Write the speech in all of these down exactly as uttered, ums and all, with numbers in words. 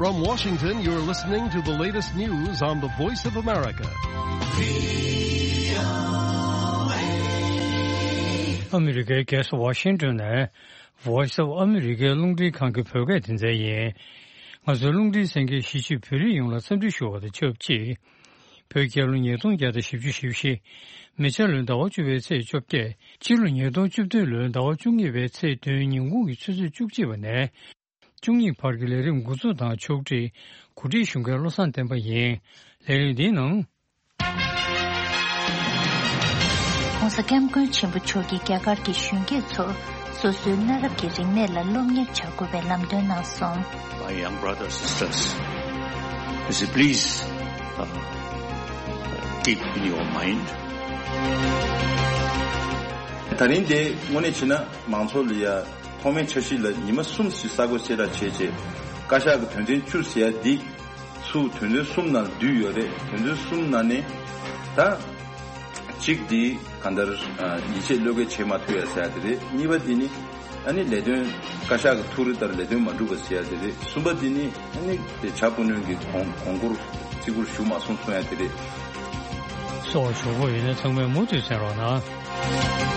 From Washington, you're listening to the latest news on the Voice of America. ཨ་མི་རི་ཀའི་རྒྱལ་ས་ཝ་ཤིང་ཏོན་ནས་Voice of America རླུང་འཕྲིན་ཁང་གི་བོད་སྐད་སྡེ་ཚན་ཡིན། ང་ཚོའི་རླུང་འཕྲིན་གསན་མཁན་གཞིས་བྱེས་བོད་རིགས་ཡོངས་ལ་འཚམས་འདྲི་ཞུ་བ་དང་ཆབས་ཅིག་བོད་རྒྱལ་ལོ་ཉིས་སྟོང་བརྒྱ་དང་བཞི་བཅུ་ཞེ་བཞི། མེ་བྱ་ལོའི་ཟླ་བ་བཅུ་པའི་ཚེས་བཅོ་བརྒྱད། སྤྱི་ལོ་ཉིས་སྟོང་བཅུ་བདུན་ལོའི་ཟླ་བ་བཅུ་གཉིས་པའི་ཚེས་བདུན་ཉིན་གུང་གི་ཆུ་ཚོད་བཅུ་གཅིག་པ་ནས། བཅུ་གཉིས་བར་གྱི་ལས་རིམ་འགོ་འཛུགས་དང་ཕྱོགས་སྒྲིག་གོ་སྒྲིག་ཞུ་མཁན་བློ་བཟང་བསྟན་པ་ཡིན། ལས་རིམ་འདིའི་ནང་། ྋགོང་ས་ྋསྐྱབས་མགོན་ཆེན་པོ་མཆོག་གིས་རྒྱ་གར་གྱི་གཞོན་སྐྱེས་ཚོར་སོ་སོའི་གནའ་རབས་ཀྱི་རིག་གནས་ལ་སློབ་གཉེར་བྱ་དགོས་པའི་ལམ་སྟོན་གནང་སོང་། My young brothers, sisters, you see, please, uh, keep in your mind. ད་རིང་དེ་དངོས་གནས་བྱས་ན་མང་ཚོགས་ལ་ཡ། ཐོག་མའི་འཆར་གཞི་ལ་ཉི་མ་གསུམ་ཞིག་ས་གོ་གསལ་བསྒྲགས་བྱས་རྗེས། བཀའ་ཤག་གི་དོན་ཚན་བཅུ་ཟེར་ཡ་འདི་ཚུར་དོན་ཚན་གསུམ་ནང་བསྡུས་ཡོད་རེད། དོན་ཚན་གསུམ་ནང་ནས་ད་གཅིག་འདི་གང་ལྟར་ཡིད་ཆེས་བློས་འགེལ་བྱེད་མ་ཐུབ་ཡ་ཟེར་ཡ་དེ་རེད། གཉིས་པ་འདི་ནི་ཨ་ནི་ལས་དོན་བཀའ་ཤག་གི་ཐུགས་རེ་ལྟར་ལས་དོན་མ་འགྲུབ་པ་ཟེར་ཡ་དེ་རེད། གསུམ་པ་འདི་ནི་ཨ་ནི་དེ་བྱ་སྤུ་ནོན་གྱི་གོང་གོང་བཀུར་བརྩི་བཀུར་ཞུ་མ་སོང་གསུང་ཡ་དེ་རེད། སོགས་ཞུ་དགོས་ཡོད་ན་ཚང་མས་མུ་མཐུད་གསན་རོགས་གནང་།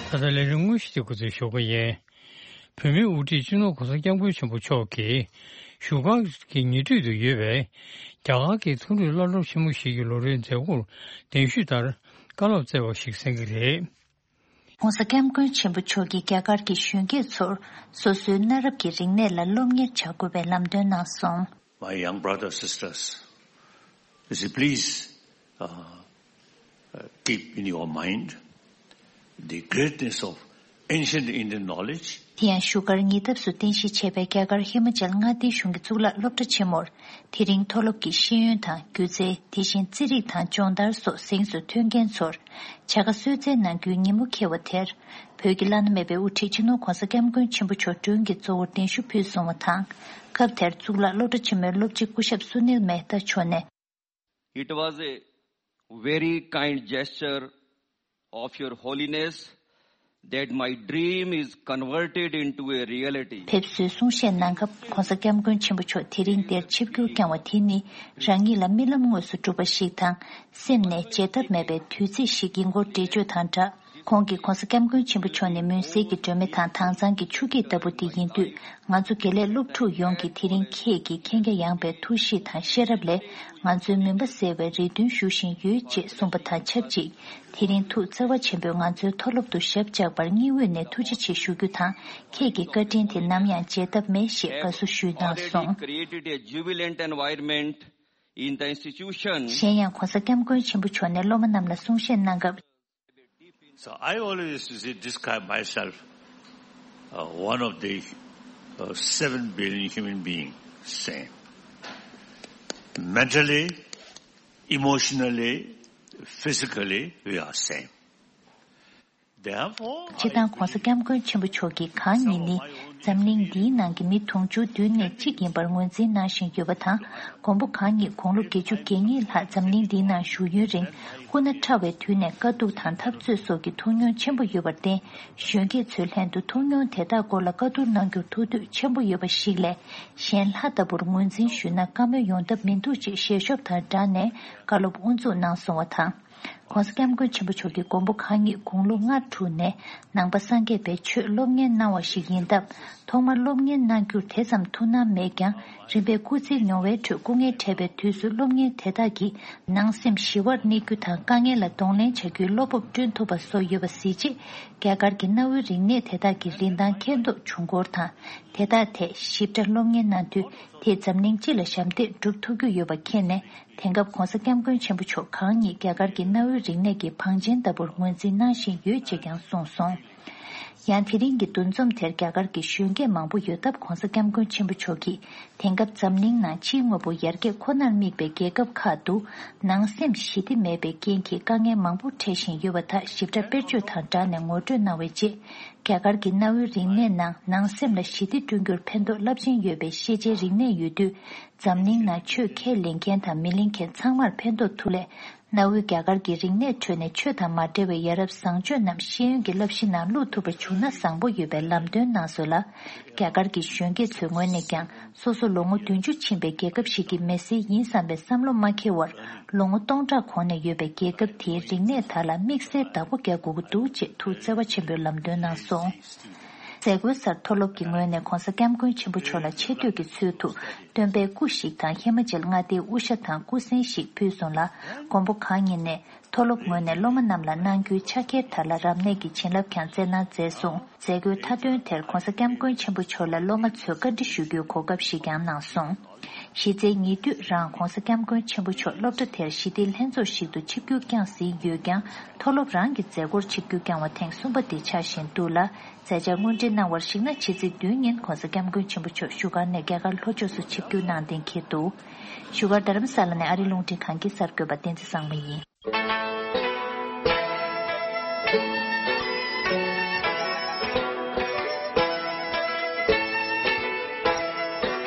ད་ལྟ་ལས་རིམ་དངོས་གཞི་དེ་འགོ་འཛུགས་ཞུ་གི་ཡིན། བོད་མིའི་དབུ་ཁྲིད་སྤྱི་ནོར་༧གོང་ས་༧སྐྱབས་མགོན་ཆེན་པོ་མཆོག་གིས་བཞུགས་སྒར་གྱི་ཉེ་འཁྲིས་དུ་ཡོད་པའི་རྒྱ་གར་གྱི་མཐོ་རིམ་སློབ་གྲྭ་ཆེན་མོ་ཞིག་གི་ལོ་རེའི་མཛད་སྒོར་གདན་ཞུས་ལྟར་བཀའ་སློབ་སྩལ་བ་ཞིག་གསན་གྱི་རེད། ྋགོང་ས་ྋསྐྱབས་མགོན་ཆེན་པོ་མཆོག་གིས་རྒྱ་གར་གྱི་གཞོན་སྐྱེས་ཚོར་སོ་སོའི་གནའ་རབས་ཀྱི་རིག་གནས་ལ་སློབ་གཉེར་བྱ་དགོས་པའི་ལམ་སྟོན་གནང་སོང་། My young brothers, sisters, you see, please, uh, uh, keep in your mind the greatness of ancient Indian knowledge. དེ་ཡང་བཞུགས་སྒར་ཉེ་འདབས་སུ་རྟེན་གཞི་བྱས་པའི་རྒྱ་གར་ཧི་མ་ཅལ་མངའ་སྡེའི་གཞུང་གི་གཙུག་ལག་སློབ་གྲྭ་ཆེན་མོར། དེ་རིང་མཐོ་སློབ་ཀྱི་ཤེས་ཡོན་དང་སྒྱུ་རྩལ། དེ་བཞིན་རྩིས་རིག་དང་སྦྱོང་བརྡར་སོགས་གཟེངས་སུ་ཐོན་མཁན་ཚོར་བྱ་དགའ་གསོལ་སྩལ་གནང་རྒྱུའི་ཉིན་མོ་འཁེལ་བ་དེར། བོད་ཀྱི་བླ་ན་མེད་པའི་དབུ་ཁྲིད་སྤྱི་ནོར་ྋགོང་ས་ྋསྐྱབས་མགོན་ཆེན་པོ་མཆོག་མགྲོན་གྱི་གཙོ་བོར་གདན་ཞུ་ཕུལ་སོང་བ་དང་། སྐབས་དེར་གཙུག་ལག་སློབ་གྲྭ་ཆེན་མོའི་སློབ་སྤྱི་སྐུ་ཞབས་སུ་ནིལ་མེ་ཏཱ་མཆོག་ནས། It was a very kind gesture of Your Holiness that my dream is converted into a reality. ཕེབས་བསུའི་གསུང་བཤད་གནང་སྐབས་ྋགོང་ས་ྋསྐྱབས་མགོན་ཆེན་པོ་མཆོག་དེ་རིང་འདིར་ཆིབས་བསྒྱུར་བསྐྱངས་བ་དེ་ནི་རང་ཉིད་ལ་རྨི་ལམ་དངོས་སུ་གྲུབ་པ་ཞིག་དང་། སེམས་ནས་བརྗེད་ཐབས་མེད་པའི་དུས་ཚིགས་ཤིག་ཡིན་སྐོར་འགྲེལ་བརྗོད་དང་སྦྲགས། ཁོང་གིས་ྋགོང་ས་ྋསྐྱབས་མགོན་ཆེན་པོ་མཆོག་ནས་མུན་སེལ་གྱི་སྒྲོན་མེ་དང་དྭངས་གཙང་གི་ཆུ་སྐྱེས་ལྟ་བུ་དེ་ཡིན་དུས། ང་ཚོ་དགེ་ལས་སློབ་ཕྲུག་ཡོངས་ཀྱིས་དེ་རིང་ཁྱེད་ཀྱི་མཁྱེན་རྒྱ་ཡངས་པའི་ཐུགས་གཤིས་དང་ཤེས་རབ་ལས་ང་ཚོའི་མུན་པ་སེལ་བའི་རེ་འདུན་ཞུ་བཞིན་ཡོད་ཅེས་གསུངས་པ་དང་ཆབས་ཅིག་དེ་རིང་ཐུགས་བརྩེ་བ་ཆེན་པོས་ང་ཚོའི་མཐོ་སློབ་ཏུ་ཞབས་བཅགས་པར་སྙིང་དབུས་ནས་ཐུགས་རྗེ་ཆེ་ཞུ་རྒྱུ་དང་། ཁྱེད་ཀྱི་བཀའ་དྲིན་དེ་ནམ་ཡང་བརྗེད་ཐབས་མེད་ཞེས་དགའ་བསུ་ཞུས་གནང་སོང་། Created a jubilant environment in the institution. གཞན་ཡང་ྋགོང་ས་ྋསྐྱབས་མགོན་ཆེན་པོ་མཆོག་ནས་སློབ་མ་རྣམས་ལ་གསུང་བཤད་གནང་སྐབས། So I always used to say, describe myself, uh, one of the, uh, seven billion human being, same. Mentally, emotionally, physically, we are same. Therefore, སྤྱིར་བཏང་ྋགོང་ས་ྋསྐྱབས་མགོན་ཆེན་པོ་མཆོག་གིས་གང་ཉིད་ནི་འཛམ་གླིང་འདིའི་ནང་གི་མི་དུང་ཕྱུར་བདུན་ནས་གཅིག་ཡིན་པར་ངོས་འཛིན་གནང་བཞིན་ཡོད་པ་དང་། མགོན་པོ་གང་ཉིད་དགུང་ལོ་བརྒྱད་ཅུ་གྱ་གཉིས་ལྷག་འཛམ་གླིང་འདིའི་ནང་བཞུགས་ཡུན་རིང་། སྐུ་ན་ཕྲ་བའི་དུས་ནས་དཀའ་སྡུག་དང་འཐབ་རྩོད་སོགས་ཀྱི་ཐུགས་མྱོང་ཆེན་པོ་ཡོད་པར་བརྟེན། གཞོན་སྐྱེས་ཚོའི་ལྷན་དུ་ཐུགས་མྱོང་དེ་དག་སྐོར་ལ་བཀའ་བསྡུར་གནང་རྒྱུར་ཐུགས་འདོད་ཆེན་པོ་ཡོད་པ་ཞིག་ལས། གཞན་ལྷ་ལྟ་བུར་ངོས་འཛིན་ཞུས་ན་བཀའ་མོལ་ཡོང་ཐབས་མི་འདུག་ཅེས་ཞལ་ཤོབ་དང་སྦྲགས་ནས་བཀའ་སློབ་དབུ་འཛུགས་གནང་སོང་བ་དང་། ྋགོང་ས་ྋསྐྱབས་མགོན་ཆེན་པོ་མཆོག་གིས་མགོན་པོ་གང་ཉིད་དགུང་ལོ་ལྔ་དྲུག་ནས་ནང་པ་སངས་རྒྱས་པའི་ཆོས་སློབ་གཉེར་གནང་བ་ཞིག་ཡིན་སྟབས། ཐོག་མར་སློབ་གཉེར་གནང་རྒྱུར་དེ་ཙམ་ཐུགས་སྣང་མེད་ཀྱང་། རིམ་པས་སྐུ་ཚེ་མྱོང་བའི་ཁྲོད་སྐུ་ངལ་འཕྲད་པའི་དུས་སུ་སློབ་གཉེར་དེ་དག་གིས་ནང་སེམས་ཞི་བར་གནས་རྒྱུ་དང་། དཀའ་ངལ་ལ་གདོང་ལེན་བྱ་རྒྱུའི་བློ་སྤོབས་བསྐྲུན་ཐུབ་པ་བཟོ་ཡོད་པ་གཟིགས་རྗེས། རྒྱ་གར་གྱི་གནའ་བོའི་རིག་གནས་དེ་དག་གི་རིན་ཐང་མཁྱེན་རྟོགས་བྱུང་སྐོར་དང་། དེ་དག་ཐད་ཞིབ་ཕྲ་སློབ་གཉེར་གནང་དུས། དེས་འཛམ་གླིང་སྤྱི་ལ་ཞབས་འདེགས་སྒྲུབ་ཐུབ་རྒྱུ་ཡོད་པ་མཁྱེན་ནས། དེང་སྐབས་ྋགོང་ས་ྋསྐྱབས་མགོན་ཆེན་པོ་མཆོག་གང་ཉིད་རྒྱ་གར་གྱི་གནའ་བོའི་རིག་གནས་ཀྱི་བང་ཆེན་ལྟ་བུར་ངོས་འཛིན་གནང་བཞིན་ཡོད་ཅེས་ཀྱང་གསུངས་སོང་། ཡང་དེ་རིང་གི་འདུ་འཛོམས་དེར་རྒྱ་གར་གྱི་གཞོན་སྐྱེས་མང་པོ་ཡོད་སྟབས། ྋགོང་ས་ྋསྐྱབས་མགོན་ཆེན་པོ་མཆོག་གིས། དེང་སྐབས་འཛམ་གླིང་ནང་ཕྱིའི་དངོས་པོ་ཡར་རྒྱས་ཁོ་ནར་དམིགས་པའི་རྒྱལ་ཁབ་ཁག་ཏུ། ནང་སེམས་ཞི་བདེ་མེད་པའི་རྐྱེན་གྱིས་དཀའ་ངལ་མང་པོ་འཕྲད་བཞིན་ཡོད་པ་དག་ཞིབ་ཕྲ་དཔེར་བརྗོད་དང་སྦྲགས་ནས་ངོ་སྤྲོད་གནང་བའི་རྗེས། རྒྱ་གར་གྱི་གནའ་བོའི་རིག་གནས་ནང་ནང་སེམས་ལ་ཞི་བདེ་བསྐྲུན་རྒྱུར་ཕན་ཐོགས་རླབས་ཆེན་ཡོད་པའི་ཤེས་བྱའི་རིག་གནས་ཡོད་དུས། འཛམ་གླིང་ནང་ཆོས་ཁས་ལེན་མཁན་དང་མི་ལེན་མཁན་ཚང་མར་ཕན་ཐོགས་ཐུབ་ལས། གནའ་བོའི་རྒྱ་གར་གྱི་རིག་གནས་ཁྲོད་ནས་ཆོས་དང་མ་འབྲེལ་བའི་ཡ་རབས་བཟང་སྤྱོད་རྣམས་ཤེས་ཡོན་གྱི་བསླབ་གཞི་ནང་བླུག་ཐུབ་པ་བྱུང་ན་བཟང་པོ་ཡོད་པའི་ལམ་སྟོན་གནང་སོང་ལ། རྒྱ་གར་གྱི་གཞོན་སྐྱེས་ཚོའི་ངོས་ནས་ཀྱང་སོ་སོ་ལོ་ངོ་བདུན་ཅུ་ཕྱིན་པའི་རྒྱལ་ཁབ་ཞིག་གི་མི་སེར་ཡིན་བསམ་པའི་བསམ་བློ་མ་འཁྱེར་བར། ལོ་ངོ་སྟོང་ཕྲག་གོང་ནས་ཡོད་པའི་རྒྱལ་ཁབ་དེའི་རིག་གནས་དག་ལ་དམིགས་བསལ་བདག་པོ་རྒྱག་དགོས་ཀྱི་འདུག་ཅེས་ཐུགས་བརྩེ་བ་ཆེན་པོས་ལམ་སྟོན་གནང་སོང་། མཛད་སྒོའི་སར་མཐོ་སློབ་ཀྱི་ངོས་ནས་༧གོང་ས་༧སྐྱབས་མགོན་ཆེན་པོ་མཆོག་ལ་ཆེ་བསྟོད་ཀྱི་ཚུལ་དུ་སྟོན་པའི་སྐུ་ཞིག་དང་ཧི་མ་ཅལ་མངའ་སྡེའི་དབུ་ཞྭ་དང་སྐུ་གཟན་ཞིག་ཕུལ་སོང་ལ། མགོན་པོ་གང་ཉིད་ནས་མཐོ་སློབ་ངོས་ནས་སློབ་མ་རྣམས་ལ་གནང་རྒྱུའི་ཕྱག་འཁྱེར་དག་ལ་རབ་གནས་ཀྱི་བྱིན་རླབས་ཀྱང་སྩལ་གནང་མཛད་སོང་། མཛད་སྒོའི་མཐའ་དོན་དེར་༧གོང་ས་༧སྐྱབས་མགོན་ཆེན་པོ་མཆོག་ལ་སློབ་མ་ཚོས་བཀའ་འདྲི་ཞུ་རྒྱུའི་གོ་སྐབས་ཤིག་ཀྱང་གནང་སོང་། གཞི་རྩའི་ཉེ་དུས་རང་༧གོང་ས་༧སྐྱབས་མགོན་ཆེན་པོ་མཆོག་སློབ་གྲྭ་དེར་ཞི་བདེའི་ལྷན་ཚོགས་ཤིག་ཏུ་ཆིབས་བསྒྱུར་བསྐྱངས་ཟིན་ཡོད་ཀྱང་། མཐོ་སློབ་རང་གི་མཛད་སྒོར་ཆིབས་བསྒྱུར་བསྐྱངས་པ་ཐེངས་གསུམ་པ་དེ་ཆགས་བཞིན་འདུག་ལ། མཛད་འཆར་དངོས་འབྲེལ་གནང་བར་གཞིགས་ན་ཕྱི་ཚེས་བདུན་ཉིན་༧གོང་ས་༧སྐྱབས་མགོན་ཆེན་པོ་མཆོག་བཞུགས་སྒར་ནས་རྒྱ་གར་ལྷོ་ཕྱོགས་སུ་ཆིབས་བསྒྱུར་གནང་གཏན་འཁེལ་འདུག་བཞུགས་སྒར་རྡ་རམ་ས་ལ་ནས་ཨ་རིའི་རླུང་འཕྲིན་ཁང་གི་གསར་འགོད་པ་བསྟན་འཛིན་བཟང་མོ་ཡིན།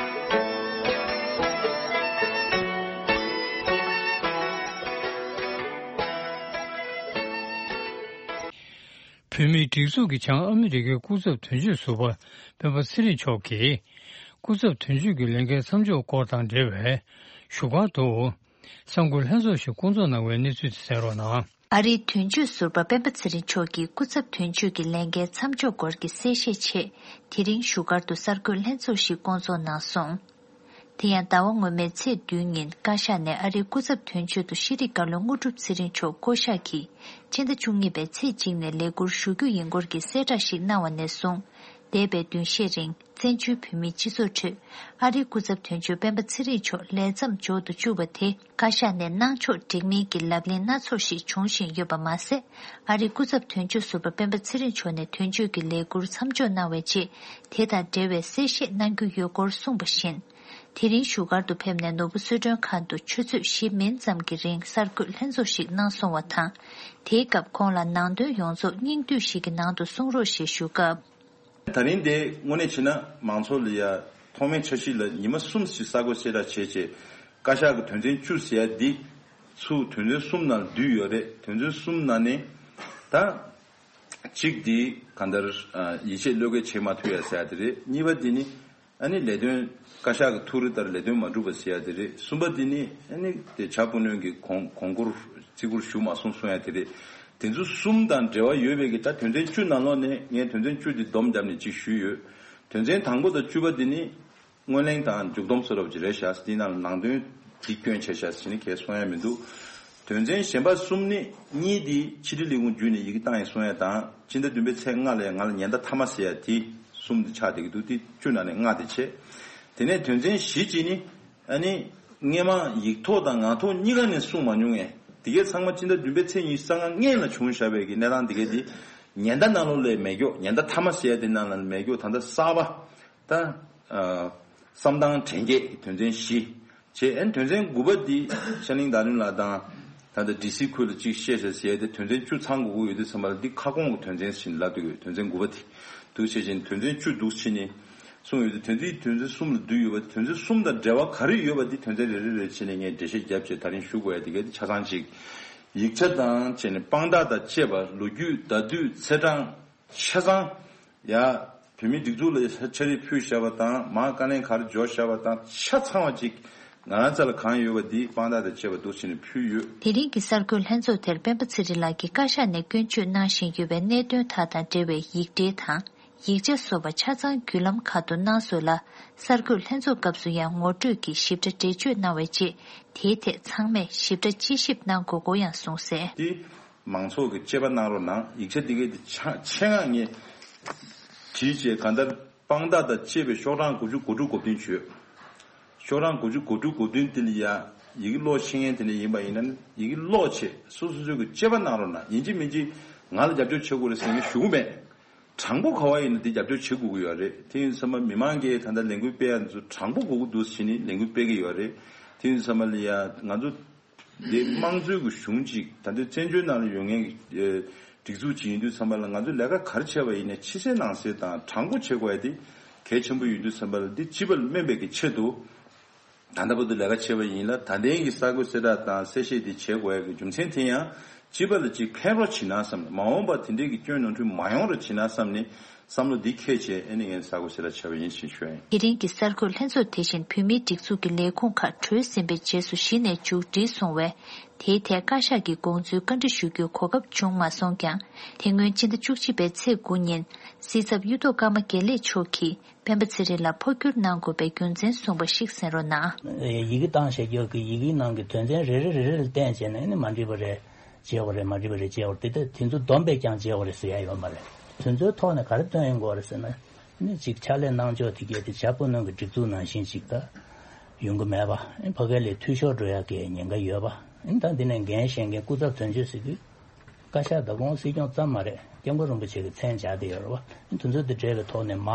བོད་མིའི་སྒྲིག་འཛུགས་ཀྱི་བྱང་ཨ་མི་རི་ཀའི་སྐུ་ཚབ་དོན་གཅོད་ཟུར་པ་སྤེན་པ་ཚེ་རིང་མཆོག་གིས། སྐུ་ཚབ་དོན་གཅོད་ཀྱི་ལས་འགན་མཚམས་འཇོག་སྐོར་དང་འབྲེལ་བའི་བཞུགས་སྒར་དུ། གསར་འགོད་ལྷན་ཚོགས་ཤིག་བསྐོང་ཚོགས་གནང་བའི་གནས་ཚུལ་དེ་གསན་རོགས་གནང་། ཨ་རིའི་དོན་གཅོད་ཟུར་པ་སྤེན་པ་ཚེ་རིང་མཆོག་གིས་སྐུ་ཚབ་དོན་གཅོད་ཀྱི་ལས་འགན་མཚམས་འཇོག་སྐོར་གྱི་གསལ་བཤད་ཆེད། དེ་རིང་བཞུགས་སྒར་དུ་གསར་འགོད་ལྷན་ཚོགས་ཤིག་བསྐོང་ཚོགས་གནང་སོང་། དེ་ཡང་ཟླ་བ་སྔོན་མའི་ཚེས་བདུན་ཉིན་བཀའ་ཤག་ནས་ཨ་རིའི་སྐུ་ཚབ་དོན་གཅོད་དུ་ཤེས་རིག་བཀའ་བློན་དངོས་གྲུབ་ཚེ་རིང་མཆོག་བསྐོ་གཞག་གིས་སྤྱི་ཟླ་བཅུ་གཉིས་པའི་ཚེས་གཅིག་ནས་ལས་འཁུར་ཞུ་རྒྱུ་ཡིན་སྐོར་གྱི་གསལ་བསྒྲགས་ཤིག་གནང་བ་ནས་བཟུང་། འདས་པའི་བདུན་ཤས་རིང་བཙན་བྱོལ་བོད་མིའི་སྤྱི་ཚོགས་ཁྲོད་ཨ་རིའི་སྐུ་ཚབ་དོན་གཅོད་སྤེན་པ་ཚེ་རིང་མཆོག་ལས་མཚམས་འཇོག་ཏུ་བཅུག་པ་དེ་བཀའ་ཤག་ནས་གནང་ཕྱོགས་འགྲིག་མིན་གྱི་ལབ་གླེང་སྣ་ཚོགས་ཤིག་འབྱུང་བཞིན་ཡོད་པ་མ་ཟད། ཨ་རིའི་སྐུ་ཚབ་དོན་གཅོད་ཟུར་པ་སྤེན་པ་ཚེ་རིང་མཆོག་ནས་དོན་གཅོད་ཀྱི་ལས་འཁུར་མཚམས་འཇོག་གནང་བའི་རྗེས། དེ་དང་འབྲེལ་བའི་གསལ་བཤད་གནང་རྒྱུ་ཡོད་སྐོར་གསུངས་པ་བཞིན། དེ་རིང་བཞུགས་སྒར་དུ་ཕེབས་ནས་ནོར་བུ་གསོལ་མགྲོན་ཁང་དུ་ཆུ་ཚོད་བཞི་མིན་ཙམ་གྱི་རིང་གསར་འགོད་ལྷན་ཚོགས་ཤིག་གནང་སོང་བ་དང་། དེའི་སྐབས་ཁོང་ལ་ནང་དོན་ཡོངས་རྫོགས་སྙིང་བསྡུས་ཤིག་གི་ནང་དུ་གསུང་རོགས་ཞེས་ཞུ་སྐབས། ད་རིང་འདི་དངོས་གནས་བྱས་ན་མང་ཚོགས་ལ་ཡ་ཐོག་མའི་འཆར་གཞི་ལ་ཉི་མ་གསུམ་ཞིག་གསར་འགོད་གསལ་བསྒྲགས་བྱས་རྗེས། བཀའ་ཤག་གི་དོན་ཚན་བཅུ་ཟེར་ཡ་འདི་ཚུར་དོན་ཚན་གསུམ་ནང་བསྡུས་ཡོད་རེད། དོན་ཚན་གསུམ་ནང་ནས་ད་གཅིག་འདི་གང་ལྟར་ཡིད་ཆེས་བློས་འགེལ་བྱེད་མ་ཐུབ་ཡ་ཟེར་ཡ་དེ་རེད། གཉིས་པ་འདི་ནི། ཨ་ནི་ལས་དོན་བཀའ་ཤག་གི་ཐུགས་རེ་ལྟར་ལས་དོན་མ་འགྲུབ་པ་ཟེར་ཡ་དེ་རེད། གསུམ་པ་དེ་ནི་ཨ་ནི་དེ་བྱ་སྤུ་ནོན་གྱི་གོང་གོང་བཀུར་བརྩི་བཀུར་ཞུ་མ་སོང་གསུང་ཡ་དེ་རེད། དེ་ཚོ་གསུམ་དང་འབྲེལ་བ་ཡོད་པའི་གི་ད་དོན་ཚན་བཅུ་ནང་ལོགས་ནས་ངས་དོན་ཚན་བཅུ་དེ་སྡོམ་བརྒྱབ་ནས་ཅིག་ཞུས་ཡོད། དོན་ཚན་དང་པོ་དང་བཅུ་པ་དེ་ནི་སྔོན་གླེང་དང་མཇུག་སྡོམ་བཟོ་འདྲ་པོ་ཅིག་རེད་ཤག་དེའི་ནང་ལ་ནང་དོན་དེ་སྐྱོན་ཆེ་ཤག་ཟེར་ནས་གས་གསུང་ཡ་མི་འདུག་དོན་ཚན་གཞན་པ་གསུམ་ནི་གཉིས་དེ་ཕྱི་དྲིལ་ལས་ཁུངས་བརྒྱུད་ནས་ཡི་གེ་བཏང་ཡིན་གསུང་ཡ་དང་སྤྱི་ཟླ་བདུན་པའི་ཚེས་ལྔ་ལ་ཡ་ང་ལ་ཉེན་བརྡ་མཐའ་མ་ཟེར་ཡ་དེ། གསུམ་དེ་ཆགས་བསྡད་ཀྱི་འདུག་དེ་བཅུ་ནང་ནས་ལྔ་དེ་བྱས། དེ་ནས་དོན་ཚན་བཞི་གཅིག་ནི་ཨ་ནི་སྔས་མ་ཡིག་ཐོག་དང་ངག་ཐོག་གཉིས་ཀ་ནས་གསུངས་མ་མྱོང་ངས་དེ་གའི་ཚང་མ་སྤྱི་ཟླ་བདུན་པའི་ཚེས་ཉི་ཤུ་རྩ་ལྔ་སྔོན་ལ་བྱུང་བཞག་པའི་གི་གནས་སྟངས་དེ་གའི་དེ་ཉེན་བརྡ་ནང་ལོགས་ལས་མེད་ཀྱོག་ཉེན་བརྡ་མཐའ་མ་ཟེར་ཡ་དེ་ནང་ལ་མེད་ཀྱོག་ད་ལྟ་གསར་པ་ད་བསམ་སྟངས་དྲན་སྐྱེད་ཀྱི་དོན་ཚན་བཞི། བྱས་ཨན་དོན་ཚན་དགུ་པ་འདི་ཤར་གླིང་བརྡ་དོན་ལགས་དང་ད་ལྟ་ཌི་སི་ཁུལ་ལ་གཅིག་བཤད་བྱས་ཟེར་ཏེ་དོན་ཚན་བཅུ་ཚང་དགོས་ཀྱི་ཡོད་དུས་ཙམ་པ་ལ་འདི་ཁ་སྐོང་གི་དོན་ཚན་ཟིན་ལབ་འདུག་ཡོད། དོན་ཚན་དགུ་པ་འདི་འདུག་བྱས་ཅིང་དོན་ཚན་བཅུ་འདུག་ཕྱི་ནས་གསུངས་ཡོད་དུས་དོན་ཚན་དོན་ཚན་གསུམ་ལ་བསྡུས་ཡོད་པ་དོན་ཚན་གསུམ་དང་འབྲེལ་བ་ག་རེ་ཡོད་པ་འདི་དོན་ཚན་རེ་རེ་རེ་ཕྱི་ནས་ངས་འགྲེལ་བཤད་བརྒྱབ་བྱས་ད་རིང་ཞུ་དགོས་ཡ་དེ་གའི་ཆ་ཚང་གཅིག་ཡིག་ཆ་དང་བཅས་ནས་དཔང་རྟགས་དང་བཅས་པ་ལོ་རྒྱུས་བརྡ་དུས་ཚེས་གྲངས་ཆ་ཚང་། ཡ། བོད་མིའི་སྒྲིག་འཛུགས་ལ་ཕྱག་བྲིས་ཕུལ་བཞག་པ་དང་མར་བཀའ་ལན་ག་རེ་འབྱོར་བཞག་པ་དང་ཆ་ཚང་བ་ཅིག་ང་རང་རྩ་ལ་གང་ཡོད་པ་འདི་དཔང་རྟགས་དང་བཅས་པ་འདུག་བྱས་ནས་ཕུལ་ཡོད། དེ་རིང་གི་གསར་འགོད་ལྷན་ཚོགས་དེར་སྤེན་པ་ཚེ་རིང་ལགས་ཀྱིས་བཀའ་ཤག་ནས་སྐྱོན་བརྗོད་གནང་བཞིན་ཡོད་པའི་གནད་དོན་དག་དང་འབྲེལ་བའི་ཡིག་འབྲེལ་དང་ཡིག་ཆ་སོགས་པ་ཆ་ཚང་བརྒྱུད་ལམ་ཁག་ཏུ་གནང་སོང་ལ། གསར་འགོད་ལྷན་ཚོགས་སྐབས་སུ་ཡང་ངོ་སྤྲོད་ཀྱིས་ཞིབ་ཕྲ་འགྲེལ་བརྗོད་གནང་བའི་རྗེས་དེའི་ཐད་ཚང་མས་ཞིབ་ཕྲ་དཔྱད་ཞིབ་གནང་དགོས་སྐོར་ཡང་གསུངས་གསལ། དེ། མང་ཚོགས་ཀྱི་དཔྱད་པ་གནང་རོགས་གནང་། ཡིག་ཆ་འདི་གའི་འདི་ཆ་ཆེད་མངགས་ངས་བྲིས་བྱས་གང་ལྟར་དཔང་རྟགས་དང་བཅས་པའི་ཤོག་གྲངས་དགུ་བཅུ་གོ་དྲུག་གོ་བདུན་བྱོས། ཤོག་གྲངས་དགུ་བཅུ་གོ་དྲུག་གོ་བདུན་འདི་ལ་ཡ་ཡི་གེ་ཀློག་ཤེས་མཁན་དེ་འདྲ་ཡིན་པ་ཡིན་ན་ནི་ཡི་གེ་ཀློག་བྱས་སོ་སོ་སོ་གི་དཔྱད་པ་གནང་རོགས་གནང་། ཡིན་གཅིག་མིན་གཅིག་ང་ལ་རྒྱབ་སྐྱོར་བྱེད་དགོས་རེད་ཟེར་ངས་ཞུ་གི་མེད། དྲང་པོ་ག་བ་ཡིན་ན་འདི་རྒྱབ་སྐྱོར་བྱེད་དགོས་ཀྱི་ཡོད་རེད། དེ་ཡིན་ཙམ་པ་མི་མང་གིས་ད་ལྟ་ལས་འགུལ་སྤེལ་ཡ་འདི་ཚོ་དྲང་པོ་དགོས་ཀྱི་འདུག་ཟེར་ནས་ལས་འགུལ་སྤེལ་གྱི་ཡོད་རེད། དེ་ཡིན་ཙམ་པ་ལ་ཡ་ང་ཚོ། འདི་དམངས་གཙོའི་གི་གཞུང་ཅིག་ད་ལྟའི་བཙན་བྱོལ་ནང་ལ་ཡོད་མཁན་གྱི་ཨེ་སྒྲིག་འཛུགས་ཅིག་ཡིན་དུས་ཙམ་པ་ལ་ང་ཚོས་ལས་ཀ་ག་རེ་བྱས་པ་ཡིན་ནའི་ཕྱི་གསལ་ནང་གསལ་དང་དྲང་པོ་བྱེད་དགོས་ཡ་དེ་གལ་ཆེན་པོ་ཡིན་དུས་ཙམ་པ་ལ་འདི་སྤྱི་པ་ལ་སྨན་པའི་གི་ཆེད་དུ་ ད་ལྟ་བར་དུ་ལས་ཀ་བྱས་པ་ཡིན་ལ། ད་ལྟའི་གི་གསར་འགོད་གསལ་བསྒྲགས་དང་གསལ་བཤད་འདི་བྱེད་དགོས་ཡ་གི་རྒྱུ་མཚན་དེ་ཡང་སྤྱི་པ་ལ་ཅིག་ཕན་རོགས་བྱེད་ན་བསམ་ནས། མ་འོངས་པར་དེ་འདྲའི་གི་སྐྱོན་ནོར་འཁྲུལ་མ་ཡོང་རོགས་བྱེད་ན་བསམ་ནས་བསམ་བློ་འདི་འཁྱེར་བྱས། ཨ་ནི་ངས་གསར་འགོད་གསལ་བསྒྲགས་བྱས་པ་ཡིན་ཞེས་ཞུ་ཡ་ཡིན། དེ་རིང་གི་གསར་འགོད་ལྷན་ཚོགས་དེ་བཞིན་བོད་མིའི་སྒྲིག་འཛུགས་ཀྱི་ལས་ཁུངས་ཁག་གྲོལ་ཟིན་པའི་རྗེས་སུ་གཞི་ནས་མཇུག་སྒྲིལ་སོང་བས། དེའི་ཐད་བཀའ་ཤག་གིས་དགོངས་ཚུལ་བཀའ་འདྲི་ཞུ་རྒྱུའི་གོ་སྐབས་བྱུང་མ་སོང་ཀྱང་། དེ་སྔོན་ཕྱི་ཟླ་བཅུ་གཅིག་པའི་ཚེས་དགུ་ཉིན་སྲིད་ཚབ་གཡུ་ཐོག་ཀརྨ་དགེ་ལེགས་མཆོག་གིས་སྤེན་པ་ཚེ་རིང་ལ་འཕོ་འགྱུར་གནང་དགོས་པའི་རྒྱུ་མཚན་གསུངས་པ་ཞིག་གསན་རོགས་གནང་། ཡི་གེ་བཏང་བཞག་རྒྱུ་གི་ཡི་གེའི་ནང་གི་དོན་ཚན་རེ་རེ་རེ་རེ་ལ་བལྟས་བྱས་ནས་ནི་མ་འགྲིག་པ་རེད། བྱས་པ་རེད། མ་འགྲིག་པ་རེད། བྱས་པ་རེད། དེ་དེ་ཚོ་བསྡོམས་པས་ཀྱང་བྱས་པ་རེད་ཟེར་ཡ་ཡོད་མ་རེད། དེ་ཚོའི་ཐོག་ནས་ག་རེ་བཏོན་ཡོང་གི་ཡོད་རེད་ཟེར་ན། ནི་གཅིག་ཕྱག་ལས་གནང་ཕྱོགས་དེ་གས་དེ་བྱ་སྤུ་ནང་གི་སྒྲིག་འཛུགས་ནང་བཞིན་ཅིག་ད་ཡོང་གི་མེད་པ། ཨེ་ཕ་གི་ལས་འཐུས་ཤོར་འགྲོ་ཡག་གི་ཉེན་ཁ་ཡོད་པ། ཨེ་ད་འདི་ནས་འགན་བཞེས་མཁན་སྐུ་ཚབ་དོན་གཅོད་ཟེར་དུས། བཀའ་ཤག་ད་ཁོང་སྲིད་སྐྱོང་ཙམ་མ་རེད། སྐྱབས་མགོན་རིན་པོ་ཆེ་གི་མཚན་སྦྱར་བསྡད་ཡོད་རེད་བ། དེ་ཚོ་དེ་འདྲ་གི་ཐོག་ནས་མ་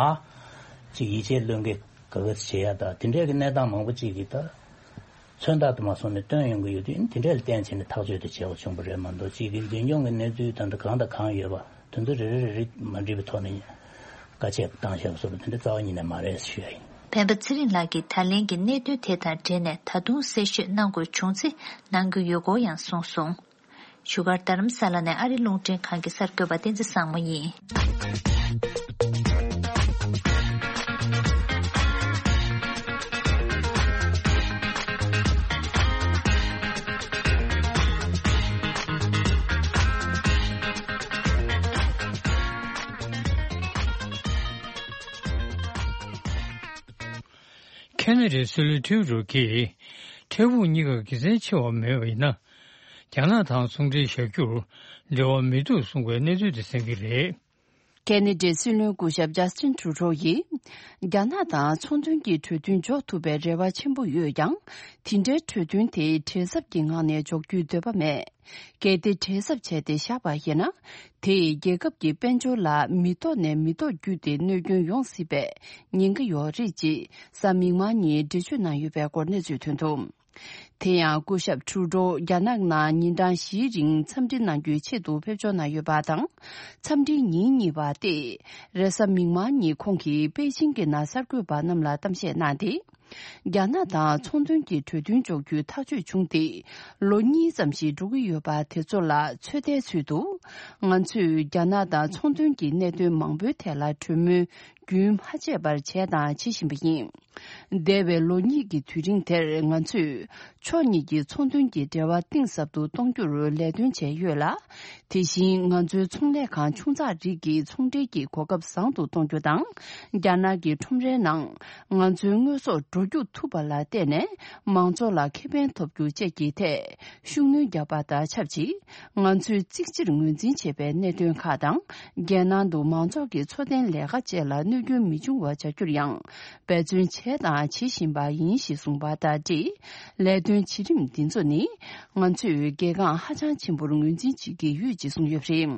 ཅིག་ཡིད་ཆེས་བློས་འགེལ་ག་ག་བྱེད་ཡ་ད་དེ་འདྲ་གི་གནས་སྟངས་མང་པོ་ཅིག་གིས་ད་མཚོན་རྟགས་དུ་མ་སོང་ནས་བཏོན་ཡོང་གི་ཡོད་དུས། དེ་འདྲ་ལ་བརྟེན་བྱས་ནས་ཐག་གཅོད་དེ་བྱེད་དགོས་བྱུང་བ་རེད་མ་གཏོགས། ཅིག་གི་འཛིན་སྐྱོང་གི་གནས་ཚུལ་ད་ལྟ་གང་དང་གང་ཡོད་པ་དེ་ཚོ་རེ་རེ་རེ་རེ་མ་འགྲིག་པའི་ཐོག་ནས་བཀའ་ཆད་བཏང་བཞག་པ་སོགས་པ་དེ་འདྲ་རྩ་བ་ཉིད་ནས་མ་རེད་ཞུ་ཡ་ཡིན། སྤེན་པ་ཚེ་རིང་ལགས་ཀྱིས་ད་ལན་གྱི་གནད་དོན་དེ་དང་འབྲེལ་ནས་ད་དུང་གསལ་བཤད་གནང་དགོས་བྱུང་ཚེ་གནང་རྒྱུ་ཡོད་སྐོར་ཡང་གསུངས་སོང་། བཞུགས་སྒར་རྡ་རམ་ས་ལ་ནས་ཨ་རི་རླུང་འཕྲིན་ཁང་གི་གསར་འགོད་པ་བསྟན་འཛིན་བཟང་མོ་ཡིན། ཁེ་ན་ཌའི་སྲིད་བློན་ཊུ་རུ་ཌོ་གིས། འཕྲལ་ཕུགས་གཉིས་ཀར་དགེ་མཚན་ཆེ་བ་མེད་པ་ཡིན་ན། རྒྱ་ནག་དང་ཚོང་འབྲེལ་བཞག་རྒྱུར་འབྲེལ་བ་མི་འདུག་གསུང་བའི་གནས་ཚུལ་དེ་གསན་གྱི་རེད། ཁེ་ན་ཌའི་སྲིད་བློན་སྐུ་ཞབས་ཇཱ་སི་ཊིན་ཊུ་རུ་ཌོ་ཡིས། རྒྱ་ནག་དང་ཚོང་དོན་གྱི་གྲོས་མཐུན་འཇོག་ཐུབ་པའི་རེ་བ་ཆེན་པོ་ཡོད་ཀྱང་། དེ་འདྲའི་གྲོས་མཐུན་དེ་བྲེལ་འཚབ་ཀྱི་ངང་ནས་འཇོག་རྒྱུའི་འདོད་པ་མེད། གལ་ཏེ་བྲེལ་འཚབ་བྱས་ཏེ་བཞག་པ་ཡིན་ན། དེས་རྒྱལ་ཁབ་ཀྱི་དཔལ་འབྱོར་ལ་མི་ཐོག་ནས་མི་ཐོག་བརྒྱུད་དེ་གནོད་སྐྱོན་ཡོང་སྲིད་པའི་ཉེན་ཁ་ཡོད་རེད་ཅེས་གཟའ་མིག་དམར་ཉིན་འགྲེལ་བརྗོད་གནང་ཡོད་པའི་སྐོར་གནས་ཚུལ་ཐོན་འདུག། དེ་ཡང་སྐུ་ཞབས་ཊུ་རུ་ཌོ་རྒྱ་ནག་ནང་ཉིན་གྲངས་བཞིའི་རིང་འཚམས་འདྲི་གནང་རྒྱུའི་ཆེད་དུ་ཕེབས་འབྱོར་གནང་ཡོད་པ་དང་། འཚམས་འདྲིའི་ཉིན་གཉིས་པ་སྟེ། རེས་གཟའ་མིག་དམར་ཉིན་ཁོང་གིས་པེ་ཅིང་གི་ནང་གསར་འགོད་པ་རྣམས་ལ་གཏམ་བཤད་གནང་སྟེ། རྒྱ་ནག་དང་ཚོང་དོན་གྱི་གྲོས་མཐུན་འཇོག་རྒྱུའི་ཐག་གཅོད་བྱུང་སྟེ། ལོ་གཉིས་ཙམ་ཞིག་འགྲོ་གི་ཡོད་པ་དེ་ཚོ་ལ་ཚོད་ལྟའི་ཚུལ་དུ། ང་ཚོས་རྒྱ་ནག་དང་ཚོང་དོན་གྱི་གནད་དོན་མང་པོའི་ཐད་ལ་གྲོས་མོལ་རྒྱུན་མ་ཆད་པར་བྱས་དང་བྱེད་བཞིན་པ་ཡིན། འདས་པའི་ལོ་གཉིས་ཀྱི་དུས་རིང་དེར་ང་ཚོས་ཕྱོགས་གཉིས་ཀྱི་ཚོང་དོན་གྱི་འབྲེལ་བ་གཏིང་ཟབ་ཏུ་གཏོང་རྒྱུར་ལས་དོན་བྱས་ཡོད་ལ། དེ་བཞིན་ང་ཚོའི་ཚོང་ལས་ཁང་ཆུང་ཙག་རིགས་ཀྱི་ཚོང་འབྲེལ་གྱི་གོ་སྐབས་བཟང་དུ་གཏོང་རྒྱུ་དང་། རྒྱ་ནག་གི་ཁྲོམ་རའི་ནང་ང་ཚོའི་དངོས་ཟོག་འགྲོ་རྒྱུག་ཐུབ་པ་ལ་བརྟེན་ནས་མང་ཚོགས་ལ་ཁེ་ཕན་ཐོབ་རྒྱུ་བཅས་ཀྱི་ཐད་ཤུགས་སྣོན་བརྒྱབ་པ་དང་ཆབས་ཅིག། ང་ཚོས་གཙིགས་ཆེར་ངོས་འཛིན་བྱེད་པའི་གནད་དོན་ཁག་དང་། རྒྱལ་ནང་དུ་མང་ཚོགས་ཀྱི་འཚོ་རྟེན་ལས་ཀ་བཅས་ལ་གནོད་སྐྱོན་མི་འབྱུང་བ་བྱ་རྒྱུར་ཡང་འབད་བརྩོན་བྱས་དང་བྱེད་བཞིན་པ་ཡིན་ཞེས་གསུངས་པ་དང་འབྲེལ། ལས་དོན་བྱེད་རིམ་འདི་ཚོ་ནི་ང་ཚོས་གལ་འགངས་ཧ་ཅང་ཆེན་པོར་ངོས་འཛིན་བྱེད་ཀྱི་ཡོད་ཅེས་གསུངས་ཡོད་པ་རེད།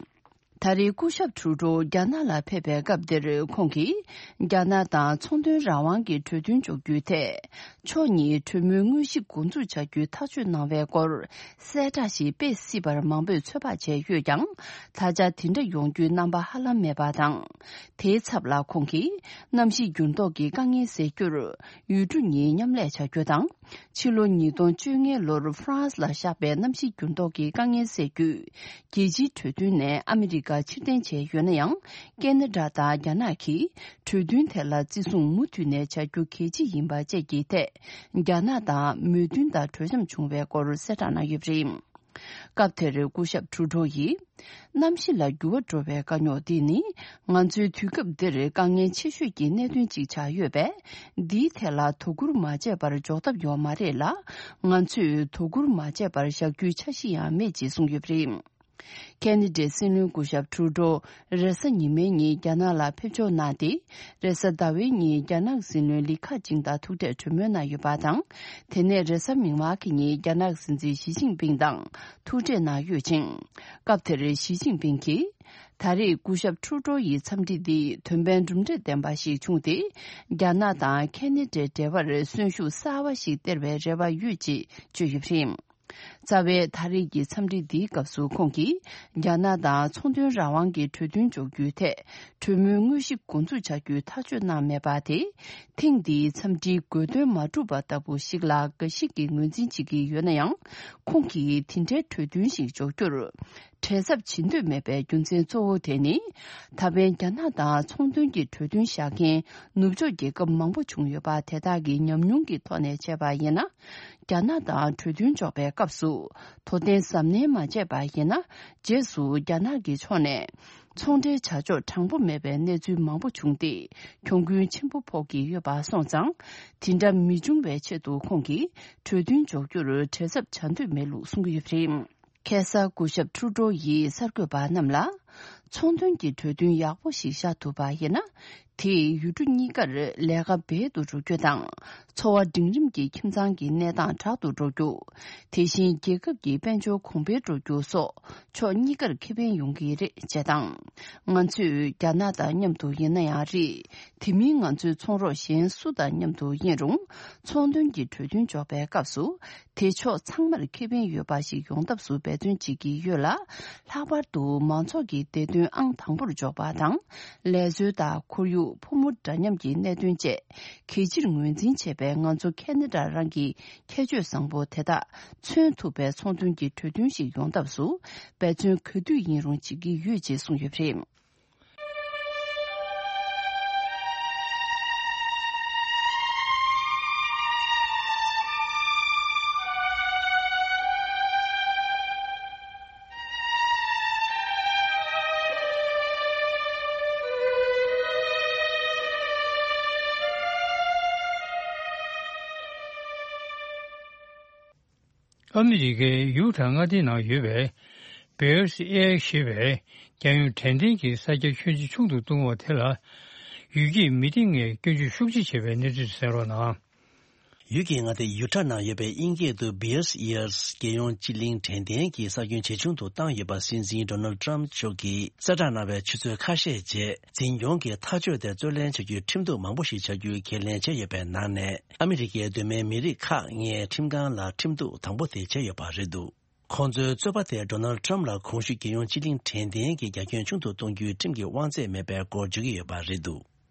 ད་རེས་སྐུ་ཞབས་ཊུ་རུ་ཌོ་རྒྱ་ནག་ལ་ཕེབས་པའི་སྐབས་འདིར་ཁོང་གིས་རྒྱ་ནག་དང་ཚོང་དོན་རང་དབང་གི་གྲོས་མཐུན་འཇོག་རྒྱུའི་ཐད། ཕྱོགས་གཉིས་གྲོས་མོལ་དངོས་གཞི་འགོ་འཛུགས་བྱ་རྒྱུའི་ཐག་གཅོད་གནང་བའི་སྐོར་གསལ་བསྒྲགས་ཤིག་སྤེལ་སྲིད་པར་མང་པོས་ཚོད་དཔག་བྱས་ཡོད་ཀྱང་། ད་ཆ་དེ་འདྲ་ཡོང་རྒྱུའི་རྣམ་པ་ཧ་ལམ་མེད་པ་དང་། དེའི་ཚབ་ལ་ཁོང་གིས་གནམ་གཤིས་འགྱུར་ལྡོག་གི་དཀའ་ངལ་སེལ་རྒྱུར་ཡུལ་གྲུ་གཉིས་མཉམ་ལས་བྱ་རྒྱུ་དང་། ཕྱི་ལོ་ཉིས་སྟོང་བཅོ་ལྔ་ལོར་ཧྥ་རན་སི་ལ་བཞག་པའི་གནམ་གཤིས་འགྱུར་ལྡོག་གི་དཀའ་ངལ་སེལ་རྒྱུའི་རྒྱལ་སྤྱིའི་གྲོས་མཐུན་ནས་ཨ་མི་རི་ཀ་ཕྱིར་འཐེན་བྱས་ཡོད་ན་ཡང་། ཁེ་ན་ཌ་དང་རྒྱ་ནག་གིས་གྲོས་མཐུན་དེ་ལ་བརྩི་སྲུང་མུ་མཐུད་ནས་བྱ་རྒྱུ་གལ་ཆེ་ཡིན་པ་བཅས་ཀྱི་ཐད། རྒྱ་ནག་དང་མོས་མཐུན་དང་གྲོས་འཆམ་བྱུང་བའི་སྐོར་གསལ་བསྒྲགས་གནང་ཡོད་པ་རེད། སྐབས་དེར་སྐུ་ཞབས་ཊུ་རུ་ཌོ་ཡིས། གནམ་གཤིས་ལ་འགྱུར་བ་འགྲོ་བའི་དཀའ་རྙོག་འདི་ནི། ང་ཚོའི་དུས་སྐབས་འདིར་དཀའ་ངལ་ཆེ་ཤོས་ཀྱི་གནད་དོན་ཅིག་ཆགས་ཡོད་པས། འདིའི་ཐད་ལ་དོ་ཁུར་མ་བྱས་པར་འཇོག་ཐབས་ཡོད་མ་རེད་ལ། ང་ཚོས་དོ་ཁུར་མ་བྱས་པར་བཞག་རྒྱུའི་འཆར་གཞི་ཡང་མེད་ཅེས་གསུངས་ཡོད་པ་རེད། ཁེ་ན་ཌའི་སྲིད་བློན་སྐུ་ཞབས་ཊུ་རུ་ཌོ་རེས་གཟའ་ཉི་མའི་ཉིན་རྒྱ་ནག་ལ་ཕེབས་འབྱོར་གནང་སྟེ། རེས་གཟའ་ཟླ་བའི་ཉིན་རྒྱ་ནག་སྲིད་བློན་ལི་ཁ་ཆིང་དང་ཐུག་འཕྲད་གྲོས་མོལ་གནང་ཡོད་པ་དང་། དེ་ནས་རེས་གཟའ་མིག་དམར་གྱི་ཉིན་རྒྱ་ནག་སྲིད་འཛིན་ཞི་ཅིན་ཕིང་དང་ཐུག་འཕྲད་གནང་ཡོད་ཅིང་། སྐབས་དེར་ཞི་ཅིན་ཕིང་གིས། ད་རེས་སྐུ་ཞབས་ཊུ་རུ་ཌོ་ཡི་འཚམས་འདྲི་འདི་དོན་ཕན་གྲུབ་འབྲས་ལྡན་པ་ཞིག་བྱུང་སྟེ། རྒྱ་ནག་དང་ཁེ་ན་ཌའི་འབྲེལ་བར་གསོན་ཤུགས་གསར་བ་ཞིག་སྟེར་བའི་རེ་བ་ཡོད་ཅེས་བརྗོད་ཡོད་པ་རེད། རྩ་བའི་ད་རེས་ཀྱི་འཚམས་འདྲི་འདིའི་སྐབས་སུ་ཁོང་གིས། རྒྱ་ནག་དང་ཚོང་དོན་རང་དབང་གི་གྲོས་མཐུན་འཇོག་རྒྱུའི་ཐད། གྲོས་མོལ་དངོས་གཞི་འགོ་འཛུགས་བྱ་རྒྱུའི་ཐག་གཅོད་གནང་མེད་པ་དེ། ཐེངས་འདིའི་འཚམས་འདྲིའི་དགོས་འདུན་མ་འགྲུབ་པ་ལྟ་བུ་ཞིག་ལ་དགའ་ཞིག་གིས་ངོས་འཛིན་བྱེད་ཀྱི་ཡོད་ན་ཡང་། ཁོང་གིས་དེ་འདྲའི་གྲོས་མཐུན་ཞིག་འཇོག་རྒྱུར། བྲེལ་འཚབ་བྱེད་འདོད་མེད་པའི་རྒྱུ་མཚན་གཙོ་བོ་དེ་ནི། ད་ཕན་རྒྱ་ནག་དང་ཚོང་དོན་གྱི་གྲོས་མཐུན་བཞག་མཁན་ནུབ་ཕྱོགས་རྒྱལ་ཁབ་མང་པོ་བྱུང་ཡོད་པ་དེ་དག་གི་ཉམས་མྱོང་གི་ཐོག་ནས་བྱས་པ་ཡིན་ན། རྒྱ་ནག་དང་གྲོས་མཐུན་འཇོག་པའི་སྐབས་སུ། དོ་བརྟན་གཟབ་ནན་མ་བྱས་པ་ཡིན་ན། རྗེས་སུ་རྒྱ་ནག་གི་ཕྱོགས་ནས། ཚོང་འབྲེལ་བྱ་ཕྱོགས་དྲང་པོ་མེད་པའི་གནས་ཚུལ་མང་པོ་བྱུང་སྟེ། གྱོང་གུན་ཆེན་པོ་ཕོག་གི་ཡོད་པ་སོང་ཙང་། དེ་འདྲ་མི་འབྱུང་བའི་ཆེད་དུ་ཁོང་གིས་གྲོས་མཐུན་འཇོག་རྒྱུར་བྲེལ་འཚབ་བྱ་འདོད་མེད་ལུགས་གསུང་གི་ཡོད་པ་རེད། ཁ་སང་སྐུ་ཞབས་ཁྲུ་ཏྲོ་ཡིས་གསར་འགོད་པ་རྣམས་ལ། ཚོང་དོན་གྱི་གྲོས་མཐུན་ཡག་པོ་ཞིག་བཞག་ཐུབ་པ་ཡིན་ན། དེས་ཡུལ་གྲུ་གཉིས་ཀར་ལས་ཀ་འབད་དུ་འགྲོ་རྒྱུ་དང་། འཚོ་བ་འབྲིང་རིམ་གྱི་ཁྱིམ་ཚང་གི་གནས་སྟངས་དྲག་ཏུ་འགྲོ་རྒྱུ། དེ་བཞིན་རྒྱལ་ཁབ་ཀྱི་དཔལ་འབྱོར་གོང་འཕེལ་འགྲོ་རྒྱུ་སོགས་ཕྱོགས་གཉིས་ཀར་ཁེ་ཕན་ཡོང་གི་རེད་ཅེས་དང་། ང་ཚོས་རྒྱ་ནག་དང་མཉམ་དུ་ཡིན་ན་ཡང་རེད། དེ་མིན་ང་ཚོའི་ཚོང་རོགས་གཞན་སུ་དང་མཉམ་དུ་ཡིན་རུང་། ཚོང་དོན་གྱི་གྲོས་མཐུན་འཇོག་པའི་སྐབས་སུ། དེ་ཕྱོགས་ཚང་མར་ཁེ་ཕན་ཡོད་པ་ཞིག་ཡོང་ཐབས་སུ་འབད་བརྩོན་བྱེད་ཀྱི་ཡོད་ལ། ལྷག་པར་དུ་མང་ཚོགས་ཀྱི་བདེ་དོན་ཨང་དང་པོར་འཇོག་པ་དང་། ལས་བཟོ་དང་ཁོར་ཡུག་ཕོ་མོ་འདྲ་མཉམ་གྱི་གནད་དོན་བཅས་གལ་ཆེར་ངོས་འཛིན་བྱས་པའི་ང་ཚོ་ཁེ་ན་ཌ་རང་གི་ཁྱད་ཆོས་བཟང་པོ་དེ་དག་མཚོན་ཐུབ་པའི་ཚོང་དོན་གྱི་གྲོས་མཐུན་ཞིག་ཡོང་ཐབས་སུ་འབད་བརྩོན་ག་དུས་ཡིན་རུང་བྱེད་ཀྱི་ཡོད་ཅེས་གསུངས་ཡོད་པ་རེད། ཨ་མི་རི་ཀའི་ཡུ་ཊ་མངའ་སྡེའི་ནང་ཡོད་པའི་བེ་ཨེར་སི་ཨེ་ཞེས་པའི་རྒྱལ་ཡོངས་དྲན་རྟེན་གྱི་ས་ཆ་ཁྱོན་ཆེ་ཆུང་དུ་གཏོང་བ་དེ་ལ་ཡུལ་སྐྱེས་མི་སྡེ་ལྔས་སྐྱོན་བརྗོད་ཤུགས་ཆེ་བྱས་པའི་གནས་ཚུལ་གསན་རོགས་གནང་། ཡུལ་སྐྱེས་མངའ་སྡེ་ཡུ་ཊ་ནང་ཡོད་པའི་དབྱིན་སྐད་དུ་བེ་ཨེར་སི་ཨེ་རྒྱལ་ཡོངས་སྤྱི་གླིང་དྲན་རྟེན་གྱི་ས་ཁྱོན་ཇེ་ཆུང་དུ་བཏང་ཡོད་པ་སྲིད་འཛིན་ཌོ་ནལ་ཌི་ཊརམ་མཆོག་གིས་གསལ་བསྒྲགས་གནང་བའི་ཆུ་ཚོད་ཁ་ཤས་རྗེས། འཛིན་སྐྱོང་གི་ཐག་གཅོད་དེ་རྩོད་ལེན་བྱ་རྒྱུའི་ཁྲིམས་གཏུག་མང་པོ་ཞིག་བྱ་རྒྱུའི་ཁས་ལེན་བྱས་ཡོད་པའི་ནང་ནས། ཨ་མི་རི་ཀའི་གདོད་མའི་མི་རིགས་ཁག་ལྔའི་ཁྲིམས་ཁང་ལ་ཁྲིམས་གཏུག་དང་པོ་དེ་བྱས་ཡོད་པ་རེད་འདུག་ཁོང་ཚོའི་རྩོད་པ་དེས་ཌོ་ནལ་ཌི་ཊརམ་ལ་གོང་ཞུས་རྒྱལ་ཡོངས་སྤྱི་གླིང་དྲན་རྟེན་གྱི་རྒྱ་ཁྱོན་ཆུང་དུ་གཏོང་རྒྱུའི་ཁྲིམས་ཀྱི་དབང་ཚད་མེད་པའི་སྐོར་བརྗོད་ཀྱི་ཡོད་པ་རེད་འདུག་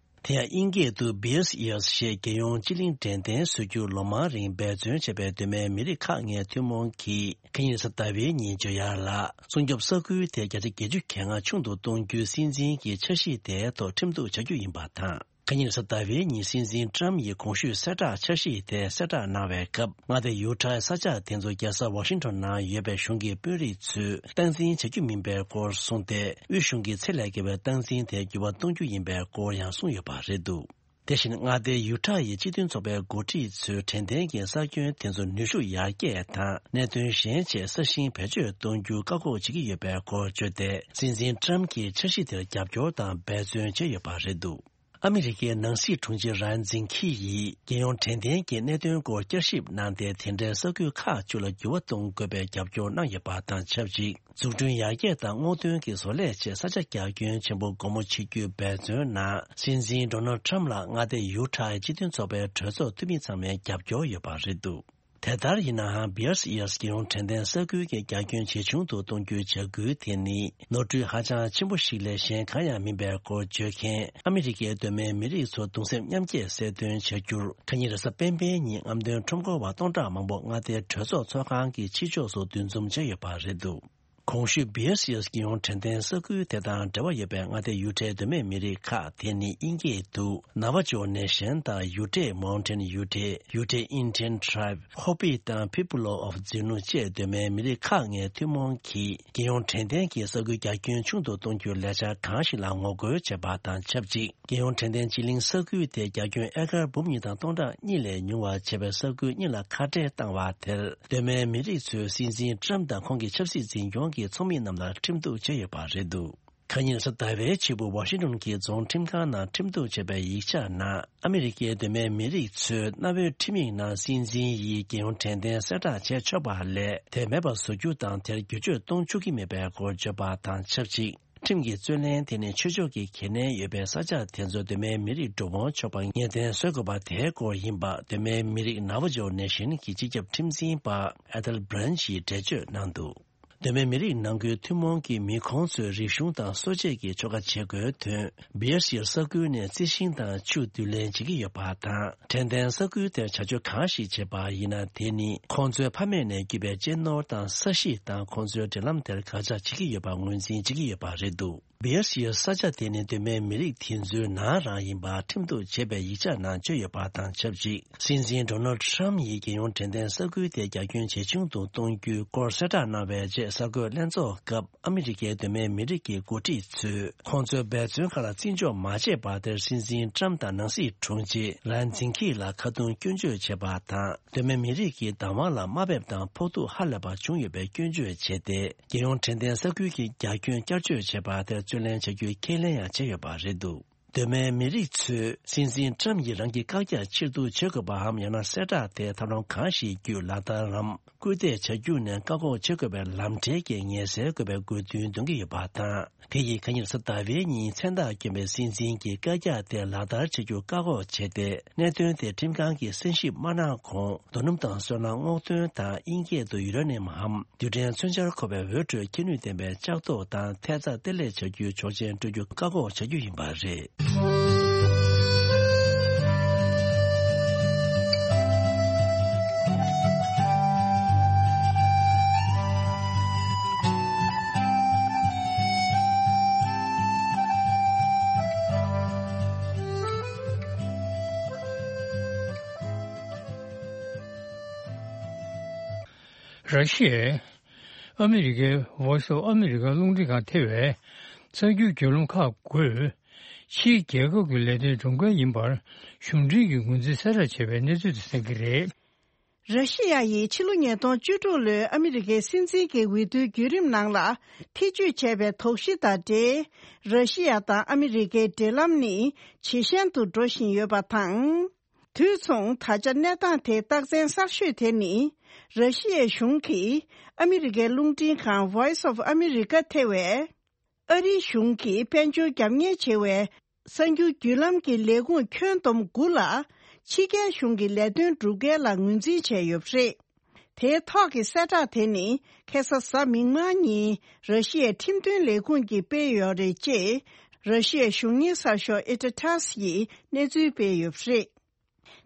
དེ་ཡང་དབྱིན་སྐད་དུ་བེ་ཨེར་སི་ཨེ་རི་ཞེས་རྒྱལ་ཡོངས་སྤྱི་གླིང་དྲན་རྟེན་བཟོ་རྒྱུར་ལོ་མང་རིང་འབད་བརྩོན་བྱས་པའི་གདོད་མའི་མི་རིགས་ཁག་ལྔའི་ཐུན་མོང་གིས་ཁ་ཉིན་རེས་གཟའ་ཟླ་བའི་ཉིན་བརྗོད་ཡག་ལ། སྲུང་སྐྱོབ་ས་ཁུལ་དེ་བརྒྱ་ཆ་བརྒྱད་ཅུ་གྱ་ལྔ་ཆུང་དུ་གཏོང་རྒྱུའི་སྲིད་འཛིན་གྱི་འཆར་གཞི་དེའི་ཐོག་ཁྲིམས་གཏུག་བྱ་རྒྱུ་ཡིན་པ་དང་། ཁ་ཉིན་རེས་གཟའ་ཟླ་བའི་ཉིན་སྲིད་འཛིན་ཊརམ་ཡིས་གོང་ཞུས་གསལ་བསྒྲགས་འཆར་གཞི་དེ་གསལ་བསྒྲགས་གནང་བའི་སྐབས། མངའ་སྡེ་ཡུ་ཊ་ས་ཆ་དེ་ཚོ་རྒྱལ་ས་ཝ་ཤིང་ཊོན་ནང་ཡོད་པའི་གཞུང་གི་དཔོན་རིགས་ཚོས་སྟངས་འཛིན་བྱ་རྒྱུ་མིན་པའི་སྐོར་གསུངས་ཏེ། དབུས་གཞུང་གི་ཚད་ལས་བརྒལ་བའི་སྟངས་འཛིན་དེ་འགྱུར་བ་གཏོང་རྒྱུ་ཡིན་པའི་སྐོར་ཡང་གསུངས་ཡོད་པ་རེད་འདུག་དེ་བཞིན་མངའ་སྡེ་ཡུ་ཊ་ཡི་སྤྱི་མཐུན་ཚོགས་པའི་འགོ་ཁྲིད་ཚོས་དྲན་རྟེན་གྱི་ས་ཁྱོན་དེ་ཚོ་ནུས་ཤུགས་ཡར་རྒྱས་དང་གནད་དོན་གཞན་ཆེད་ས་ཞིང་བེད་སྤྱོད་གཏོང་རྒྱུ་བཀག་འགོག་བྱེད་ཀྱི་ཡོད་པའི་སྐོར་བརྗོད་དེ། སྲིད་འཛིན་ཊརམ་གྱིས་འཆར་གཞི་དེར་རྒྱབ་སྐྱོར་དང་འབད་བརྩོན་བྱས་ཡོད་པ་རེད་འདུག་ཨ་མི་རི་ཀའི་ནང་སྲིད་དྲུང་ཆེ་རན་ཛིན་ཁི་ཡིས་རྒྱལ་ཡོངས་དྲན་རྟེན་གྱི་གནད་དོན་སྐོར་བསྐྱར་ཞིབ་གནང་སྟེ། དེ་འདྲའི་ས་ཁུལ་ཁག་བཅུ་ལ་འགྱུར་བ་གཏོང་དགོས་པའི་རྒྱབ་སྐྱོར་གནང་ཡོད་པ་དང་ཆབས་ཅིག་འཛུགས་སྐྲུན་ཡར་རྒྱས་དང་སྔོག་འདོན་གྱི་བཟོ་ལས་ཆེད་ས་ཆ་རྒྱ་ཁྱོན་ཆེན་པོ་སྒོ་མོ་ཕྱེ་རྒྱུའི་འབད་བརྩོན་ནང་། སྲིད་འཛིན་ཌོ་ནལ་ཌི་ཊརམ་ལ་མངའ་སྡེ་ཡུ་ཊ་ཡི་སྤྱི་མཐུན་ཚོགས་པའི་གྲོས་ཚོགས་འཐུས་མི་ཚང་མའི་རྒྱབ་སྐྱོར་ཡོད་པ་རེད་འདུག་དེ་ལྟར་ཡིན་ནའང་། བི་ཨར་སི་ཨི་ཨར་སི་རྒྱལ་ཡོངས་དྲན་རྟེན་ས་ཁུལ་གྱི་རྒྱ་ཁྱོན་ཇེ་ཆུང་དུ་གཏོང་རྒྱུའི་བྱ་འགུལ་དེ་ནི་ནོར་འཁྲུལ་ཧ་ཅང་ཆེན་པོ་ཞིག་ལས་གཞན་གང་ཡང་མིན་པའི་སྐོར་བརྗོད་མཁན། ཨ་མི་རི་ཀའི་གདོད་མའི་མི་རིགས་ཚོ་གདུང་སེམས་མཉམ་སྐྱེད་གསལ་སྟོན་བྱ་རྒྱུར། ཁ་ཉིན་རེས་གཟའ་སྤེན་པའི་ཉིན་རྔམ་སྟོན་ཁྲོམ་སྐོར་བ་སྟོང་ཕྲག་མང་པོ་མངའ་སྡེའི་གྲོས་ཚོགས་ཚོགས་ཁང་གི་ཕྱི་ཕྱོགས་སུ་འདུ་འཛོམས་བྱས་ཡོད་པ་རེད་འདུག་གོང་ཞུས་བི་ཨར་སི་ཨི་ཨར་སི་རྒྱལ་ཡོངས་དྲན་རྟེན་ས་ཁུལ་དེ་དང་འབྲེལ་བ་ཡོད་པའི་མངའ་སྡེ་ཡུ་ཊའི་གདོད་མའི་མི་རིགས་ཁག་དེ་ནི་དབྱིན་སྐད་དུ་Navajo Nation དང་Ute Mountain Ute, Ute Indian Tribe, Hopi དང་Pueblo of Zunu བཅས་གདོད་མའི་མི་རིགས་ཁག་ལྔའི་ཐུན་མོང་གིས་རྒྱལ་ཡོངས་དྲན་རྟེན་གྱི་ས་ཁུལ་རྒྱ་ཁྱོན་ཆུང་དུ་གཏོང་རྒྱུའི་ལས་འཆར་གང་ཞིག་ལ་ངོ་རྒོལ་བྱས་པ་དང་ཆབས་ཅིག་རྒྱལ་ཡོངས་དྲན་རྟེན་སྤྱི་གླིང་ས་ཁུལ་དེ་རྒྱ་ཁྱོན་ཨེ་ཀར་འབུམ་གཉིས་དང་སྟོང་ཕྲག་གཉིས་ལས་ཉུང་བ་བྱས་པའི་ས་ཁུལ་གཉིས་ལ་ཁ་བྲལ་བཏང་བ་དེར། གདོད་མའི་མི་རིགས་ཚོས་སྲིད་འཛིན་ཊརམ་དང་ཁོང་གི་ཆབ་སྲིད་འཛིན་སྐྱོང་གི་ཚོགས་མི་རྣམས་ལ་ཁྲིམས་གཏུག་བྱས་ཡོད་པ་རེད་འདུག་ཁ་ཉིན་རེས་གཟའ་ཟླ་བའི་ཕྱི་པོ་ཝ་ཤིང་ཏོན་གྱི་རྫོང་ཁྲིམས་ཁང་ནང་ཁྲིམས་གཏུག་བྱས་པའི་ཡིག་ཆ་ནང་། ཨ་མི་རི་ཀའི་གདོད་མའི་མི་རིགས་ཚོས་གནའ་བོའི་ཁྲིམས་ཡིག་ནང་སྲིད་འཛིན་ཡིས་རྒྱལ་ཡོངས་དྲན་རྟེན་གསལ་བསྒྲགས་བྱས་ཆོག་པ་ལས། དེ་མེད་པར་བཟོ་རྒྱུ་དང་། དེར་བསྒྱུར་བཅོས་གཏོང་ཆོག་གི་མེད་པའི་སྐོར་བརྗོད་པ་དང་ཆབས་ཅིག་ཁྲིམས་ཀྱི་རྩོད་གླེང་དེ་ནི་ཆོས་ཕྱོགས་ཀྱི་གལ་གནད་ཡོད་པའི་ས་ཆ་དེ་ཚོར་གདོད་མའི་མི་རིགས་འགྲོ་འོང་ཆོག་པ་ངེས་གཏན་བཟོ་དགོས་པ་དེའི་སྐོར་ཡིན་པ། གདོད་མའི་མི་རིགས་Navajo Nation གྱི་སྤྱི་ཁྱབ་ཁྲིམས་འཛིན་པ་Ethel Branch ཡིས་འགྲེལ་བརྗོད་གནང་འདུག་གདོད་མའི་མི་རིགས་ནང་ཁུལ་ཐུན་མོང་གི་མི་ཁོང་ཚོའི་རིག་གཞུང་དང་གསོ་དཔྱད་ཀྱི་ཆོ་ག་བྱེད་དགོས་དོན། Bear Hill ས་ཁུལ་ནས་རྩི་ཤིང་དང་ཆུ་བསྡུ་ལེན་བྱེད་ཀྱི་ཡོད་པ་དང་། དྲན་རྟེན་ས་ཁུལ་དེར་བྱ་སྤྱོད་གང་ཞིག་བྱེད་པ་ཡིན་ན། དེ་ནི་ཁོང་ཚོའི་ཕ་མེས་ནས་བརྒྱུད་པའི་གཅེས་ནོར་དང་ས་གཞི་དང་ཁོང་ཚོའི་འབྲེལ་ལམ་དེར་དགག་བྱ་བྱེད་ཀྱི་ཡོད་པ་ངོས་འཛིན་བྱེད་ཀྱི་ཡོད་པ་རེད་འདུག Bear Hill ས་ཆ་དེ་ནི་གདོད་མའི་མི་རིགས་དེ་ཚོའི་ནང་རང་ཡིན་པ་ཁྲིམས་གཏུག་བྱས་པའི་ཡིག་ཆ་ནང་བརྗོད་ཡོད་པ་དང་ཆབས་ཅིག་སྲིད་འཛིན་Donald Trump ཡིས་རྒྱལ་ཡོངས་དྲན་རྟེན་ས་ཁུལ་དེ་རྒྱ་ཁྱོན་ཇེ་ཆུང་དུ་གཏོང་རྒྱུའི་སྐོར་གསལ་བསྒྲགས་གནང་བའི་རྗེས། གསར་འགོད་ལྷན་ཚོགས་སྐབས་ཨ་མི་རི་ཀའི་གདོད་མའི་མི་རིགས་ཀྱི་འགོ་ཁྲིད་ཚོས་ཁོང་ཚོའི་འབད་བརྩོན་ཁག་ལ་བརྩི་འཇོག་མ་བྱས་པར། དེར་སྲིད་འཛིན་Trump དང་ནང་སྲིད་དྲུང་ཆེ་Lance Zingkey ལ་ཁ་རྡུང་སྐྱོན་བརྗོད་བྱས་པ་དང་། གདོད་མའི་མི་རིགས་ཀྱི་བདག་དབང་ལ་དམའ་འབེབས་དང་ཕོག་ཐུག་ཧ་ལས་པ་བྱུང་ཡོད་པའི་སྐྱོན་བརྗོད་བྱས་ཏེ། རྒྱལ་ཡོངས་དྲན་རྟེན་ས་ཁུལ་གྱི་རྒྱ་ཁྱོན་བསྐྱར་བཅོས་བྱས་པ་དེར་རྩོད་ལེན་བྱ་རྒྱུའི་ཁས་ལེན་ཡང་བྱས་ཡོད་པ་རེད་འདུག་གདོད་མའི་མི་རིགས་ཚོས་སྲིད་འཛིན་Trump ཡིས་རང་གི་བཀག་རྒྱ་ཕྱིར་བསྡུ་བྱེད་དགོས་པའམ། ཡང་ན་གསལ་བསྒྲགས་དེ་ཐབས་ལམ་གང་ཞིག་བརྒྱུད་ལག་བསྟར་རམ་སྐུལ་འདེད་བྱ་རྒྱུ་ནས་བཀག་འགོག་བྱེད་དགོས་པའི་ལམ་ཁྲལ་གྱི་ངལ་སེལ་དགོས་པའི་དགོས་འདུན་འདོན་གྱི་ཡོད་པ་དང་། དེ་ཡིས་ཁ་ཉིན་གཟའ་ཟླ་བའི་ཉིན་མཚན་རྟགས་བསྐྱོན་པའི་སྲིད་འཛིན་གྱི་བཀག་རྒྱ་དེ་ལག་བསྟར་བྱེད་རྒྱུ་བཀག་འགོག་བྱས་ཏེ། གནད་དོན་དེ་ཁྲིམས་ཁང་གིས་གསན་ཞིབ་མ་གནང་གོང་། རྡོ་སྣུམ་དང་སོལ་རླངས་སྔོག་འདོན་དང་དབྱིན་སྐད་དུ་ཡུ་རེ་ནི་ཡམ་འམ་རྡུལ་ཕྲན་མཚོན་ཆར་འཁོར་བའི་འོད་འཕྲོས་ཁྱད་ནུས་ལྡན་པའི་ལྕགས་ཐོག་དང་ཐེབས་རྩ་གཏེར་ལེན་བྱ་རྒྱུའི་ཆོག་མཆན་སྤྲོད་རྒྱུ་བཀག་འགོག་བྱ་རྒྱུ་ཡིན་པ་རེད། ར་ཤི་ཡས་ཨ་མི་རི་ཀའི་Voice of America རླུང་འཕྲིན་ཁང་ཐེ་བས་གསར་འགྱུར་བརྒྱུད་ལམ་ཁག་བརྒྱུད་ཕྱིའི་རྒྱལ་ཁབ་ཀྱི་ལས་དོན་སྒྲུབ་མཁན་ཡིན་པར་གཞུང་འབྲེལ་གྱི་ངོས་འཛིན་གསལ་བསྒྲགས་བྱས་པའི་གནས་ཚུལ་དེ་གསན་གྱི་རེད། ར་ཤི་ཡ་ཡིས་ཕྱི་ལོ་ཉིས་སྟོང་བཅུ་དྲུག་ལོའི་ཨ་མི་རི་ཀའི་སྲིད་འཛིན་གྱི་འོས་བསྡུའི་བརྒྱུད་རིམ་ནང་ལ་ཐེ་བྱུས་བྱས་པའི་དོགས་གཞི་དང་འབྲེལ། ར་ཤི་ཡ་དང་ཨ་མི་རི་ཀའི་འབྲེལ་ལམ་ནི་ཇེ་ཞན་དུ་འགྲོ་བཞིན་ཡོད་པ་དང་། དུས་མཚུངས་ད་ཆ་གནས་སྟངས་དེའི་རྟགས་མཚན་གསར་ཤོས་དེ་ནི། ར་ཤི་ཡའི་གཞུང་གིས་ཨ་མི་རི་ཀའི་རླུང་འཕྲིན་ཁང་Voice of America ཐེ་བས། ཨ་རིའི་གཞུང་གིས་དཔལ་འབྱོར་རྒྱབ་གཉེར་བྱེད་པའི་གསར་འགྱུར་བརྒྱུད་ལམ་གྱི་ལས་ཁུངས་ཁྱོན་བསྡོམས་དགུ་ལ་ཕྱི་རྒྱལ་གཞུང་གི་ལས་དོན་སྒྲུབ་མཁན་ལ་ངོས་འཛིན་བྱས་ཡོད་པ་རེད། དེའི་ཐོག་གི་གསལ་བསྒྲགས་དེ་ནི་ཁ་སང་གཟའ་མིག་དམར་ཉིན་ར་ཤི་ཡའི་ཁྲིམས་དོན་ལས་ཁུངས་ཀྱིས་སྤེལ་ཡོད་རེད་ཅེས་ར་ཤི་ཡའི་གཞུང་གཉེར་གསར་ཤོག་ཨི་ཊ་ཊ་སི་ཡིས་གནས་ཚུལ་སྤེལ་ཡོད་པ་རེད།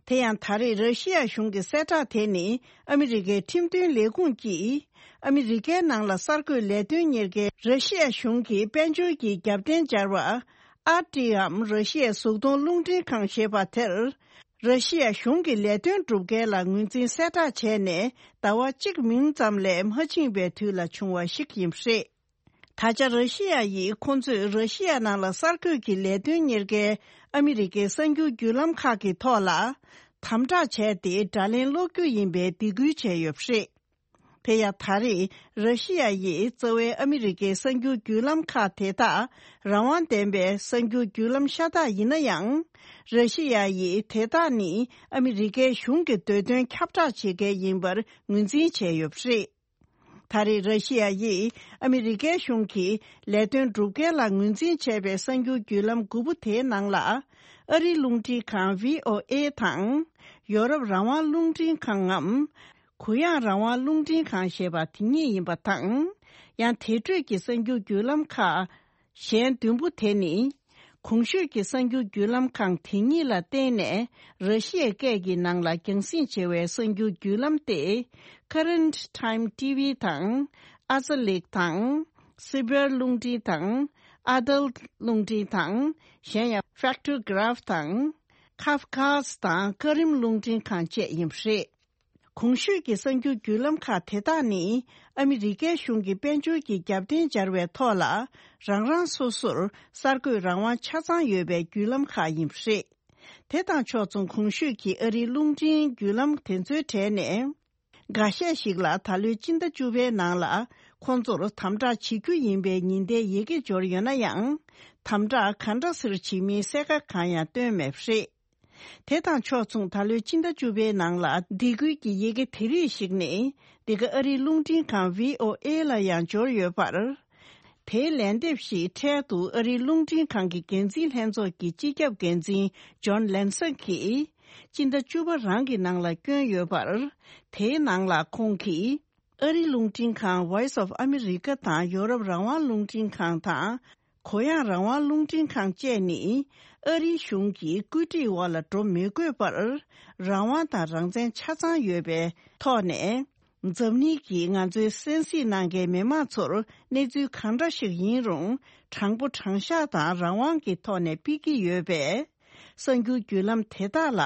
དེ་ཡང་ད་རེས་ར་ཤི་ཡ་གཞུང་གི་གསལ་བསྒྲགས་དེ་ནི་ཨ་མི་རི་ཀའི་ཁྲིམས་དོན་ལས་ཁུངས་ཀྱིས་ཨ་མི་རི་ཀའི་ནང་ལ་གསར་འགོད་ལས་དོན་གཉེར་མཁན་ར་ཤི་ཡ་གཞུང་གི་དཔལ་འབྱོར་གྱི་རྒྱབ་རྟེན་སྦྱར་བ་ཨར་ཊི་འམ་ར་ཤི་ཡའི་གཟུགས་མཐོང་རླུང་འཕྲིན་ཁང་ཞེས་པ་དེར་ར་ཤི་ཡ་གཞུང་གི་ལས་དོན་སྒྲུབ་མཁན་ལ་ངོས་འཛིན་གསལ་བསྒྲགས་བྱས་ནས་ཟླ་བ་གཅིག་མིན་ཙམ་ལས་མ་ཕྱིན་པའི་དུས་ལ་བྱུང་བ་ཞིག་ཡིན་པ་རེད། ད་ཆ་ར་ཤི་ཡ་ཡིས་ཁོང་ཚོས་ར་ཤི་ཡ་ནང་ལ་གསར་འགོད་ཀྱི་ལས་དོན་གཉེར་མཁན་ཨ་མི་རི་ཀའི་གསར་འགྱུར་བརྒྱུད་ལམ་ཁག་གི་ཐོག་ལ་དམ་དྲག་བྱས་ཏེ་དགྲ་ལན་སློག་རྒྱུ་ཡིན་པའི་སྡིགས་སྐུལ་བྱས་ཡོད་པ་རེད། དེ་ཡང་ད་རེས་ར་ཤི་ཡ་ཡིས་རྩ་བའི་ཨ་མི་རི་ཀའི་གསར་འགྱུར་བརྒྱུད་ལམ་ཁག་དེ་དག་རང་དབང་ལྡན་པའི་གསར་འགྱུར་བརྒྱུད་ལམ་ཤ་སྟག་ཡིན་ན་ཡང་། ར་ཤི་ཡ་ཡིས་དེ་དག་ནི་ཨ་མི་རི་ཀའི་གཞུང་གི་འདོད་དོན་ཁྱབ་བསྒྲགས་བྱེད་མཁན་ཡིན་པར་ངོས་འཛིན་བྱས་ཡོད་པ་རེད། ད་རེས་ར་ཤི་ཡ་ཡིས་ཨ་མི་རི་ཀའི་གཞུང་གིས་ལས་དོན་སྒྲུབ་མཁན་ལ་ངོས་འཛིན་བྱས་པའི་གསར་འགྱུར་བརྒྱུད་ལམ་དགུ་པོ་དེའི་ནང་ལ། ཨ་རིའི་རླུང་འཕྲིན་ཁང་བྷི་ཨོ་ཨེ་དང་། ཡོ་རོབ་རང་དབང་རླུང་འཕྲིན་ཁང་ངམ། གུ་ཡངས་རང་དབང་རླུང་འཕྲིན་ཁང་ཞེས་པ་དེ་གཉིས་ཡིན་པ་དང་། ཡང་དེ་འཕྲོས་ཀྱི་གསར་འགྱུར་བརྒྱུད་ལམ་ཁག་གཞན་བདུན་པོ་དེ་ནི། གོང་ཞུས་ཀྱི་གསར་འགྱུར་བརྒྱུད་ལམ་ཁང་དེ་གཉིས་ལ་བརྟེན་ནས་ར་ཤི་ཡའི་སྐད་ཀྱི་ནང་ལ་རྒྱང་སྲིང་བྱེད་པའི་གསར་འགྱུར་བརྒྱུད་ལམ་སྟེ། Current Time T V དང་། Azalik དང་། Sibir རླུང་འཕྲིན་དང་། Adal རླུང་འཕྲིན་དང་། གཞན་ཡང་Faktograph དང་། Kafkas དང་ཀ་རིམ་རླུང་འཕྲིན་ཁང་བཅས་ཡིན་པ་རེད། གོང་ཞུས་ཀྱི་གསར་འགྱུར་བརྒྱུད་ལམ་ཁག་དེ་དག་ནི་ཨ་མི་རི་ཀའི་གཞུང་གི་དཔལ་འབྱོར་གྱི་རྒྱབ་རྟེན་སྦྱར་བའི་ཐོག་ལ་རང་རང་སོ་སོར་གསར་འགོད་རང་དབང་ཆ་ཚང་ཡོད་པའི་བརྒྱུད་ལམ་ཁག་ཡིན་པ་རེད། དེ་དང་ཕྱོགས་མཚུངས་གོང་ཞུས་ཀྱི་ཨ་རིའི་རླུང་འཕྲིན་བརྒྱུད་ལམ་དེ་ཚོའི་གྲས་ནས། འགའ་ཤས་ཤིག་ལ་ད་ལོའི་སྤྱི་ཟླ་བཅུ་པའི་ནང་ལ་ཁོང་ཚོར་དམ་དྲག་བྱེད་རྒྱུ་ཡིན་པའི་ཉེན་བརྡའི་ཡི་གེ་འབྱོར་ཡོད་ན་ཡང་། དམ་དྲག་ག་འདྲ་སེ་བྱེད་མིན་གསལ་ཁ་གང་ཡང་བཏོན་མེད་པ་རེད། དེ་དང་ཕྱོགས་མཚུངས་ད་ལོའི་ཕྱི་ཟླ་བཅུ་པའི་ནང་ལ་སྡིགས་སྐུལ་གྱི་ཡི་གེ་དེ་རིགས་ཤིག་ནི་འདི་ག་ཨ་རིའི་རླུང་འཕྲིན་ཁང་བྷི་ཨོ་ཨེ་ལ་ཡང་འབྱོར་ཡོད་པར། དེའི་ལན་འདེབས་ཤིག་འཕྲལ་དུ་ཨ་རིའི་རླུང་འཕྲིན་ཁང་གི་འགན་འཛིན་ལྷན་ཚོགས་ཀྱི་སྤྱི་ཁྱབ་འགན་འཛིན་ཇོན་ལན་སན་གྱིས་སྤྱི་ཟླ་བཅུ་པ་རང་གི་ནང་ལ་བསྐྱོན་ཡོད་པར། དེའི་ནང་ལ་ཁོང་གིས། ཨ་རིའི་རླུང་འཕྲིན་ཁང་Voice of America དང་ཡོ་རོབ་རང་དབང་རླུང་འཕྲིན་ཁང་དང་། གུ་ཡངས་རང་དབང་རླུང་འཕྲིན་ཁང་བཅས་ནི་ཨ་རིའི་གཞུང་གི་བཀོད་སྒྲིག་འོག་ལ་འགྲོ་མི་དགོས་པར་རང་དབང་དང་རང་བཙན་ཆ་ཚང་ཡོད་པའི་ཐོག་ནས། འཛམ་གླིང་གིས་ང་ཚོའི་གསན་གཟིགས་གནང་མཁན་མི་མང་ཚོར་གནས་ཚུལ་གང་འདྲ་ཞིག་ཡིན་རུང་དྲང་པོ་དྲང་བཞག་དང་རང་དབང་གི་ཐོག་ནས་ཕུལ་གྱི་ཡོད་པས། གསར་འགྱུར་བརྒྱུད་ལམ་དེ་དག་ལ་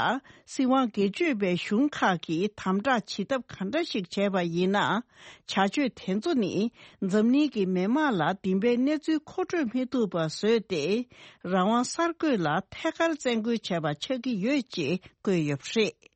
སྲིད་དབང་སྒེར་གཅོད་པའི་གཞུང་ཁག་གིས་དམ་དྲག་བྱེད་ཐབས་ག་འདྲ་ཞིག་བྱས་པ་ཡིན་ན། བྱ་སྤྱོད་དེ་ཚོ་ནི་འཛམ་གླིང་གི་མི་དམངས་ལ་བདེན་པའི་གནས་ཚུལ་མཁོ་སྤྲོད་མི་ཐུབ་པ་བཟོས་ཏེ། རང་དབང་གསར་འགོད་ལ་ཐད་ཀར་བཙན་རྒོལ་བྱས་པ་ཆགས་ཀྱི་ཡོད་ཅེས་བཀོད་ཡོད་པ་རེད།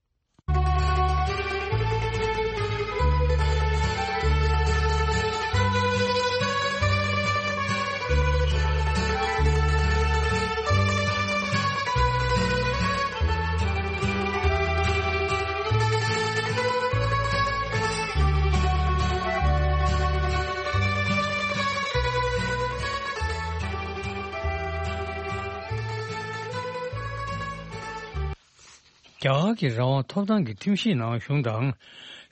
རྒྱ་གར་གྱི་རང་དབང་ཐོབ་ཐང་གི་ཁྲིམས་གཞིའི་ནང་གཞུང་དང་།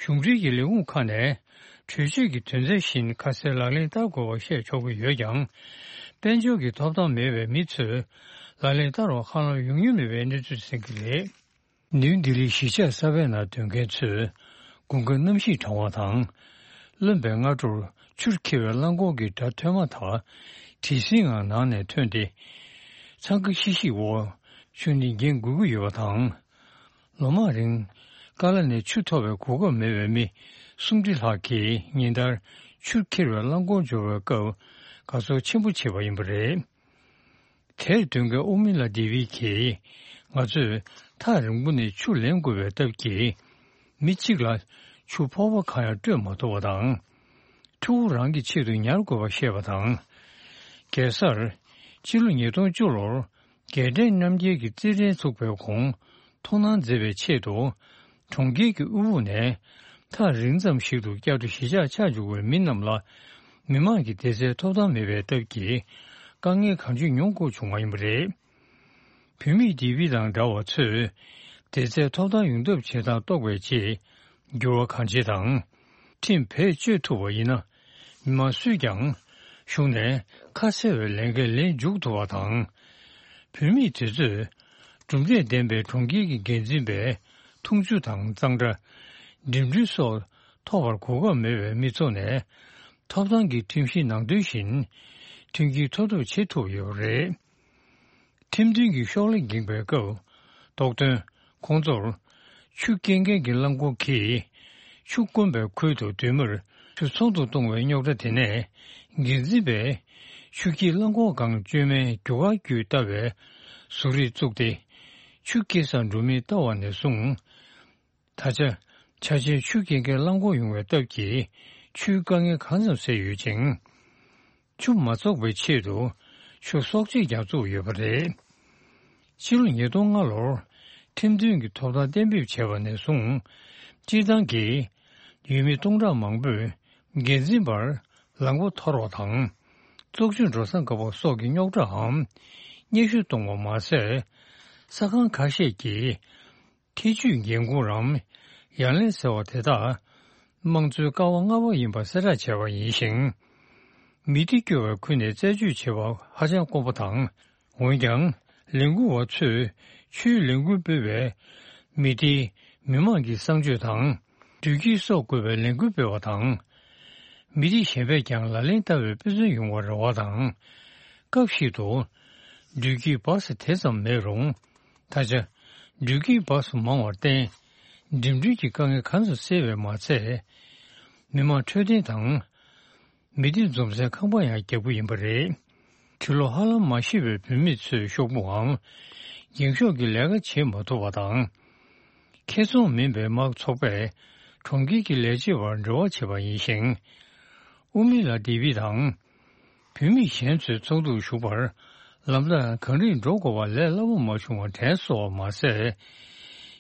གཞུང་འབྲེལ་གྱི་ལས་ཁུངས་ཁག་ནས་གྲོས་ཆོད་ཀྱི་དོན་ཚན་བཞིན་ཁ་གསལ་ལག་ལེན་བསྟར་དགོས་པ་བཤད་ཆོག་གི་ཡོད་ཀྱང་། དཔལ་འབྱོར་གྱི་ཐོབ་ཐང་མེད་པའི་མི་ཚོས་ལག་ལེན་བསྟར་བར་ཧ་ལམ་ཡོང་མྱོང་མེད་པའི་གནས་ཚུལ་གསན་གྱི་རེད། ནིའུ་ལྡི་ལིའི་གཞིས་ཆགས་གསར་པའི་ནང་སྡོད་མཁན་ཚོས་དགུན་ཁ་གནམ་གཤིས་གྲང་བ་དང་། རློན་པའི་སྔ་དྲོར་ཆུར་འཁྱེར་བའི་རླངས་འཁོར་གྱི་སྒྲ་ཐོས་མ་ཐག་དྲི་ཟའི་ངང་ནང་ནས་ཐོན་ཏེ། འཚང་ཁ་ཤིག་ཤིག་འོག་ཆུ་ནི་འགྱེལ་འགུལ་གྱི་ཡོད་པ་དང་། ལོ་མང་རིང་ཀ་ལ་ནས་ཆུ་ཐོབ་པའི་གོ་སྐབས་མེད་པའི་མི་སུམ་ཁྲི་ལྷག་གིས་ཉིན་ལྟར་ཆུར་འཁྱེར་བའི་རླངས་འཁོར་འབྱོར་བའི་སྐབས་དགའ་ཚོར་ཆེན་པོ་བྱེད་པ་ཡིན་པ་རེད། དེར་སྡོད་མཁན་ཨུ་མི་ལ་དེ་བི་གིས། ང་ཚོས་ཐག་རིང་པོ་ནས་ཆུ་ལེན་དགོས་པའི་སྟབས་ཀྱིས། མི་གཅིག་ལ་ཆུ་ཕོར་པ་གང་ཡང་སྤྲོད་མ་ཐུབ་པ་དང་། ཕྲུ་གུ་རང་གི་ཆེད་དུ་ཉར་དགོས་པ་བཤད་པ་དང་། གེ་སར། སྤྱི་ལོ་ཉིས་སྟོང་བཅུ་ལོར་རྒྱལ་ཕྲན་རྣམ་རྒྱལ་གྱི་རྩེད་འགྲན་ཚུགས་པའི་གོང་མཐོང་སྣང་མཛད་པའི་ཆེད་དུ། གྲོང་ཁྱེར་གྱི་དབུལ་ཕོངས་ནས་ཐག་རིང་ཙམ་ཞིག་ཏུ་བསྐྱར་དུ་གཞིས་ཆགས་ཆགས་འཇུག་པའི་མི་རྣམས་ལ་མི་དམངས་ཀྱི་བདེ་རྩའི་ཐོབ་ཐང་མེད་པའི་སྟབས་ཀྱིས་དཀའ་ངལ་གང་ཅི་མྱོང་དགོས་བྱུང་བ་ཡིན་པ་རེད། བུད་མེད་དེ་བི་དང་འདྲ་བ་ཚོས་བདེ་རྩའི་ཐོབ་ཐང་ཡོང་ཐབས་བྱེད་སྟངས་རྟོགས་པའི་རྗེས་འགྱུར་བ་གང་ཆེ་དང་། ཁྲིམས་བེད་སྤྱོད་ཐུབ་པ་ཡིན་ན། མི་མང་སུས་ཀྱང་གཞུང་ནས་ཁ་གསལ་བའི་ལས་འགན་ལེན་མཇུག་ཐུབ་པ་དང་། བུད་མེད་དེ་ཚོས་གྲུབ་འབྲས་ལྡན་པའི་གྲོང་ཁྱེར་གྱི་འགན་འཛིན་པའི་འཐུང་ཆུ་དང་གཙང་སྦྲ། འགྲིམ་འགྲུལ་སོགས་ཐོབ་པར་གོ་སྐབས་མེད་པའི་མི་ཚོ་ནས་ཐོབ་ཐང་གི་ཁྲིམས་གཞིའི་ནང་དོན་བཞིན་མཐུན་རྐྱེན་ཐོབ་ཐབས་བྱེད་ཐུབ་ཡོད་པ་རེད། ཁྲིམས་མཐུན་གྱི་ཤོག་ལྷེ་འགེངས་པའི་སྐབས། རྟོགས་དོན། ཁོང་ཚོར་ཆུ་སྐྱེལ་མཁན་གྱི་རླངས་འཁོར་གྱིས་ཆུ་དཀོན་པའི་ཁུལ་དུ་སྡོད་མིར་ཆུ་ཚོགས་འདུ་གཏོང་བའི་རྙོག་དྲ་དེ་ནས་འགན་འཛིན་པས་ཆུ་སྐྱེལ་རླངས་འཁོར་སྒང་བཅོས་མའི་རྒྱུ་སྐར་བརྒྱུད་ལྟ་བའི་གཟུགས་རིས་བཙུགས་ཏེ། ཆུ་སྐྱེལ་སར་འགྲོ་མིན་བལྟ་བ་ནས་བཟུང་། ད་ཆ་ཆ་ཆེན་ཆུ་སྐྱེལ་མཁན་རླངས་འཁོར་ཡོང་བའི་སྟབས་ཀྱིས་ཆུའི་དཀའ་ངལ་གང་ཙམ་སེལ་ཡོད་ཅིང་། ཆུ་མ་བཙོག་པའི་ཆེད་དུ་ཆུ་གསོག་ཆས་ཀྱང་བཙུགས་ཡོད་པ་རེད། ཕྱི་ལོ་ཉིས་སྟོང་ལྔ་ལོར་ཁྲིམས་མཐུན་གྱི་ཐོབ་ཐང་གཏན་འབེབས་བྱས་པ་ནས་བཟུང་། སྤྱིར་བཏང་གི་ཡུལ་མི་སྟོང་ཕྲག་མང་པོས་འགན་འཛིན་པར་ལམ་སྒོ་འཐོར་བ་དང་། བཙོག་ཆུ་འགྲོ་ས་འགག་པ་སོགས་ཀྱི་རྙོག་དྲའམ་སྙན་ཞུ་གཏོང་བ་མ་ཟད། ས་ཁང་ཁ་ཤས་ཀྱིས། ཐེ་ཇུས་འགན་འཁུར་རམ། ཡ་ལན་ཟེར་བ་དེ་དག་དམངས་གཙོའི་ཀ་བ་ལྔ་པ་ཡིན་པ་གསལ་བསྒྲགས་བྱས་པ་ཡིན་ཞིང་། མི་སྡེ་སྐྱོ་བའི་ཁུལ་ནས་རྩད་གཅོད་བྱེད་པ་ཧ་ཅང་དཀོན་པོ་དང་། འོན་ཀྱང་། ལས་འགུལ་བ་ཚོས་ཆུའི་ལས་འགུལ་སྤེལ་བའི་མི་སྡེའི་མི་དམངས་ཀྱི་གསང་སྤྱོད་དང་། འགྲུལ་སྐྱེལ་སོགས་དགོས་པའི་ལས་འགུལ་སྤེལ་བ་དང་། མི་སྡེ་གཞན་པས་ཀྱང་ལག་ལེན་བསྟར་བའི་དཔེ་མཚོན་ཡོང་བར་རེ་བ་དང་། སྐབས་ཤིག་ཏུ། འགྲུལ་སྐྱེལ་བཱ་སི་དེ་ཙམ་མེད་རུང་། ད་ཆ། འགྲུལ་སྐྱེལ་བཱ་སི་མང་བར་བརྟེན། འགྲིམ་འགྲུལ་གྱི་དཀའ་ངལ་གང་ཙམ་སེལ་བས་མ་ཚད། མི་དམངས་འཕྲོད་བསྟེན་དང་། མི་སྡེ་འཛོམས་སའི་ཁང་པ་ཡང་རྒྱག་རྒྱུ་ཡིན་པ་རེད། འཕྲུལ་ལོ་ཧ་ལམ་མ་ཤི་བའི་བུད་མེད་ཚོའི་ཤོག་བུའམ། འགེངས་ཤོག་གི་ལས་ཀ་བྱེད་མ་ཐུབ་པ་དང་། ཁེ་ཚོང་མིན་པའི་དམག་ཚོགས་པས་གྲོང་ཁྱེར་གྱི་ལས་བྱེད་པར་འབྲེལ་བ་བྱས་པ་ཡིན་ཞིང་། ཨུ་མི་ལ་དེ་བི་དང་། བུད་མེད་གཞན་ཚོའི་ཚོགས་འདུར་ཞུགས་པར་ལམ་ཐག་གངས་རིར་འགྲོ་དགོས་པ་ལས་སླ་པོ་མ་བྱུང་བ་དྲན་སོང་བ་མ་ཟད།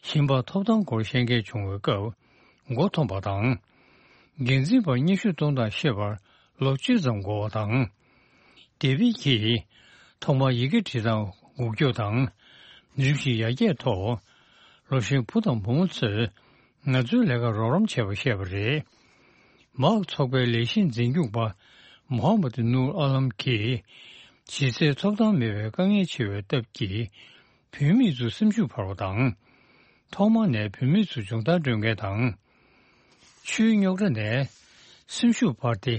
ཞིང་པར་ཐོབ་ཐང་སྐོར་བཤད་མཁན་བྱུང་བའི་སྐབས་མགོ་འཐོམས་པ་དང་། འགན་འཛིན་པར་སྙན་ཞུ་གཏོང་སྟངས་ཤེས་པར་ལོ་བཅུ་ཙམ་འགོར་བ་དང་ ཌེ་བིད་ཀྱིས་ཐོག་མར་ཡི་གེ་འབྲི་སྟངས་འགུག་སྐྱོབ་དང་། རིམ་བཞིན་ཡར་རྒྱས་ཐོག་ལོ་གཞོན་བུ་དང་བུ་མོ་ཚོས་ང་ཚོའི་ལས་ཀར་རོགས་རམ་བྱས་པ་བཤད་པ་རེད། མཱག་ཚོགས་པའི་ལས་གཞི་འཛིན་སྐྱོང་པ་མོ་ཧམ་མད་ནུར་ཨ་ལམ་གྱིས། གཞི་རྩའི་ཐོབ་ཐང་མེད་པའི་དཀའ་ངལ་ཆེ་བའི་སྟབས་ཀྱིས། བུད་མེད་ཚོའི་སེམས་ཤུགས་འཕར་བ་དང་། ཐོག་མ་ནས་བུད་མེད་ཚོ་སྦྱོང་བརྡར་སྤྲོད་མཁན་དང་། ཆུའི་རྙོག་དྲ་ནས་སེམས་ཤུགས་འཕར་ཏེ།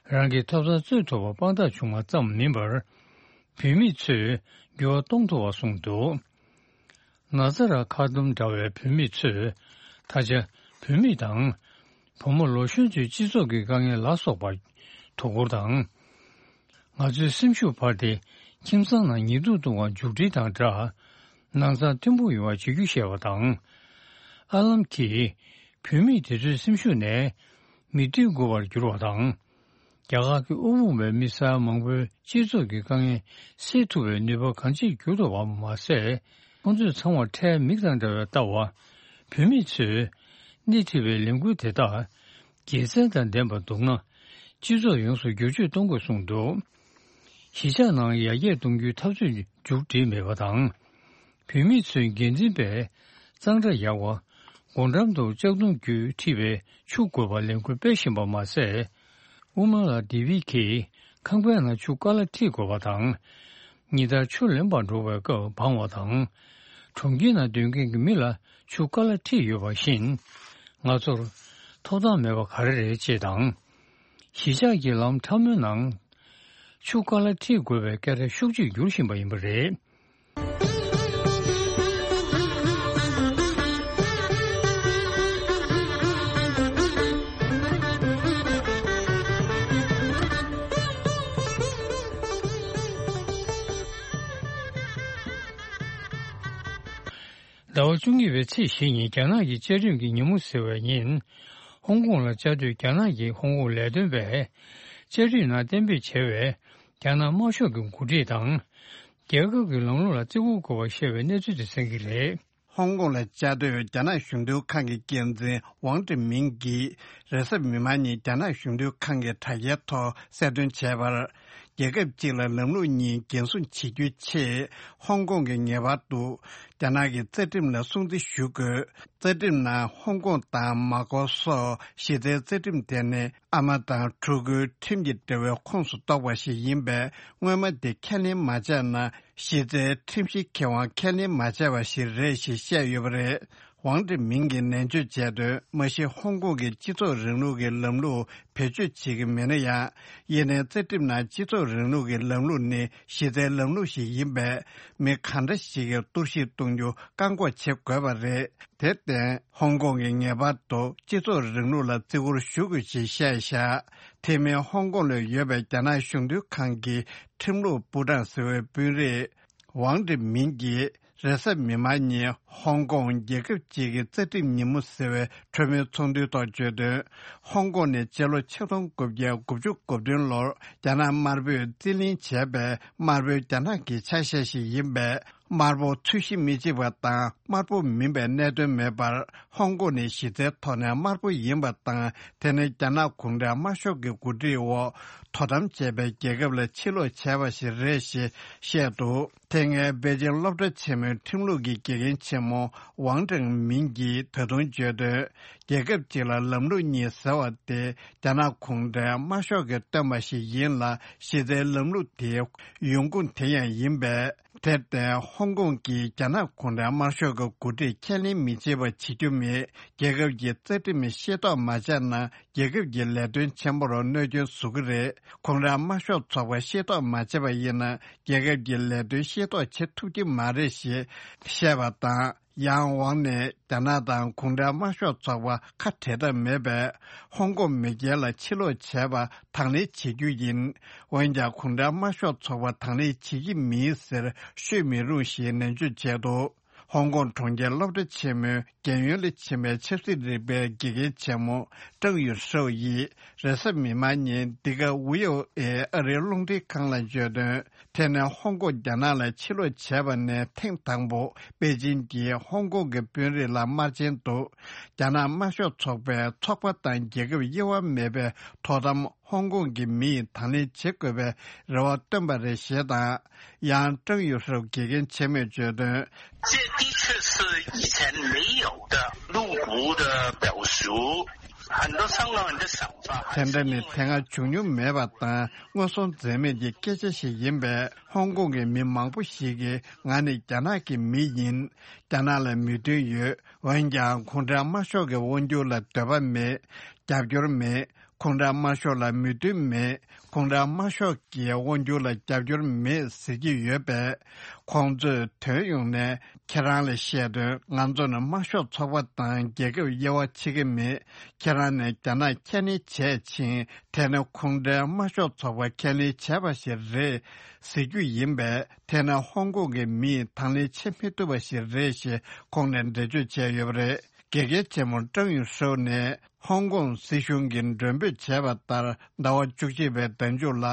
རང་གི་ཐོབ་ཐང་རྩོད་ཐུབ་པར་དཔང་རྟགས་བྱུང་བ་ཙམ་མིན་པར། བུད་མེད་ཚོས་འགྱུར་བ་གཏོང་ཐུབ་པ་གསུངས་འདུག། ན་ཛ་ར་ཁ་ཏུམ་འདྲ་བའི་བུད་མེད་ཚོས་ད་ཆ་བུད་མེད་དང་། བུ་མོ་ལོ་གཞོན་ཚོའི་སྤྱི་ཚོགས་ཀྱི་དཀའ་ངལ་ལ་སོགས་པར་དོ་ཁུར་དང་། ང་ཚོའི་སེམས་ཤུགས་འཕར་ཏེ། ཁྱིམ་ཚང་ནང་ཉེས་རྡུང་གཏོང་བར་མཇུག་སྒྲིལ་དང་སྦྲགས། སྣང་ཚ་མཐོན་པོ་ཡོང་བར་བྱེད་རྒྱུ་ཞེས་པ་དང་། ཨ་ལམ་གྱིས། བུད་མེད་དེ་ཚོའི་སེམས་ཤུགས་ནས། མིག་ལྟོས་འགུལ་བར་འགྱུར་བ་དང་། རྒྱ་གར་གྱི་དབུ་འོག་པའི་མི་སེར་མང་པོའི་སྤྱི་ཚོགས་ཀྱི་དཀའ་ངལ་སེལ་ཐུབ་པའི་ནུས་པ་གང་ཆེར་འགྱུར་ཐུབ་པ་མ་ཟད། ཁོང་ཚོས་ཚང་བར་ཁྲལ་མིག་དང་འདྲ་བའི་ལྟ་བ། བུད་མེད་ཚོས་སྣེ་ཁྲིད་པའི་ལས་འགུལ་དེ་དག་དགེ་མཚན་དང་ལྡན་པ་འདུག་ན། སྤྱི་ཚོགས་ཡོངས་སུ་བསྒྱུར་བཅོས་གཏོང་དགོས་གསུངས་འདུག། གཞིས་ཆགས་ནང་ཡར་རྒྱས་གཏོང་རྒྱུའི་འཐབ་རྩོད་མཇུག་སྒྲིལ་མེད་པ་དང་། བུད་མེད་ཚོའི་འགན་འཛིན་པས་གཙང་སྦྲ་ཡག་པ། སྒོ་འགྲམ་དུ་ལྕགས་དུང་བརྒྱུད་འཁྲིད་པའི་ཆུ་དགོས་པར་ལས་འགུལ་སྤེལ་བཞིན་པ་མ་ཟད། དབུ་མ་ལ་ལྡེ་བིད་ཀྱིས་ཁང་པའི་ནང་ཆུ་དཀའ་ལས་འཁྲིད་དགོས་པ་དང་། ཉིན་ལྟར་ཆུ་ལེན་པར་འགྲོ་བའི་སྐབས་སྦང་བ་དང་། གྲོང་ཁྱེར་ནང་སྡོད་མཁན་གྱི་མི་ལ་ཆུ་དཀའ་ལས་འཁྲིད་ཡོད་པ་བཞིན། ང་ཚོར་ཐོབ་ཐང་མེད་པ་ག་རེ་རེད་ཅེས་དང་། གཞིས་ཆགས་ཀྱི་ལམ་ཕྲ་མོའི་ནང་ཆུ་དཀའ་ལས་འཁྲིད་དགོས་པའི་སྐད་སྒྲ་ཤུགས་ཆེར་འགྱུར་བཞིན་པ་ཡིན་པ་རེད། ཟླ་བ་བཅུ་གཉིས་པའི་ཚེས་བཞི་ཉིན་རྒྱ་ནག་གི་བཅའ་ཁྲིམས་ཀྱི་ཉིན་མོ་ཟེར་བའི་ཉིན། ཧོང་ཀོང་ལ་བཅའ་སྡོད་རྒྱ་ནག་གི་ཧོང་ཀོང་ལས་དོན་པས་བཅའ་ཁྲིམས་ནང་གཏན་འབེབས་བྱས་པའི་རྒྱ་ནག་དམར་ཤོག་གི་འགོ་ཁྲིད་དང་། རྒྱལ་ཁབ་ཀྱི་ལམ་ལུགས་ལ་བརྩི་བཀུར་དགོས་པར་བཤད་པའི་གནས་ཚུལ་དེ་གསན་གྱི་རེད། ཧོང་ཀོང་ལ་བཅའ་སྡོད་རྒྱ་ནག་གཞུང་དོན་ཁང་གི་འགན་འཛིན་ཝང་ཀྲི་མིང་གིས་རེས་གཟའ་མིག་དམར་ཉིན་རྒྱ་ནག་གཞུང་དོན་ཁང་གི་དྲ་རྒྱའི་ཐོག་གསལ་སྟོན་བྱས་པར། རྒྱལ་ཁབ་གཅིག་ལ་ལམ་ལུགས་གཉིས་འགན་སྲུང་བྱེད་རྒྱུའི་ཆེད། ཧོང་ཀོང་གིས་ངེས་པར་དུ་རྒྱ་ནག་གི་རྩ་ཁྲིམས་ལ་སྲུང་བརྩི་ཞུ་དགོས། རྩ་ཁྲིམས་ནང་ཧོང་ཀོང་དང་མ་ཀོ་སོགས་གཞི་རྩའི་རྩ་ཁྲིམས་དེ་ནི་ཨ་མ་དང་ཕྲུ་གུའི་ཁྲིམས་ཀྱི་འབྲེལ་བའི་ཁོངས་སུ་གཏོགས་པ་ཞིག་ཡིན་པས། སྔོན་མ་དེ་ཁས་ལེན་མ་བྱས་ན། གཞི་རྩའི་ཁྲིམས་གཞི་ཁེ་དབང་ཁས་ལེན་མ་བྱས་པ་ཞིག་རེད་ཞེས་བཤད་ཡོད་པ་རེད། ཝང་ཀྲི་མིང་གིས་ནན་བརྗོད་བྱས་དོན། མ་གཞི་ཧོང་ཀོང་གིས་སྤྱི་ཚོགས་རིང་ལུགས་ཀྱི་ལམ་ལུགས་བེད་སྤྱོད་བྱེད་ཀྱི་མེད་ན་ཡང་། ཡིན་ནའི་རྩ་ཁྲིམས་ནང་སྤྱི་ཚོགས་རིང་ལུགས་ཀྱི་ལམ་ལུགས་ནི་གཞི་རྩའི་ལམ་ལུགས་ཤིག་ཡིན་པས། མི་གང་འདྲ་ཞིག་གིས་གཏོར་བཤིག་གཏོང་རྒྱུ་བཀག་འགོག་བྱེད་དགོས་པ་རེད། དེར་བརྟེན། ཧོང་ཀོང་གིས་ངེས་པར་དུ་སྤྱི་ཚོགས་རིང་ལུགས་ལ་བརྩི་བཀུར་ཞུ་དགོས་ཞེས་བཤད་བཞག། དེ་མིན་ཧོང་ཀོང་ལ་ཡོད་པའི་རྒྱ་ནག་གཞུང་དོན་ཁང་གི་ཁྲིམས་ལུགས་པུའུ་ཀྲང་ཟེར་བའི་དཔོན་རིགས། ཝང་ཀྲི་མིང་གིས་རེས་གཟའ་མིག་དམར་ཉིན་ཧོང་ཀོང་རྒྱལ་ཁབ་ཅིག་གི་རྩ་ཁྲིམས་ཉིན་མོ་ཟེར་བའི་གྲོས་མོལ་ཚོགས་འདུའི་ཐོག་བརྗོད་དོན། ཧོང་ཀོང་ནི་སྤྱི་ལོ་ཆིག་སྟོང་དགུ་བརྒྱ་དགུ་བཅུ་གོ་བདུན་ལོར་རྒྱ་ནག་དམར་པོས་རྩིས་ལེན་བྱས་པའི་དམར་པོའི་རྒྱ་ནག་གི་ཆ་ཤས་ཤིག་ཡིན་པས། དམར་པོ་ཚོས་གཞི་མི་གཅིག་པ་དང་དམར་པོ་མིན་པའི་གནད་དོན་མེད་པར། ཧོང་ཀོང་ནི་གཞི་རྩའི་ཐོག་ནས་དམར་པོ་ཡིན་པ་དང་། དེ་ནི་རྒྱ་ནག་གུང་ཁྲན་དམར་ཤོག་གི་འགོ་ཁྲིད་འོག་དོ་དམ་བྱས་པའི་རྒྱལ་ཁབ་ལ་ཕྱིར་ལོག་བྱས་པ་ཞིག་རེད་ཞེས་བཤད་འདུག། དེ་སྔའི་པེ་ཅིང་སློབ་གྲྭ་ཆེན་མོའི་ཁྲིམས་ལུགས་ཀྱི་དགེ་རྒན་ཆེན་མོ་ཝང་ཀྲེང་མིང་གིས་ད་དུང་བརྗོད་དོན། རྒྱལ་ཁབ་ཅིག་ལ་ལམ་ལུགས་གཉིས་ཟེར་བ་དེ་རྒྱ་ནག་གུང་ཁྲན་དམར་ཤོག་གིས་བཏོན་པ་ཞིག་ཡིན་ལ། གཞི་རྩའི་ལམ་ལུགས་དེ་ཡོང་ཁུངས་དེ་ཡང་ཡིན་པས། དེར་བརྟེན། ཧོང་ཀོང་གིས་རྒྱ་ནག་གུང་ཁྲན་དམར་ཤོག་གི་འགོ་ཁྲིད་ཁས་ལེན་མི་བྱེད་པ་བྱེད་རྒྱུ་མེད། རྒྱལ་ཁབ་ཀྱི་རྩ་ཁྲིམས་ཤེས་རྟོགས་མ་བྱས་ན། རྒྱལ་ཁབ་ཀྱི་ལས་དོན་ཆེན་པོར་གནོད་སྐྱོན་བཟོ་གི་རེད། གུང་ཁྲན་དམར་ཤོག་ཚོགས་པ་ཤེས་རྟོགས་མ་བྱས་པ་ཡིན་ན། རྒྱལ་ཁབ་ཀྱི་ལས་དོན་ཤེས་རྟོགས་བྱེད་ཐུབ་ཀྱི་མ་རེད་ཞེས་བཤད་པ་དང་། ཡང་ཝང་ནས་རྒྱ་ནག་དང་གུང་ཁྲན་དམར་ཤོག་ཚོགས་པ་ཁ་བྲལ་ཐབས་མེད་པས། ཧོང་ཀོང་མི་སྒེར་ལ་ཕྱིར་ལོག་བྱས་པ་དང་ལེན་བྱེད་རྒྱུ་ཡིན། འོན་ཀྱང་། གུང་ཁྲན་དམར་ཤོག་ཚོགས་པ་དང་ལེན་བྱེད་ཀྱི་མིན་ཟེར་ཤོད་མི་རུང་ཞེས་ནན་བརྗོད་བྱས་འདུག། ཧོང་ཀོང་གྲོང་ཁྱེར་སློབ་གྲྭ་ཆེན་མོའི་རྒན་ཡོལ་ལ་ཕྱིན་པའི་ཆབ་སྲིད་རིག་པའི་དགེ་རྒན་ཆེན་མོ་ཀྲང་ཡུན་ཧྲོ་ཡིས་རེས་གཟའ་མིག་དམར་ཉིན་འདི་ག་ཝི་ཨོ་ཨེ་ཨ་རིའི་རླུང་འཕྲིན་ཁང་ལ་བརྗོད་དོན། དེ་ནི་ཧོང་ཀོང་རྒྱ་ནག་ལ་ཕྱིར་ལོག་བྱས་པ་ནས་ཐེངས་དང་པོ། པེ་ཅིན་གྱིས་ཧོང་ཀོང་གི་དཔོན་རིགས་ལ་དམར་རྗེན་དུ། རྒྱ་ནག་དམར་ཤོག་ཚོགས་པའི་ཚོགས་པ་དང་རྒྱལ་ཁབ་དབྱེ་བ་མེད་པའི་དོ་དམ་ ཧོང་ཀོང་གི་མི་ཡིས་དང་ལེན་བྱེད་དགོས་པའི་རེ་བ་བཏོན་པ་རེད་ཞེས་དང་། ཡང་ཀྲང་ཡུས་ཧྲུའུ་དགེ་རྒན་ཆེན་མོས་བརྗོད་དོན། 这的确是以前没有的露骨的表述，很多香港人的想法还 དེ་འདྲ་ནི་དེ་སྔ་བྱུང་མྱོང་མེད་པ་དང་མངོན་སུམ་འཛེམ་མེད་ཀྱི་སྐད་ཆ་ཞིག་ཡིན་པས། ཧོང་ཀོང་གི་མི་མང་པོ་ཞིག་གིས་ང་ནི་རྒྱ་ནག་གི་མི་ཡིན། རྒྱ་ནག་ལ་མོས་མཐུན་ཡོད། འོན་ཀྱང་གུང་ཁྲན་དམར་ཤོག་གི་དབང་སྒྱུར་ལ་འདོད་པ་མེད། རྒྱབ་སྐྱོར་མེད། གུང་ཁྲན་དམར་ཤོག་ལ་མོས་མཐུན་མེད། གུང་ཁྲན་དམར་ཤོག་གི་དབང་སྒྱུར་ལ་རྒྱབ་སྐྱོར་མེད་ཟེར་གྱི་ཡོད་པས། ཁོང་ཚོས་དོན་ཡོང་ནས་ཁྱེད་རང་ལ་བཤད་དོན། ང་ཚོ་ནི་དམར་ཤོག་ཚོགས་པ་དང་རྒྱལ་ཁབ་དབྱེ་བ་ཕྱེ་གི་མེད། ཁྱེད་རང་ནས་རྒྱ་ནག་ཁས་ལེན་བྱས་ཕྱིན། དེ་ནི་གུང་ཁྲན་དམར་ཤོག་ཚོགས་པ་ཁས་ལེན་བྱས་པ་ཞིག་རེད་ཟེར་རྒྱུ་ཡིན་པས། དེ་ནི་ཧོང་ཀོང་གི་མིས་དང་ལེན་བྱེད་མི་ཐུབ་པ་ཞིག་རེད་ཞེས་ཁོང་ནས་འགྲེལ་བརྗོད་བྱས་ཡོད་པ་རེད། དགེ་རྒན་ཆེན་མོ་ཀྲང་ཡུས་ཧྲུའུ་ནས་ཧོང་ཀོང་སྲིད་གཞུང་གིས་མགྲོན་འབོད་བྱས་པ་ལྟར། ཟླ་བ་བཅུ་གཅིག་པའི་ཟླ་མཇུག་ལ།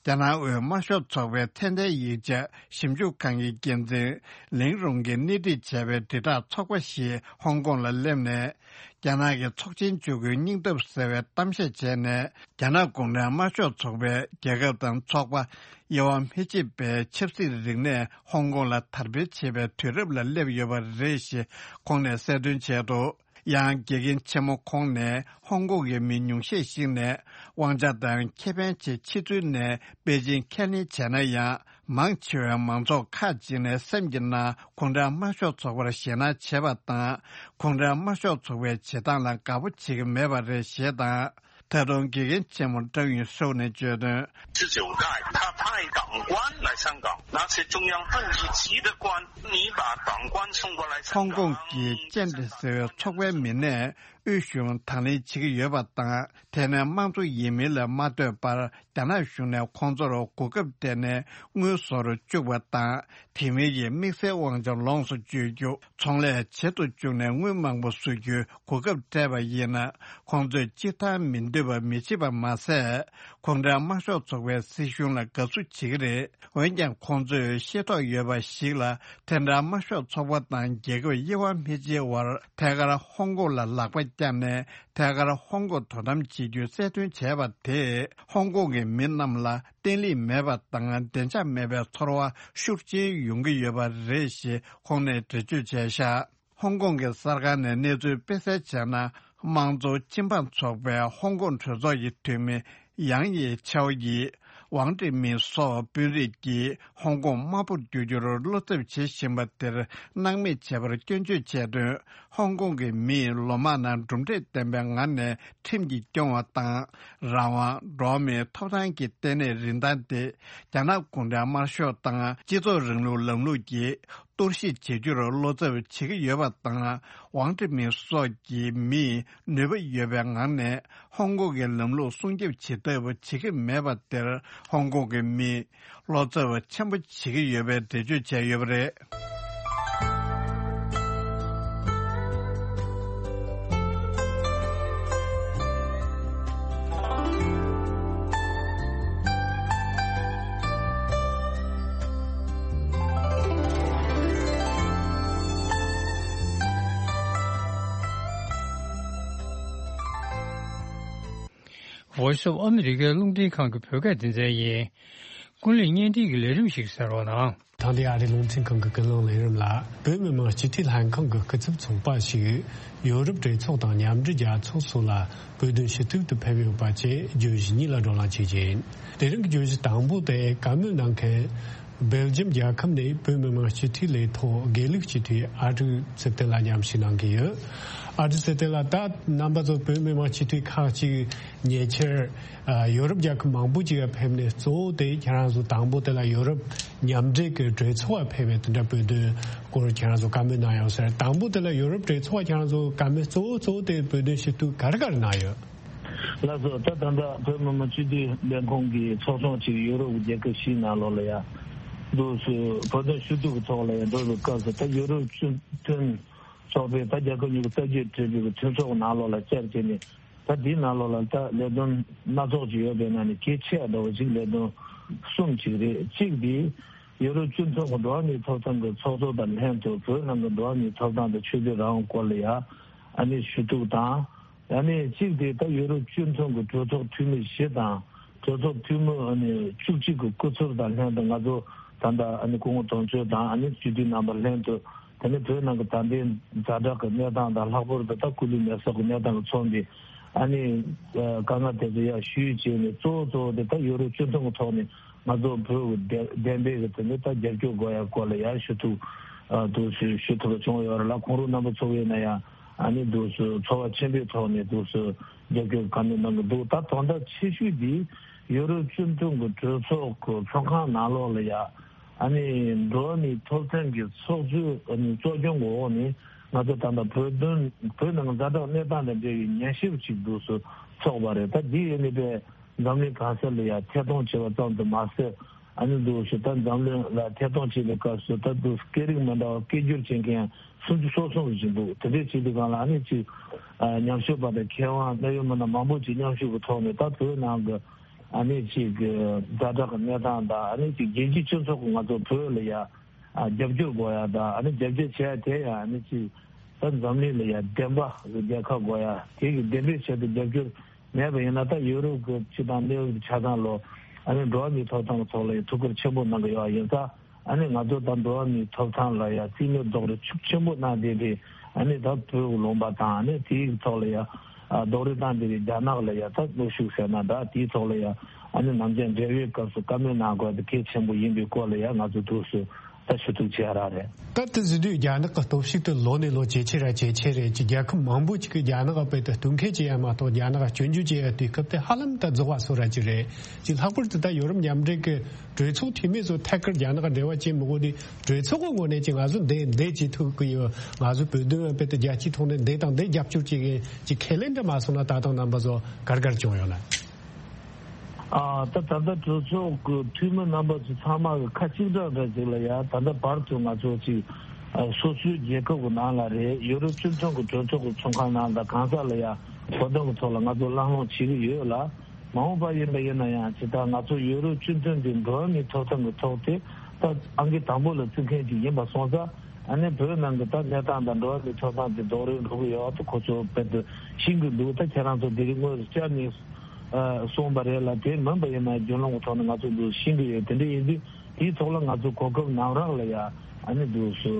རྒྱ་ནག་དབུས་དམར་ཤོག་ཚོགས་པའི་ཚད་ལྡན་ཡིག་ཆ་ཞིབ་འཇུག་ཁང་གི་འགན་འཛིན་ལིང་རུང་གིས་སྣེ་ཁྲིད་བྱས་པའི་དྲིལ་བསྒྲགས་ཚོགས་པ་ཞིག་ཧོང་ཀོང་ལ་སླེབས་ནས། རྒྱ་ནག་གི་ཚོགས་ཆེན་བཅུ་དགུའི་སྙིང་སྟོབས་ཟེར་བའི་གཏམ་བཤད་བྱས་ནས། རྒྱ་ནག་གུང་ཁྲན་དམར་ཤོག་ཚོགས་པའི་རྒྱལ་ཁབ་དང་ཚོགས་པ། དབྱེ་བ་མི་ཕྱེད་པའི་ཆབ་སྲིད་རིག་གནས་ཧོང་ཀོང་ལ་དར་སྤེལ་བྱེད་པའི་དུས་རབས་ལ་སླེབས་ཡོད་པ་རེད་ཞེས་ཁོང་ནས་གསལ་སྟོན་བྱས་འདུག། ཡང་དགེ་རྒན་ཆེན་མོ་ཁོང་ནས་ཧོང་ཀོང་གི་མི་ཉུང་ཤས་ཤིག་ནས་དབང་ཆ་དང་ཁེ་ཕན་ཆེད་ཕྱི་ཚུལ་ནས་པེ་ཅིང་ཁས་ལེན་བྱས་ན་ཡང་། མང་ཆེ་བའི་མང་ཚོགས་ཁག་ཅིག་ནས་སེམས་ཀྱི་ནང་གུང་ཁྲན་དམར་ཤོག་ཚོགས་པར་ཞེད་སྣང་བྱེད་པ་དང་། གུང་ཁྲན་དམར་ཤོག་ཚོགས་པའི་བྱེད་སྟངས་ལ་དགའ་པོ་བྱེད་ཀྱི་མེད་པ་རེད་ཞེས་དང་། ད་དུང་དགེ་རྒན་ཆེན་མོ་ཀྲང་ཡུས་ཧྲུའུ་ནས་བརྗོད་དོན། 十九大，他派党官来香港，拿些中央部一级的官，你把党官送过来香港。 ཧོང་ཀོང་གི་ཅན་ཏི་ཟེར་བའི་ཚོགས་པའི་མི་སྣས་དབུས་གཞུང་དང་ལེན་བྱེད་ཀྱི་ཡོད་པ་དང་། དེ་ནས་དམངས་གཙོ་ཡིན་མིན་ལ་མ་ལྟོས་པར། རྒྱ་ནག་གཞུང་ནས་ཁོང་ཚོར་གོ་སྐབས་སྤྲད་ནས་དངུལ་བཟོ་རུ་བཅུག་པ་དང་། དེ་མིན་གྱི་དམིགས་བསལ་དབང་ཆ་ལོངས་སུ་སྤྱོད་རྒྱུ། ཚོང་ལས་བྱེད་དུ་བཅུག་ནས་དངུལ་མང་པོ་བཟོ་རྒྱུའི་གོ་སྐབས་སྤྲད་པ་ཡིན་ན། ཁོང་ཚོས་སྤྱིར་བཏང་མི་འདོད་པ་མི་བྱེད་པ་མ་ཟད། གུང་ཁྲན་དམར་ཤོག་ཚོགས་པའི་སྲིད་གཞུང་ལ་དགའ་བསུ་བྱེད་ཀྱི་རེད། འོན་ཀྱང་ཁོང་ཚོས་ཤེས་རྟོགས་ཡོད་པ་ཞིག་ལ། དེ་འདྲ་དམར་ཤོག་ཚོགས་པ་དང་རྒྱལ་ཁབ་དབྱེ་བ་མི་འབྱེད་བར་ཐད་ཀར་ཧོང་ཀོང་ལ་ལག་པ་བརྐྱངས་ནས། ཐད་ཀར་ཧོང་ཀོང་དོ་དམ་བྱེད་རྒྱུའི་རྩལ་འདོན་བྱས་པ་དེས་ཧོང་ཀོང་གི་མི་རྣམས་ལ་བརྟན་ལྷིང་མེད་པ་དང་བདེ་འཇགས་མེད་པའི་ཚོར་བ་ཤུགས་ཆེན་ཡོང་གི་ཡོད་པ་རེད་ཞེས་ཁོང་ནས་འགྲེལ་བརྗོད་བྱས་བཞག། ཧོང་ཀོང་གི་གསར་ཁང་ནས་གནས་ཚུལ་སྤེལ་གསལ་བྱས་ན། དམངས་གཙོ་སྤྱི་འབངས་ཚོགས་པའི་ཧོང་ཀོང་གྲོས་ཚོགས་ཀྱི་འཐུས་མི་ཡང་ཡེ་ཆའོ་ཡིས། ཝང་ཀྲི་མིན་སོགས་དཔོན་རིགས་ཀྱིས་ཧོང་ཀོང་དམར་པོར་བསྒྱུར་རྒྱུར་བློ་འཚབ་བྱེད་བཞིན་པ་དེར་སྣང་མེད་བྱས་པར་སྐྱོན་བརྗོད་བྱས་དོན། ཧོང་ཀོང་གི་མིས་ལོ་མང་ནང་གྲུབ་འབྲས་ལྡན་པའི་ངང་ནས་ཁྲིམས་ཀྱིས་སྐྱོང་བ་དང་། རང་དབང་། འགྲོ་བ་མིའི་ཐོབ་ཐང་གི་ལྟེ་གནས་རིན་ཐང་དེ་རྒྱ་ནག་གུང་ཁྲན་དམར་ཤོག་དང་སྤྱི་ཚོགས་རིང་ལུགས་ལམ་ལུགས་ཀྱིས་གཏོར་བཤིག་བྱེད་རྒྱུར་བློ་འཚབ་བྱེད་ཀྱི་ཡོད་པ་དང་། ཝང་ཀྲི་མིན་སོགས་ཀྱི་མིས་ནུས་པ་ཡོད་པའི་ངང་ནས་ཧོང་ཀོང་གི་ལམ་ལུགས་སྲུང་སྐྱོབ་བྱེད་ཐབས་བྱེད་ཀྱི་མེད་པ་དེར་ཧོང་ཀོང་གི་མིས་བློ་འཚབ་ཆེན་པོ་བྱེད་ཀྱི་ཡོད་པའི་འགྲེལ་བརྗོད་བྱས་ཡོད་པ་རེད། Voice of America རླུང་འཕྲིན་ཁང་གི་བོད་སྐད་སྡེ་ཚན་ཡིན། ཀུན་གླེང་བརྙན་འཕྲིན་གྱི་ལས་རིམ་ཞིག་གསན་རོགས་གནང་། དེང་དུས་ཨ་རིའི་རླུང་འཕྲིན་ཁང་གི་ཀུན་གླེང་ལས་རིམ་ལ། བོད་མི་མང་སྤྱི་འཐུས་ལྷན་ཁང་གི་སྐུ་ཚབ་ཚོགས་པ་ཞིག་ཡོ་རོབ་གྲོས་ཚོགས་དང་མཉམ་འབྲེལ་རྒྱལ་ཚོགས་སོགས་ལ་བོད་དོན་ཞུ་གཏུག་ཏུ་ཕེབས་ཡོད་པ་བཅས་བརྗོད་གཞི་གཉིས་ལ་བགྲོ་གླེང་བྱེད་ཀྱི་ཡིན། དེ་རིང་གི་བརྗོད་གཞི་དང་པོ་དེ་བཀའ་མོལ་གནང་མཁན། སྦེལ་ཇམ་རྒྱལ་ཁབ་ནས་བོད་མི་མང་སྤྱི་འཐུས་ལས་ཐོག་དགེ་ལུགས་སྤྱི་འཐུས་ཨ་ཀྲུག་ཚེ་བརྟན་ལགས་མཉམ་ཞུགས་གནང་གི་ཡོད། ཨ་ཀྲུག་ཚེ་བརྟན་ལགས། ད་རྣམ་པ་ཚོ་བོད་མི་མང་སྤྱི་འཐུས་ཁག་ཅིག་ཉེ་ཆར་ཡོ་རོབ་རྒྱལ་ཁབ་མང་པོ་ཅིག་ལ་ཕེབས་ནས། གཙོ་བོ་དེ་ཁྱེད་རང་ཚོ་དང་པོ་དེ་ལ་ཡོ་རོབ་མཉམ་འབྲེལ་གྱི་གྲོས་ཚོགས་ལ་ཕེབས་པའི་དེ་འདྲ་བོད་དོན་སྐོར་ཁྱེད་རང་ཚོ་བཀའ་མོལ་གནང་ཡོད་ཟེར། དང་པོ་དེ་ལ་ཡོ་རོབ་གྲོས་ཚོགས་ལ་ཁྱེད་རང་ཚོ་བཀའ་མོལ་གཙོ་བོ་གཙོ་བོ་དེ་བོད་དོན་ཞུ་གཏུག་ག་རེ་ག་རེ་གནང་ཡོད། ལགས་སོ། ད་ད་ལྟ་བོད་མི་མང་སྤྱི་འཐུས་ལས་ཁུངས་ཀྱི་ཚོགས་ཆུང་ཅིག་ཡོ་རོབ་ཀྱི་རྒྱལ་ཁབ་བཞིའི་ནང་ལོགས་ལ་ཡ་འདུག་སེ་བོད་དོན་ཞུ་གཏུག་གི་ཐོག་ལ་ཡ་འགྲོ་བའི་སྐབས་སུ། ད་ཡོ་རོབ་སྤྱི་མཐུན་ཚོགས་པས་ད་རྒྱལ་ཁབ་གཉིས་ཀྱི་ལྟ་སྤྱོད་འབྲེལ་བའི་མཐུན་ཚོགས་ནང་ལོགས་ལ་བཅར་བྱས་ནས། ད་འདིའི་ནང་ལོགས་ལ་ད་ལས་དོན་སྣ་ཚོགས་ཅིག་ཡོད་པའི་ནང་ནས་གལ་ཆེ་བ་འདྲ་བོ་ཅིག་ལས་དོན་གསུམ་ཅིག་རེད། གཅིག་འདི་ཡོ་རོབ་སྤྱི་མཐུན་ཚོགས་ཀྱི་འགྲོ་བ་མིའི་ཐོབ་ཐང་གི་ཚོགས་གཙོ་དང་ལྷན་དུ་བོད་ནང་གི་འགྲོ་བ་མིའི་ཐོབ་ཐང་དང་ཆོས་དད་རང་དབང་སྐོར་ལ་ཡ་ཨ་ནི་ཞུ་གཏུག་དང་། ཨ་ནི་གཅིག་དེ་ད་ཡོ་རོབ་སྤྱི་མཐུན་གྱི་གྲོས་ཚོགས་འཐུས་མི་བཞི་དང་གྲོས་ཚོགས་འཐུས་མི་ཨ་ནི་བཅུ་གཅིག་གི་སྐུ་ཚབ་དང་ལྷན་དུ་ང་ཚོ་ད་ལྟ་ཨ་ནི་སྐུ་ངོ་དོན་གཅོད་དང་ཨ་ནི་སྤྱི་འཐུས་རྣམ་པ་ལྷན་དུ་དེ་ནས་བོད་ནང་གི་ད་ལྟའི་ཛ་དྲག་གི་གནས་སྟངས་དང་ལྷག་པར་དུ་ད་སྐུ་ལུས་མེ་སྲེག་གི་གནས་སྟངས་ཀྱིས་མཚོན་པའི་ཨ་ནི་དཀའ་ངལ་དེ་ཚོ་ཡར་ཞུས་བྱས་ནས་གཙོ་བོ་གཙོ་བོ་དེ་ད་ཡོ་རོབ་སྤྱི་མཐུན་གྱི་ཐོག་ནས་ང་ཚོ་བོད་ཀྱི་བདེན་པའི་གི་དེ་ནས་ད་རྒྱབ་སྐྱོར་དགོས་ཡ་སྐོར་ལ་ཡར་ཞུ་ཐུབ་འདུག་ཞུ་ཞུ་ཐུབ་པ་བྱུང་ཡོད་རེད་ལ། ཁོང་རང་རྣམ་པ་ཚོ་ཡིན་ན་ཡང་། ཨ་ནི་འདུག་སེ་ཚོར་བ་ཆེན་པོའི་ཐོག་ནས་འདུག་སེ་རྒྱབ་སྐྱོར་བཀའ་མོལ་གནང་གི་འདུག་ད་དོན་དག་ཆེ་ཤོས་འདི་ཡོ་རོབ་སྤྱི་མཐུན་གྱི་གྲོས་ཚོགས་ཀྱི་ཚོགས་ཁང་ནང་ལོགས་ལ་ཡ་ཨ་ནི་འགྲོ་བ་མིའི་ཐོབ་ཐང་གི་ཚོགས་གཙོའི་ཨ་ནི་གཙོ་སྐྱོང་གི་འོག་ནས་ང་ཚོ་ད་ལྟ་བོད་དོན་བོད་ནང་ཛ་དྲག་གནས་སྟངས་དང་འབྲེལ་བའི་ཉན་ཞིབ་ཅིག་འདུག་སེ་ཚོགས་པ་རེད། ད་འདི་ཡིན་ནི་པས་འཛམ་གླིང་གང་ས་ལ་ཡ་ཐད་གཏོང་བྱས་པ་ཙམ་དུ་མ་ཟད། ཨ་ནི་འདུག་སེ་ད་འཛམ་གླིང་ལ་ཐད་གཏོང་བྱེད་པའི་སྐབས་སུ་ད་འདུག་སྐད་རིགས་མི་འདྲ་བ་སྐད་སྒྱུར་བྱེད་མཁན་སུམ་ཅུ་སོ་གསུམ་ཞིག་འདུག་དེ་འདྲའི་བྱེད་དུས་སྒང་ལ་ཨ་ནི་ཅིག་ཉམས་ཞིབ་པ་དང་མཁས་དབང་གནད་ཡོད་མི་སྣ་མང་པོ་ཅིག་མཉམ་ཞུགས་ཀྱི་ཐོག་ནས་ད་བོད་ནང་གི་ཨ་ནི་ཅིག་ཛ་དྲག་གི་གནས་སྟངས་དང་ཨ་ནི་ཅིག་རྒྱལ་སྤྱིའི་སྤྱི་ཚོགས་ཀྱི་ང་ཚོ་བོད་ལ་ཡ་རྒྱབ་སྐྱོར་དགོས་ཡ་དང་ཨ་ནི་རྒྱབ་སྐྱོར་བྱེད་ཡ་དེ་ཡ་ཨ་ནི་ཅིག་ད་འཛམ་གླིང་ལ་ཡ་བདེན་པ་རྒྱལ་ཁབ་དགོས་ཡ་དེ་གི་བདེན་པའི་ཆེད་དུ་རྒྱབ་སྐྱོར། མེད་པ་ཡིན་ན་ད་ཡུ་རོབ་ཀྱི་སྤྱི་དང་གནས་བབ་ཀྱི་ཆ་ཚང་ལོ་ཨ་ནི་འགྲོ་བ་མིའི་ཐོབ་ཐང་གི་ཐོག་ལ་ཡང་ཐུགས་ཁུར་ཆེན་པོ་གནང་གི་ཡོད་པ་ཡིན་ཙང་ཨ་ནི་ང་ཚོ་ད་འགྲོ་བ་མིའི་ཐོབ་ཐང་ལ་ཡང་རྩིས་མེད་རྡོག་རོལ་ཤུགས་ཆེན་པོ་གནང་བསྡད་པའི་ཨ་ནི་ད་བོད་ཀྱི་ལུང་པ་དང་ཨ་ནི་དེའི་ཐོག་ལ་ཡང་རྡོག་རོལ་བཏང་བསྡད་པའི་རྒྱ་ནག་ལ་ཡང་ད་གནོན་ཤུགས་ཟེར་ན་འདྲ་དེའི་ཐོག་ལ་ཡང་ཨ་ནི་ནམ་རྒྱུན་འབྲེལ་བའི་སྐབས་སུ་བཀའ་མོལ་གནང་དགོས་དེ་གལ་ཆེན་པོ་ཡིན་པའི་སྐོར་ལ་ཡང་ང་ཚོ་ཐུགས་སུ། ད་ཞུ་གཏུག་བྱས་ར་རེད། ད་དེ་ཟེར་དུས་རྒྱ་ནག་གི་སྟོབས་ཤུགས་དེ་ལོ་ནས་ལོ་ཇེ་ཆེ་ར་ཇེ་ཆེ་རེད། ཅིག་རྒྱལ་ཁབ་མང་པོ་ཅིག་གིས་རྒྱ་ནག་ག་དཔེ་དེ་གཏོར་མཁན་བྱེད་ཡ་མ་གཏོགས་རྒྱ་ནག་ག་སྐྱོན་བརྗོད་བྱེད་ཡ་དུས་སྐབས་དེ་ཧ་ལམ་ད་རྫོགས་པ་བཟོ་ར་ཅིག་རེད། ཅིག་ལྷག་པར་དུ་ད་ཡོ་རོབ་མཉམ་འབྲེལ་གི་གྲོས་ཚོགས་འཐུས་མི་ཚོ་ཐད་ཀར་རྒྱ་ནག་ག་འབྲེལ་བ་བྱེད་མི་དགོས་དུས་གྲོས་ཚོགས་གི་ངོས་ནས་ཅིག་ང་ཚོ་འདི་འདི་བྱེད་ཐུབ་ཀྱི་ཡོད། ང་ཚོ་བོད་དོན་བ་དཔེ་དེ་རྒྱལ་སྤྱིའི་ཐོག་ནས་འདི་དང་འདི་རྒྱབ་སྐྱོར་བྱེད་མཁན་ཅིག་ཁས་ལེན་འདྲ་མ་སོང་ན་ད་དུང་རྣམ་པ་ཚོ་གར་གར་བྱུང་ཡོད་ན། ཨ་ད་ད་ལྟ་གྲོས་ཚོགས་ཀྱི་འཐུས་མི་རྣམ་པ་ཚོ་ཚང་མ་གི་ཁ་གཅིག་གྲགས་འདྲ་ཅིག་ལ་ཡ་ད་ལྟ་བར་དུ་ང་ཚོ་ཅིག་ཨ་སོ་སོའི་རྒྱལ་ཁབ་ཀྱི་ནང་ལ་རེད། ཡོ་རོབ་སྤྱི་མཐུན་གྱི་གྲོས་ཚོགས་ཀྱི་ཚོགས་ཁང་ནང་དང་གང་ས་ལ་ཡ་བོད་དོན་གྱི་ཐོག་ལ་ང་ཚོ་གླེང་སློང་བྱེད་ཀྱི་ཡོད་ལ། མ་འོངས་པ་ཡིན་པ་ཡིན་ན་ཡང་ཇི་ལྟར་ང་ཚོ་ཡོ་རོབ་སྤྱི་མཐུན་གྱི་འགྲོ་བ་མིའི་ཐོབ་ཐང་གི་ཐོག་དེ་ད་ཨང་ཀི་དང་པོ་ལ་བརྩི་མཁན་ཅིག་ཡིན་པ་སོང་ཙང་། ཨ་ནི་བོད་ནང་གི་ད་གནས་སྟངས་དང་འགྲོ་བ་མིའི་ཐོབ་ཐང་དེ་རྡོག་རོལ་འགྲོ་གི་ཡོད་པ་དེ་ཁོ་ཚོ་དཔེ་དེ་ཤེས་ཀྱི་འདུག་ད་ཁྱེད་རང་ཚོ་དེ་རིང་དངོས་སུ་བཅར་ནས་ཨ་གསུངས་པ་རེད་ལ། དེ་མིན་པ་ཡིན་ན་རྒྱུན་ལམ་གྱི་ཐོག་ནས་ང་ཚོ་འདུག་ཤེས་ཀྱི་ཡོད། དེ་འདྲ་ཡིན་དུས་དེའི་ཐོག་ལ་ང་ཚོ་གོ་སྐབས་ནམ་རག་ལ་ཡ་ཨ་ནི་འདུག་སུ་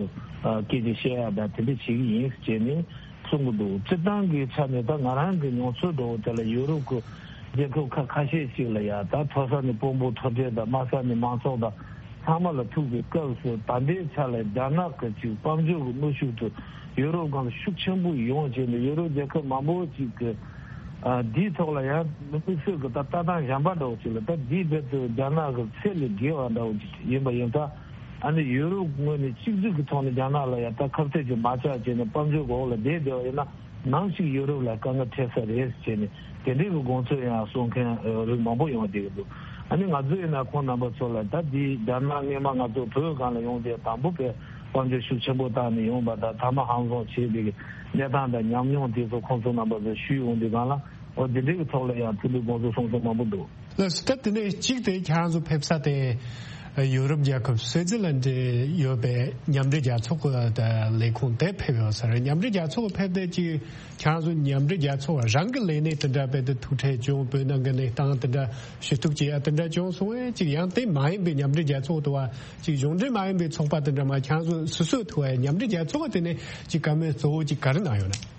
ཨ་སྐད་ཆ་བཤད་ཡ་དང་དེ་འདྲ་བྱེད་ཀྱི་ཡིན་ཟེར་ནས་གསུང་གི་འདུག་སྤྱིར་བཏང་གི་ཆ་ནས་ད་ང་རང་གི་མྱོང་ཚོར་འདྲ་བོ་དེ་ལ་ཡུ་རོབ་ཀྱི་རྒྱལ་ཁབ་ཁག་ཁ་ཤས་ཤིག་ལ་ཡ་ད་མཐོ་ས་ནས་དཔོན་པོ་མཐོ་གྲས་དང་དམའ་ས་ནས་མང་ཚོགས་དང་ཚང་མ་ལ་ཐུག་པའི་སྐབས་སུ་ད་ལྟའི་ཆ་ལ་རྒྱ་ནག་གི་ཅིག་དཔལ་འབྱོར་གྱི་གནོན་ཤུགས་དེ་ཡུ་རོབ་སྒང་ལ་ཤུགས་ཆེན་པོ་ཡོང་བྱས་ནས་ཡུ་རོབ་རྒྱལ་ཁབ་མང་པོ་ཅིག་གི་ཨ་འདིའི་ཐོག་ལ་ཡང་དམིགས་བསལ་གྱི་ད་ལྟ་སྟངས་གཞན་པ་འདྲ་བོ་ཅིག་ལ་ད་འདིའི་རྦད་དེ་རྒྱ་ནག་གི་ཚད་ལས་བརྒལ་བ་འདྲ་བོ་ཅིག་ཡིན་པ་ཡིན་ཙང་། ཨ་ནི་ཡུ་རོབ་ངོས་ནས་གཅིག་སྡུད་ཀྱི་ཐོག་ནས་རྒྱ་ནག་ལ་ཡང་ད་ཁ་གཏད་ཀྱིས་མ་བཅག་བྱས་ནས་དཔལ་འབྱོར་གྱི་འོག་ལ་བསྡད་བསྡད་པ་ཡིན་ན་ནམ་ཞིག་ཡུ་རོབ་ལ་དཀའ་ངལ་འཕྲད་ས་རེད་ཟེར་བྱས་ནས་དེ་འདྲའི་གི་དགོངས་ཚུལ་ཡང་གསུང་མཁན་རིགས་མང་པོ་ཡོང་བསྡད་ཀྱི་འདུག་ཨ་ནི་ང་ཚོ་ཡིན་ན་ཁོང་རྣམ་པ་ཚོ་ལ་ད་འདི་རྒྱ་ནག་སྔས་མ་ང་ཚོ་བོད་སྒང་ལ་ཡོང་དུས་དང་པོ་པའི་དཔལ་འབྱོར་ཤུགས་ཆེན་པོ་བཏང་ནས་ཡོང་བ་དང་མཐའ་མ་ཧང་སང་བྱས་པའི་གནས་སྟངས་དང་ཉམས་མྱོང་དེ་ཚོ་ཁོང་ཚོ་རྣམ་པ་ཚོ་ཞུས་ཡོང་དུས་སྒང་ལ་འོ་འདི་འདྲའི་གི་ཐོག་ལ་ཡང་ཐུགས་ལ་དགོངས་ཚུལ་གསུང་མཁན་མང་པོ་འདུག་ལགས་སོ། ད་དེ་ནས་གཅིག་དེ་ཁྱེད་རང་ཚོ་ཕེབས་ས་དེ་ཡོ་རོབ་རྒྱལ་ཁབ་སུའེ་ཙི་ལན་ཌ་ཡོད་པའི་མཉམ་འབྲེལ་རྒྱལ་ཚོགས་ཀྱི་ལས་ཁུངས་དེ་ཕེབས་ཡོད་ས་རེད། མཉམ་འབྲེལ་རྒྱལ་ཚོགས་ཕེབས་དེ་ཅིག་ཁྱེད་རང་ཚོ་མཉམ་འབྲེལ་རྒྱལ་ཚོགས་རང་གི་ལས་གནས་དེ་འདྲ་རྦད་དེ་ཐུག་འཕྲད་བྱུང་། བོད་ནང་གི་གནས་སྟངས་དེ་འདྲ་ཞུ་གཏུག་བྱེད་ཡ་དེ་འདྲ་བྱུང་སོང་བས་ཅིག་ཡང་དེ་མ་ཡིན་པའི་མཉམ་འབྲེལ་རྒྱལ་ཚོགས་དུ་བ་ཅིག་གཞུང་འབྲེལ་མ་ཡིན་པའི་ཚོགས་པ་དེ་འདྲ་མ་ཁྱེད་རང་ཚོ་སོ་སོས་ཐུག་བ་མཉམ་འབྲེལ་རྒྱལ་ཚོགས་དེ་ནས་ཅིག་བཀའ་མོལ་གཙོ་བོ་ཅིག་ག་རེ་གནང་ཡོད་ན།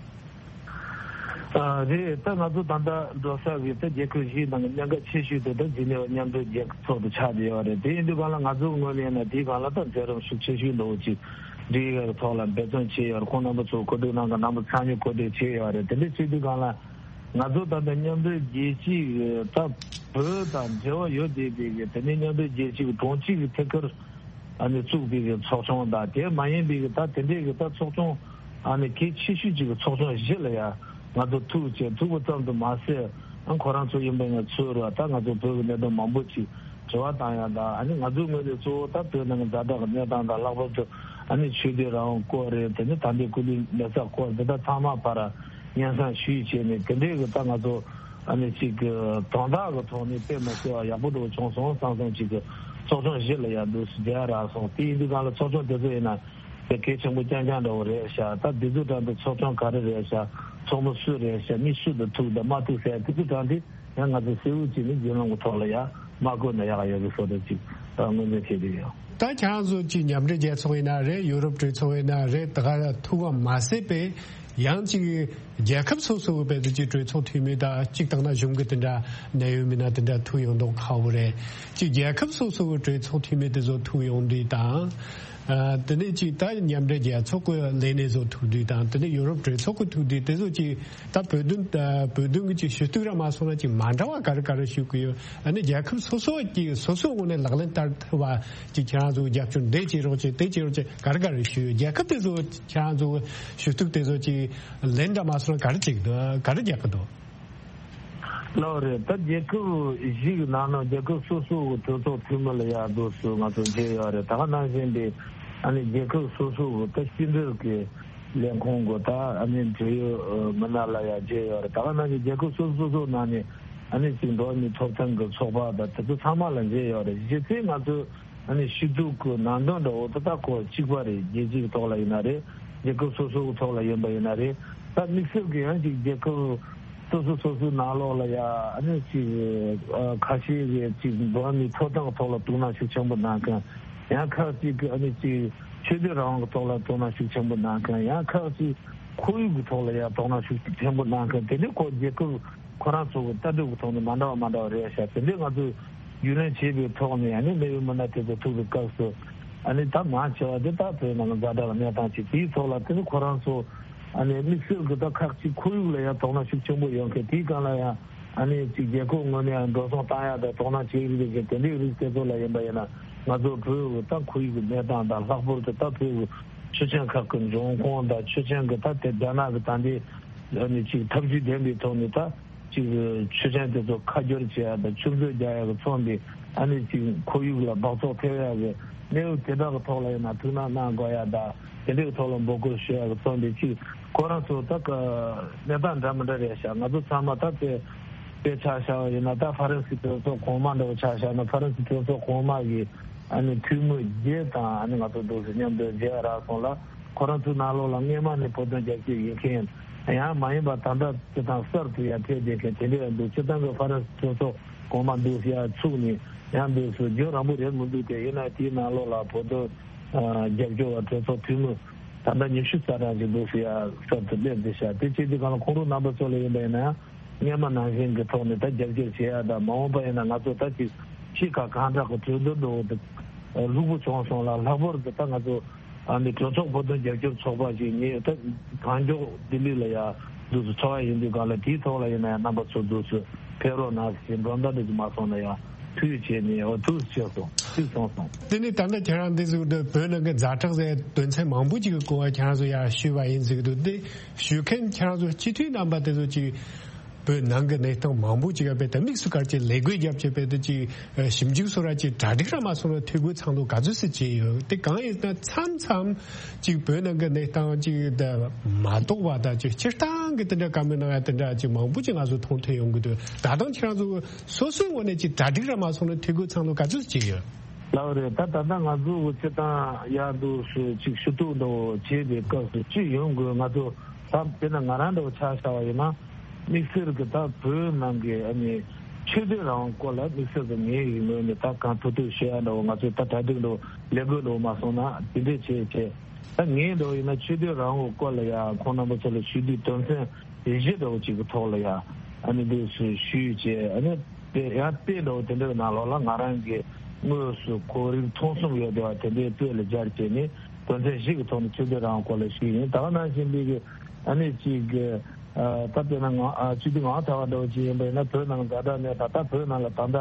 ཨ་རེད། ད་ང་ཚོ་ད་ལྟ་འགྲོ་ས་གི་ད་རྒྱལ་ཁབ་བཞིའི་ནང་གི་གནད་འགག་ཆེ་ཤོས་དེ་ད་འཛིན་གྲྭ་མཉམ་འབྲེལ་རྒྱལ་ཚོགས་དེ་ཆགས་བསྡད་ཡོད་རེད། དེ་ཡིན་དུས་གང་ལ་ང་ཚོ་ངོས་ནས་ཡིན་ན་དེའི་སྒང་ལ་ད་མཛད་རིམ་ཤུགས་ཆེ་ཤོས་འདྲ་བོ་ཅིག་སྒྲིག་ཡག་གི་ཐོག་ལ་འབད་བརྩོན་བྱས་ཡོད་རེད། ཁོང་རྣམ་པ་ཚོ་གོ་སྒྲིག་གནང་ག་རྣམ་པ་ཚང་མས་གོ་སྒྲིག་བྱས་ཡོད་རེད། དེ་འདྲ་བྱེད་དུས་གང་ལ་ང་ཚོ་ད་ལྟ་མཉམ་འབྲེལ་རྒྱལ་སྤྱི་གི་ད་བོད་དང་འབྲེལ་བ་ཡོད་བསྡད་པའི་གི་དེ་ནས་མཉམ་འབྲེལ་རྒྱལ་སྤྱི་གི་གྲོང་ཁྱེར་གི་ཐད་ཀར་ཨ་ནི་བཙུགས་པའི་གི་ཚོགས་ཆུང་དང་དེ་མ་ཡིན་པའི་གི་ད་དེ་འདྲའི་གི་ད་ཚོགས་ཆུང་ཨ་ནི་གལ་ཆེ་ཤོས་ཅིག་གི་ཚོགས་ཆུང་བཞི་ལ་ཡ་ང་ཚོ་ཐུག་བྱས་ཐུག་པ་ཙམ་དུ་མ་ཟད་ཨ་ཁོ་རང་ཚོ་ཡིན་པ་ཡང་ཚུར་ད་ང་ཚོ་བོད་ཀྱི་གནད་དོན་མང་པོ་ཅིག་དྲི་བ་བཏང་ཡ་དང་ཨ་ནི་ང་ཚོའི་ངོས་ནས་གཙོ་བོ་ད་བོད་ནང་གི་ཛ་དྲག་གི་གནས་སྟངས་དང་ལྷག་པར་དུ་ཨ་ནི་ཆོས་དད་རང་དབང་སྐོར་རེད། དེ་ནི་ད་ལྟའི་སྐུ་ལུས་མེ་སྲེག་སྐོར་འདི་དག་ཚང་མ་བར་སྙན་སེང་ཞུས་བྱས་ནས་དེ་འདྲའི་གི་ད་ང་ཚོ་ཨ་ནི་ཅིག་གི་དོན་དག་གི་ཐོག་ནས་དཔེ་མི་སྲིད་པ་ཡག་པོ་འདྲ་བོ་བྱུང་སོང་བསམ་སོང་། ཅིག་གི་ཚོགས་ཆུང་བཞི་ལ་ཡར་འདུག་སེ་མཇལ་རག་སོང་། དེ་ཡིན་དུས་གང་ལ་ཚོགས་ཆུང་དེ་ཚོ་ཡིན་ན་ དེ་གལ་ཆེན་པོ་རྐྱང་རྐྱང་འདྲ་བོ་རེད་ཤག་ད་དེ་ཚོ་དྲ་འདི་ཚོགས་ཆུང་ག་རེ་རེད་ཤག་ཚོགས་མི་སུ་རེད་ཤག་མི་སུ་དང་ཐུག་དང་མ་ཐུག་ཟེར་དེ་ཚོ་དྲ་འདི་ཡང་ང་ཚོ་གསལ་བོ་བྱས་ནས་བརྒྱུད་ལམ་གྱི་ཐོག་ལ་ཡ་མ་བཀོད་ན་ཡག་ཡོད་གི་བཟོ་འདྲ་ཅིག་ཨ་མངོན་འདོད་བྱས་བསྡད་ཡོད། ད་ཁྱེད་རང་ཚོ་ཅིག་མཉམ་འབྲེལ་རྒྱལ་ཚོགས་ཡིན་ན་རེད། ཡུ་རོབ་གྲོས་ཚོགས་ཡིན་ན་རེད། ད་ག་ཐུག་པ་མ་ཟད་པའི་ཡང་ཅིག་རྒྱལ་ཁབ་སོ་སོ་གི་བལ་དུ་ཅིག་གྲོས་ཚོགས་འཐུས་མི་དང་གཅིག་དང་ན་གཞུང་གི་དེ་འདྲ་གནད་ཡོད་མི་སྣ་དེ་འདྲ་ཐུག་ཡོང་མདོག་ཁ་པོ་རེད། ཅིག་རྒྱལ་ཁབ་སོ་སོ་གི་གྲོས་ཚོགས་འཐུས་མི་དེ་ཚོ་ཐུག་ཡོང་དུས་དང་། ཨ། དེ་ནས་ཅིག་ད་མཉམ་འབྲེལ་རྒྱལ་ཚོགས་ཀྱི་ལས་སྣེ་ཚོ་ཐུག་དུས་དང་དེ་ནས་ཡུ་རོབ་གྲོས་ཚོགས་ཀྱི་ཐུག་དུས་དེ་ཚོ་ཅིག་ད་བོད་དོན་ཨ། བོད་དོན་གྱི་ཅིག་ཞུ་གཏུག་ར་མ་སོང་ན་ཅིག་མ་འདྲ་བ་ག་རེ་ག་རེ་ཞུ་གི་ཡོད། ཨ་ནི་རྒྱལ་ཁབ་སོ་སོ་ཀྱི་སོ་སོའི་ངོས་ནས་ལག་ལེན་བསྟར་ཐུབ་པ་ཅིག་ཁྱེད་རང་ཚོ་རྒྱབ་སྐྱོར་འདི་བྱེད་རོགས་བྱེད་དེ་བྱེད་རོགས་བྱེད་ག་རེ་ག་རེ་ཞུ་ཡོད། རྒྱལ་ཁབ་དེ་ཚོ་ཁྱེད་རང་ཚོ་ཞུ་གཏུག་དེ་ཚོ་ཅིག་ལན་འདྲ་མ་སོང་ན་ག་རེ་ཅིག་འདུག་ག་རེ་རྒྱག་གི་འདུག་ལགས་རེད། ད་རྒྱལ་ཁབ་བཞི་གི་ནང་ནས་རྒྱལ་ཁབ་སོ་སོ་གི་གྲོས་ཚོགས་འཐུས་མི་ལ་ཡར་འདུག་སུ་ང་ཚོ་མཇལ་ཡོད་རེད། ད་ག་ནང་བཞིན་དེ་ཨ་ནི་རྒྱལ་ཁབ་སོ་སོ་གི་ད་ཕྱི་འབྲེལ་གྱི་ལས་ཁུངས་གི་ད་ཨ་ནི་འབྲེལ་ཡོད་མི་སྣ་ལ་ཡར་མཇལ་ཡོད་རེད། ད་ག་ནང་བཞིན་རྒྱལ་ཁབ་སོ་སོ་སོ་ནང་ནས་ཨ་ནི་ཅིག་འགྲོ་བ་མིའི་ཐོབ་ཐང་གི་ཚོགས་པ་དང་དེ་ཚོ་ཚང་མ་ལ་མཇལ་ཡོད་རེད། གཞི་རྩའི་ང་ཚོས་ཨ་ནི་ཞུ་གཏུག་གི་ནང་དོན་འདྲ་བོ་དེ་དག་ཁོ་གཅིག་པ་རེད། རྒྱལ་སྤྱིའི་ཐོག་ལ་ཡིན་ན་རེད། རྒྱལ་ཁབ་སོ་སོ་གི་ཐོག་ལ་ཡིན་པ་ཡིན་ན་རེད། ད་དམིགས་བསལ་གྱི་ཡང་ཅིག་རྒྱལ་ཁབ་སོ་སོ་སོ་སོའི་ནང་ལོགས་ལ་ཡ་ཨ་ནི་ཅིག་ཨ་ཁ་ཤས་ཀྱིས་ཅིག་འགྲོ་བ་མིའི་ཐོབ་ཐང་གི་ཐོག་ལ་དོ་སྣང་ཤུགས་ཆེན་པོ་གནང་མཁན། ཡང་ཁག་ཅིག་གིས་ཨ་ནི་ཅིག་ཆོས་དད་རང་དབང་གི་ཐོག་ལ་དོ་སྣང་ཤུགས་ཆེན་པོ་གནང་མཁན། ཡང་ཁག་ཅིག་ཁོར་ཡུག་གི་ཐོག་ལ་ཡ་དོ་སྣང་ཤུགས་ཆེན་པོ་གནང་མཁན། དེ་འདྲའི་ཁོ་རྒྱལ་ཁབ་ཁོ་རང་ཚོ་གི་ལྟ་གྲུབ་ཀྱི་ཐོག་ནས་མ་འདྲ་བ་མ་འདྲ་བ་རེད་ཤག་དེ་འདྲའི་ང་ཚོས་རྒྱུས་ལོན་བྱས་པའི་ཐོག་ནས་ཨ་ནི་གནད་ཡོད་མི་སྣ་དེ་ཚོ་ཐུག་པའི་སྐབས་སུ་ཨ་ནི་ད་མང་ཆེ་བ་དེ་ད་བོད་ནང་གི་ཛ་དྲག་གནས་སྟངས་ཅིག་དེའི་ཐོག་ལ་དེ་ནི་ཁོ་རང་ཚོ་ཨ་ནི་དམིགས་བསལ་གྱི་ད་ཁག་ཅིག་ཁོར་ཡུག་ལ་ཡང་དོ་སྣང་ཤུགས་ཆེན་པོ་ཡོད་མཁན། དེའི་སྒང་ལ་ཡང་ཨ་ནི་ཅིག་རྒྱལ་ཁབ་ངོས་ནས་ཡང་འགྲོ་སོང་བཏང་ཡག་དང་དོ་སྣང་བྱེད་ཀྱི་རེད་ཅེས་དེ་འདྲའི་རིགས་དེ་ཚོ་ལ་ཡིན་པ་ཡིན་ན་ང་ཚོ་བོད་ཀྱི་ད་ཁོར་ཡུག་གི་གནས་སྟངས་དང་ལྷག་པར་དུ་ད་བོད་ཀྱི་ཆོས་ཆེན་ཁག་གི་འབྱུང་ཁུངས་དང་ཆོས་ཆེན་གྱི་ད་དེ་རྒྱ་ནག་གི་ད་འདི་ཨ་ནི་ཅིག་ཐབས་ཇུས་ལྡན་པའི་ཐོག་ནས་ད་ཅིག་ཆོས་ཆེན་དེ་ཚོ་ཁ་སྒྱུར་བྱེད་ཡ་དང་ཆུ་མཛོད་རྒྱག་ཡ་གི་ཚོགས་འདི་ཨ་ནི་ཅིག་ཁོར་ཡུག་ལ་སྦགས་བཙོག་ཐེབས་ཡ་གི་གནས་བབ་དེ་དག་གི་ཐོག་ལ་ཡིན་ན་ཐུགས་སྣང་གནང་དགོས་ཡ་དང་དེ་འདྲའི་ཐོག་ལ་འབོད་སྐུལ་ཞུ་ཡ་གི་ཚོགས་འདི་ཅིག་ཁོ་རང་ཚོ་ད་ག་གནས་སྟངས་འདྲ་མི་འདྲ་རེད་ཤག་ང་ཚོ་ཚང་མ་ད་དེ་དཔེ་ཆ་བཞག་པ་ཡིན་ན་ད་ཧྥ་རན་སི་གྲོས་ཚོགས་གོང་མ་འདྲ་བོ་ཆ་བཞག་ན་ཧྥ་རན་སི་གྲོས་ཚོགས་གོང་མ་གི་ཨ་ནི་འཐུས་མི་བརྒྱད་དང་ཨ་ནི་ང་ཚོ་འདུག་སེ་མཉམ་དུ་མཇལ་རག་སོང་ལ། ཁོ་རང་ཚོའི་ནང་ལོགས་ལ་སྔས་མ་ནས་བོད་དོན་རྒྱབ་སྐྱོར་ཡིན་མཁན་ཡང་མ་ཡིན་པ་ད་ལྟ་སྤྱི་བཏང་གསར་དུ་ཡར་ཕེབས་བསྡད་མཁན་དེ་འདྲ་ཡང་འདུག་སྤྱི་བཏང་གི་ཧྥ་རན་སི་གྲོས་ཚོགས་གོང་མ་འདུག་སེ་ཡར་ཚུགས་ནས་ཡང་འདུག་སེ་རྒྱུན་རིང་པོ་རེད་མི་འདུག་སྟེ། ཡིན་ན་དེའི་ནང་ལོགས་ལ་བོད་དོན་རྒྱབ་སྐྱོར་བ་གྲོས་ཚོགས་འཐུས་མི་ད་ལྟ་ཉི་ཤུ་རྩ་གྲངས་ཅིག་འདུག་སེ་ཡར་གསར་དུ་སླེབས་བསྡད་ཤག་དེ་བྱས་དུས་གང་ལ་ཁོང་ཚོ་རྣམ་པ་ཚོ་ལ་ཡིན་པ་ཡིན་ན་ཡང་སྔས་མ་ནང་བཞིན་གྱི་ཐོག་ནས་ད་རྒྱབ་སྐྱོར་བྱེད་ཡ་དང་མ་འོངས་པ་ཡིན་ན་ང་ཚོ་ད་ཅིག་ཕྱི་ཁ་གང་དྲག་གི་གྲོས་བསྡུར་འགྲོ་འོ་དེ་ལྷུག་པོ་བྱུང་སོང་ལ། ལྷག་པར་དུ་ད་ང་ཚོ་ཨ་ནི་གྲོས་ཚོགས་བོད་དོན་རྒྱབ་སྐྱོར་ཚོགས་པ་ཞིག་ངས་ད་གང་མགྱོགས་ལྡི་ལི་ལ་ཡ་འདུག་སེ་ཚོགས་ཡ་ཡིན་དུས་གང་ལ་དེའི་ཐོག་ལ་ཡིན་ན་ཡང་རྣམ་པ་ཚོ་འདུག་སེ་ཕེབས་རོགས་གནང་ཞེས་མགྲོན་བརྡ་འདྲ་ཅིག་མ་སོང་ན་ཡང་ཐུགས་ཆེ་ནས་འོ་ཐུགས་ཆེ་སོང་ཐུགས་སོང་སོང་། དེ་ནི་ད་ལྟ་ཁྱེད་རང་འདི་ཟིག་ཏུ་བོད་ནང་གི་ཛ་དྲག་ཟེར་དོན་ཚན་མང་པོ་ཅིག་གི་སྐོར་ཁྱེད་རང་ཚོ་ཡ་ཞུས་པ་ཡིན་ཟིག་འདུག་དེ་ཞུ་མཁན་ཁྱེད་རང་ཚོ་སྤྱི་འཐུས་རྣམ་པ་དེ་ཚོ་ཅིག་བོད་ནང་གི་གནས་སྟངས་མང་པོ་ཅིག་ཡ་བེད་དམིགས་སུ་བཀར་གྱི་ལས་འགུལ་རྒྱབ་ཀྱི་བེད་དུ་ཅིག་ཞིབ་འཇུག་སོགས་ར་ཅིག་གྲ་སྒྲིག་ར་མ་སོང་ན་ཐུགས་ཁུར་ཚང་དུ་ག་ཚོད་སེ་བྱས་ཡོད། དེ་གང་ཡིན་ན་མཚམས་མཚམས་ཅིག་བོད་ནང་གི་གནས་སྟངས་ཅིག་ད་མ་རྟོགས་པ་དང་ཅིག་སྤྱིར་བཏང་གི་དེ་འདྲ་བཀའ་མོལ་གནང་ཡ་དེ་འདྲ་ཅིག་མང་པོ་ཅིག་ང་ཚོ་མཐོང་ཐོས་ཡོང་གི་འདུག་ད་དུང་ཁྱེད་རང་ཚོ་སོ་སོའི་ངོས་ནས་ཅིག་གྲ་སྒྲིག་ར་མ་སོང་ན་ཐུགས་ཁུར་ཚང་དུ་ག་ཚོད་བྱས་ཡོད། ལགས་རེད། ད་ད་ལྟ་ང་ཚོ་གི་སྤྱིར་བཏང་ཡར་འདུག་སེ་ཅིག་ཞུ་གཏུག་འདྲ་བོ་བྱེད་པའི་སྐབས་སུ་ཅིག་ཡོང་དགོས། ང་ཚོ་ད་དཔེར་ན་ང་རང་འདྲ་བོ་ཆ་བཞག་པ་ཡིན་ན་དམིགས་བསལ་གྱི་ད་བོད་ནང་གི་ཨ་ནི་ཆོས་དད་རང་དབང་སྐོར་ལ་དམིགས་བསལ་གྱི་ངའི་ཡིན་ངོས་ནས་ད་གང་ཐུབ་ཐུབ་ཞུ་ཡ་འདྲ་བོ་ང་ཚོ་ད་གྲ་སྒྲིག་འདྲ་བོ་ལས་འགུལ་འདྲ་བོ་མ་སོང་ན་དེ་འདྲས་བྱས་བྱས་ད་ངའི་འདྲ་བོ་ཡིན་ན་ཆོས་དད་རང་དབང་སྐོར་ལ་ཡ་ཁོང་རྣམ་པ་ཚོ་ལ་ཞུ་དུས་དོན་ཚན་བཞི་འདྲ་བོ་ཅིག་གི་ཐོག་ལ་ཡ་ཨ་ནི་འདུག་སེ་ཞུས་བྱས་ཨ་ནི། དེ་ཡང་དེ་འདྲ་བོ་དེ་འདྲའི་ནང་ལོགས་ལ་ང་རང་གིས་དངོས་སུ་ཁོར་ཡུག་ཐོག་གསུམ་ཡོད་བསྡད་པ་དེ་འདྲའི་དཔེ་ལ་སྦྱར་བྱས་ནས་དོན་ཚན་བཞི་གི་ཐོག་ནས་ཆོས་དད་རང་དབང་སྐོར་ལ་ཞུས་ཡིན། ད་ག་ནང་བཞིན་པའི་གི་ཨ་ནི་གཅིག་གི་ད་དཔེར་ན་ང་ཆོས་དད་ངག་དབང་ཐར་པ་འདྲ་བོ་ཅིག་ཡིན་པ་ཡིན་ན་བོད་ནང་ཛ་དྲག་གནས་སྟངས་ད་བོད་ནང་ལ་ད་ལྟ་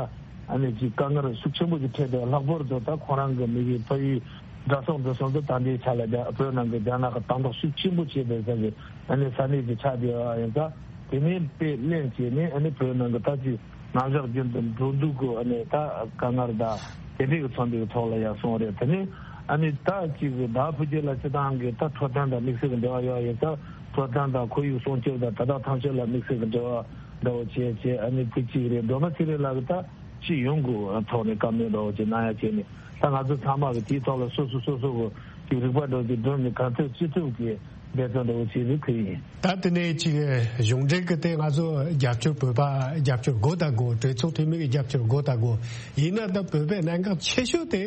ཨ་ནི་གཅིག་དཀའ་ངལ་ཤུགས་ཆེན་པོ་ཅིག་འཕྲད་བསྡད་པ་ལྷག་པར་དུ་ད་ཁོ་རང་གི་མི་གི་ཕ་ཡུལ་དགྲ་སོག་འདི་སོགས་འདི་ད་ལྟའི་ཆ་ལ་བོད་ནང་གི་རྒྱ་ནག་གི་དམ་དྲག་ཤུགས་ཆེན་པོ་བྱས་པའི་ས་གི་ཨ་ནི་ས་གནས་ཅིག་ཆགས་བསྡད་པ་ཡིན་ཙང་། དེ་ནས་དཔེ་ལེན་བྱས་ནས་ཨ་ནི་བོད་ནང་གི་ད་ཅིག་ནང་བཞག་རྒྱུན་དུ་འགྲོ་འདུག་གི་ཨ་ནི་ད་དཀའ་ངལ་དང་དེ་འདྲའི་གི་ཚོགས་འདུའི་ཐོག་ལ་ཡར་སོང་རེད། དེ་ནས་ཨ་ནི་ད་ཅིག་ཟླ་བ་ཕུག་རྒྱུད་ལ་སྤྱི་བཏང་གི་ད་འཕྲོད་བསྟེན་དང་དམིགས་བསལ་གྱི་འབྲེལ་བ་ཡོད་ཡིན་ཙང་འཕྲོད་བསྟེན་དང་ཁོར་ཡུག་སྲུང་སྐྱོབ་དང་དེ་དག་ཐམས་ཅད་ལ་དམིགས་བསལ་གྱི་འབྲེལ་བ་འདྲ་བོ་བྱས་བྱས་ཨ་ནི་ཕུག་གཅིག་རེད། སྒྲོལ་མ་ཚེ་རིང་ལགས་ཀྱི་ད་སྤྱི་ཡོངས་ཀྱི་ཐོག་ནས་བཀའ་མོལ་འདྲ་བོ་ཅིག་གནང་ཡ་བྱས་ནས་ད་ང་ཚོ་ཚང་མ་གི་དེའི་ཐོག་ལ་སོ་སོ་སོ་སོ་གི་ཅིག་རིག་པ་འདྲ་ཅིག་སྒྲུབ་ནས་ག་ཚོད་ཅི་ཐུབ་ཀྱིས་འབད་བརྩོན་འདྲ་བོ་བྱེད་རེ་ཁུལ་ཡིན། ད་དེ་ནས་ཅིག་གཞུང་འབྲེལ་གྱི་སྟེང་ང་ཚོ་རྒྱབ་སྐྱོར་བོད་པ་རྒྱབ་སྐྱོར་དགོས་དང་དགོས། གྲོས་ཚོགས་འཐུས་མི་གི་རྒྱབ་སྐྱོར་དགོས་དང་དགོས། ཡིན་ན་ད་བོད་པའི་གནད་འགག་ཆེ་ཤོས་དེ་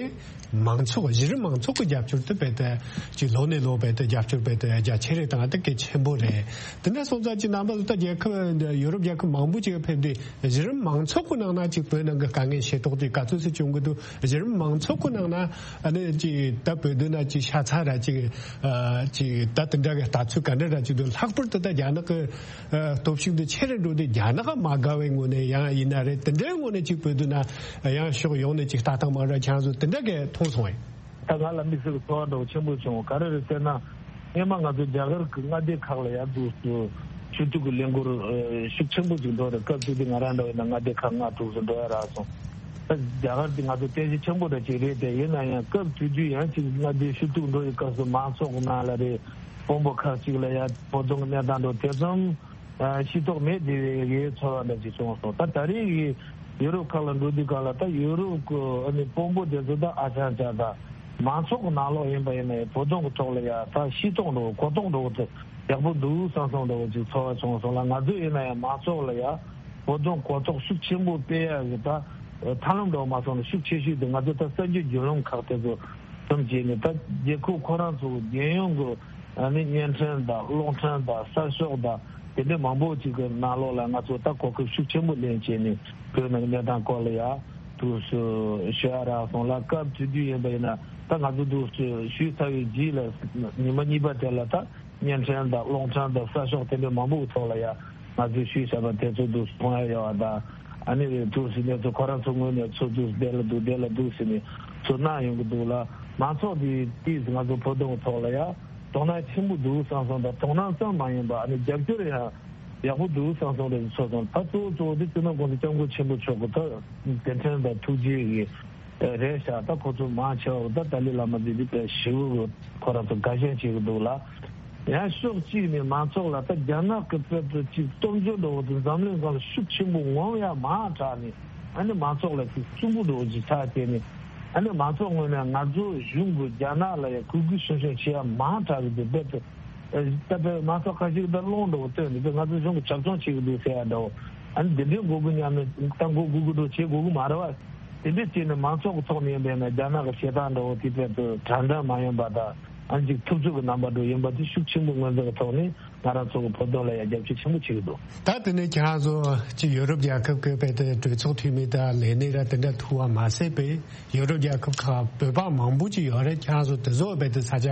མང་ཚོགས་གཞི་རིམ་མང་ཚོགས་ཀྱི་རྒྱབ་སྐྱོར་དེ་རྦད་དེ་ཅིག་ལོ་ནས་ལོ་རྦད་དེ་རྒྱབ་སྐྱོར་རྦད་དེ་རྒྱ་ཆེ་རེད་དང་དེ་གལ་ཆེན་པོ་རེད། དེ་འདྲ་སོང་ཙང་ཅིག་རྣམ་པ་ཚོ་ད་རྒྱལ་ཁབ་ཡོ་རོབ་རྒྱལ་ཁབ་མང་པོ་ཅིག་ཕེབས་དུས་གཞི་རིམ་མང་ཚོགས་ཀྱི་ནང་ན་ཅིག་བོད་ནང་གི་དཀའ་ངལ་ཤེས་རྟོགས་དེ་ག་ཚོད་ཅིག་བྱུང་གི་འདུག་གཞི་རིམ་མང་ཚོགས་ཀྱི་ནང་ན་ཨ་ནི་ཅིག་ད་བོད་དོན་ན་ཅིག་ཤ་ཚ་ར་ཅིག་ཨ་ཅིག་ད་དེ་འདྲ་གི་ལྟ་ཚུལ་ག་འདྲ་ར་ཅིག་འདུག་ལྷག་པར་དུ་ད་རྒྱ་ནག་གི་ཨ་སྟོབས་ཤུགས་འདི་ཆེ་རུ་འགྲོ་དུས་རྒྱ་ནག་མ་དགའ་བའི་ངོས་ནས་ཡང་ཡིན་ན་རེད། དེ་འདྲའི་ངོས་ནས་ཅིག་བོད་དོན་ན་ཡང་ཕྱོགས་ཡོངས་ནས་ཅིག་ལྟ་སྟངས་མ་འདྲ་ཁྱེད་རང་ཚོ་དེ་འདྲ་གི་མཐོང་སོང་ངས། ད་ང་ལ་དམིགས་བསལ་གྱི་ཚོར་བ་འདྲ་བོ་ཆེན་པོ་བྱུང་། ག་རེ་རེད་ཟེར་ན། སྔོན་མ་ང་ཚོ་རྒྱ་གར་གྱི་མངའ་སྡེ་ཁག་ལ་ཡར་འདུག་སུ་ཞུ་གཏུག་གི་ལས་འགུལ་ཨ་ཤུགས་ཆེན་པོ་ཅིག་འགྲོ་རེད། སྐབས་དེ་དུས་ང་རང་འདྲ་བོ་ཡིན་ན་མངའ་སྡེ་ཁག་ལྔ་དྲུག་སུ་འགྲོ་ཡ་རག་སོང་། ད་རྒྱ་གར་དེ་ང་ཚོ་རྟེན་གཞི་ཆེན་པོ་འདྲ་ཅིག་རེད་དེ། ཡིན་ན་ཡང་སྐབས་དེ་དུས་ཡང་ཅིག་མངའ་སྡེ་ཞུ་གཏུག་འགྲོ་ཡི་སྐབས་སུ་མང་ཚོགས་ནང་ལ་རེད། དཔོན་པོ་ཁག་ཅིག་ལ་ཡ་བོད་དོན་གྱི་གནས་སྟངས་འགྲོ་དེ་ཙམ་ཨ་ཤེས་རྟོགས་མེད་དེ་བའི་ཚོར་བ་འདྲ་ཅིག་བྱུང་སོང་། ད་ད་རེས་ཀྱི་ཡུ་རོབ་ཁག་ལ་འགྲོ་དུས་སྒང་ལ་ད་ཡུ་རོབ་ཀྱི་ཨ་ནི་དཔོན་པོ་དེ་ཚོ་ད་ཨ་ཅག་ཅག་ད་མང་ཚོགས་ཀྱི་ནང་ལོགས་ཡིན་པ་ཡིན་ན་ཡང་བོད་དོན་གྱི་ཐོག་ལ་ཡ་ད་ཤེས་རྟོགས་འགྲོ་གོ་རྟོགས་འགྲོ་དེ་ཡག་པོ་འདུག་བསམ་བསམ་འདྲ་བོ་ཅིག་ཚོར་བ་བྱུང་སོང་ལ། ང་ཚོ་ཡིན་ན་ཡང་མང་ཚོགས་ལ་ཡ་བོད་དོན་གོ་རྟོགས་ཤུགས་ཆེན་པོ་སྤེལ་ཡ་གི་ད་ཐབས་ལམ་འདྲ་བོ་མ་སོང་ན་ཤུགས་ཆེ་ཤོས་དེ་ང་ཚོ་ད་གསར་འགྱུར་བརྒྱུད་ལམ་ཁག་དེ་ཚོ་ཙམ་བྱས་ནས་ད་རྒྱལ་ཁབ་ཁོ་རང་ཚོ་རྒྱལ་ཡོངས་ཀྱི་ཨ་ནི་བརྙན་འཕྲིན་དང་གློག་འཕྲིན་དང་གསར་ཤོག་དང་དེ་འདྲའི་མང་པོ་ཅིག་གི་ནང་ལོགས་ལ་ང་ཚོ་ད་གོ་སྐབས་ཤུགས་ཆེན་པོ་ལེན་བྱས་ནས་བོད་ནང་གི་གནས་སྟངས་སྐོར་ལ་ཡ་དུས་སུ་ཞུ་ཡ་རག་སོང་ལ། སྐབས་དེ་དུས་ཡིན་པ་ཡིན་ན་ད་ང་ཚོ་དུས་སུ་ཞུས་ཚར་བའི་རྗེས་ལ་ཉི་མ་གཉིས་པ་དེ་ལ་ད་བརྙན་འཕྲིན་དང་གློག་འཕྲིན་དང་གསར་ཤོག་དེ་འདྲའི་མང་པོ་གི་ཐོག་ལ་ཡ་ང་ཚོས་ཞུས་བཞག་པ་དེ་ཚོ་དུས་སུ་མཐོང་ཡ་ཡོད་པ་དང་། ཨ་ནི་དུས་སུ་གནས་ཚུལ་ཁོ་རང་ཚོ་ངོས་ནས་ཚུར་དུས་སུ་བདེ་ལ་འདུག་བདེ་ལ་འདུག་ཟེར་ནས་ཚུར་གནང་ཡོང་གི་འདུག་ལ། མང་ཚོགས་དེ་དུས་སུ་ང་ཚོ་བོད་དོན་གྱི་ཐོག་ལ་ཡ་དོ་སྣང་ཆེན་པོ་འདུག་བསམ་སོང་། ད་དོ་སྣང་ཙམ་མ་ཡིན་པ་ཨ་ནི་རྒྱབ་སྐྱོར་ཡང་ཡག་པོ་འདུག་བསམ་སོང་རེད་ཚོར་སོང་། ད་གཙོ་བོ་གཙོ་བོ་དེ་སྤྱི་ནོར་༸གོང་ས་༸སྐྱབས་མགོན་ཆེན་པོ་མཆོག་གི་ད་མཛད་འཕྲིན་དང་ཐུགས་རྗེ་ཡི་རེད་ཤག་ད་ཁོ་ཚོ་མང་ཆེ་བ་ད་ཏཱ་ལའི་བླ་མ་འདི་འདི་དཔེ་ཞེ་པོ་ཁོ་རང་ཚོ་དགའ་ཞེན་བྱེད་ཀྱི་འདུག་ལ། ཡང་ཕྱོགས་གཅིག་ནས་མང་ཚོགས་ལ་ད་རྒྱ་ནག་གི་དཔེ་དེ་ཅིག་སྟོབས་འབྱོར་འདྲ་བོ་དེ་འཛམ་གླིང་སྒང་ལ་ཤུགས་ཆེན་པོ་ངོམ་ཡ་མང་དྲགས་ནས་ཨ་ནི་མང་ཚོགས་ལ་ཅིག་སུན་པོ་འདྲ་བོ་ཅིག་ཆགས་བྱས་ནས་ཨ་ནི་མང་ཚོགས་ངོས་ནས་ང་ཚོ་གཞུང་གི་རྒྱ་ནག་ལ་ཡ་གུས་གུས་ཞུམ་ཞུམ་བྱེད་ཡ་མང་དྲགས་ཀྱི་འདུག་དཔེ་དེ་ད་དཔེ་མང་ཚོགས་ཁ་ཤས་ཀྱིས་ད་སློང་འདྲ་བོ་བཏོན་ནས་དཔེ་ང་ཚོ་གཞུང་གི་ཇབ་ཆོང་བྱེད་ཀྱི་འདུག་ཟེར་ཡ་འདྲ་བོ། ཨ་ནི་འདི་འདྲའི་མགོ་སྒུར་མཉམ་ནས་ད་མགོ་སྒུར་སྒུར་འགྲོ་བྱེད་དགོས་ཀྱི་མ་རེད་བ། དེ་འདྲ་བྱས་ནས་མང་ཚོགས་ཀྱི་ཐོག་ནས་ཡིན་པས་ན་རྒྱ་ནག་གི་བྱེད་སྟངས་འདྲ་བོ་དེ་དཔེ་དུ་དྲང་བདེན་མ་ཡིན་པ་དང་ཨ་ནི་ཅིག་ཐུབ་ཚོད་ཀྱི་རྣམ་པ་འདྲ་ཡིན་པ་དེ་ཤུགས་ཆེན་པོ་ངོས་འཛིན་གྱི་ཐོག་ནས་ང་རང་ཚོ་གི་བོད་དོན་ལ་ཡང་རྒྱབ་སྐྱོར་ཆེན་པོ་བྱེད་ཀྱི་འདུག་ད་དེ་ནས་ཁྱེད་རང་ཚོ་ཅིག་ཡོ་རོབ་རྒྱལ་ཁབ་ཀྱི་དཔེ་དེ་གྲོས་ཚོགས་འཐུས་མི་དང་ལས་སྣེ་ར་དེ་འདྲ་ཐུག་པ་མ་ཟད་པའི་ཡོ་རོབ་རྒྱལ་ཁབ་ཁག་བོད་པ་མང་པོ་ཅིག་ཡོད་རེད། ཁྱེད་རང་ཚོ་དེ་ཚོ་དཔེ་དེ་ས་ཆ་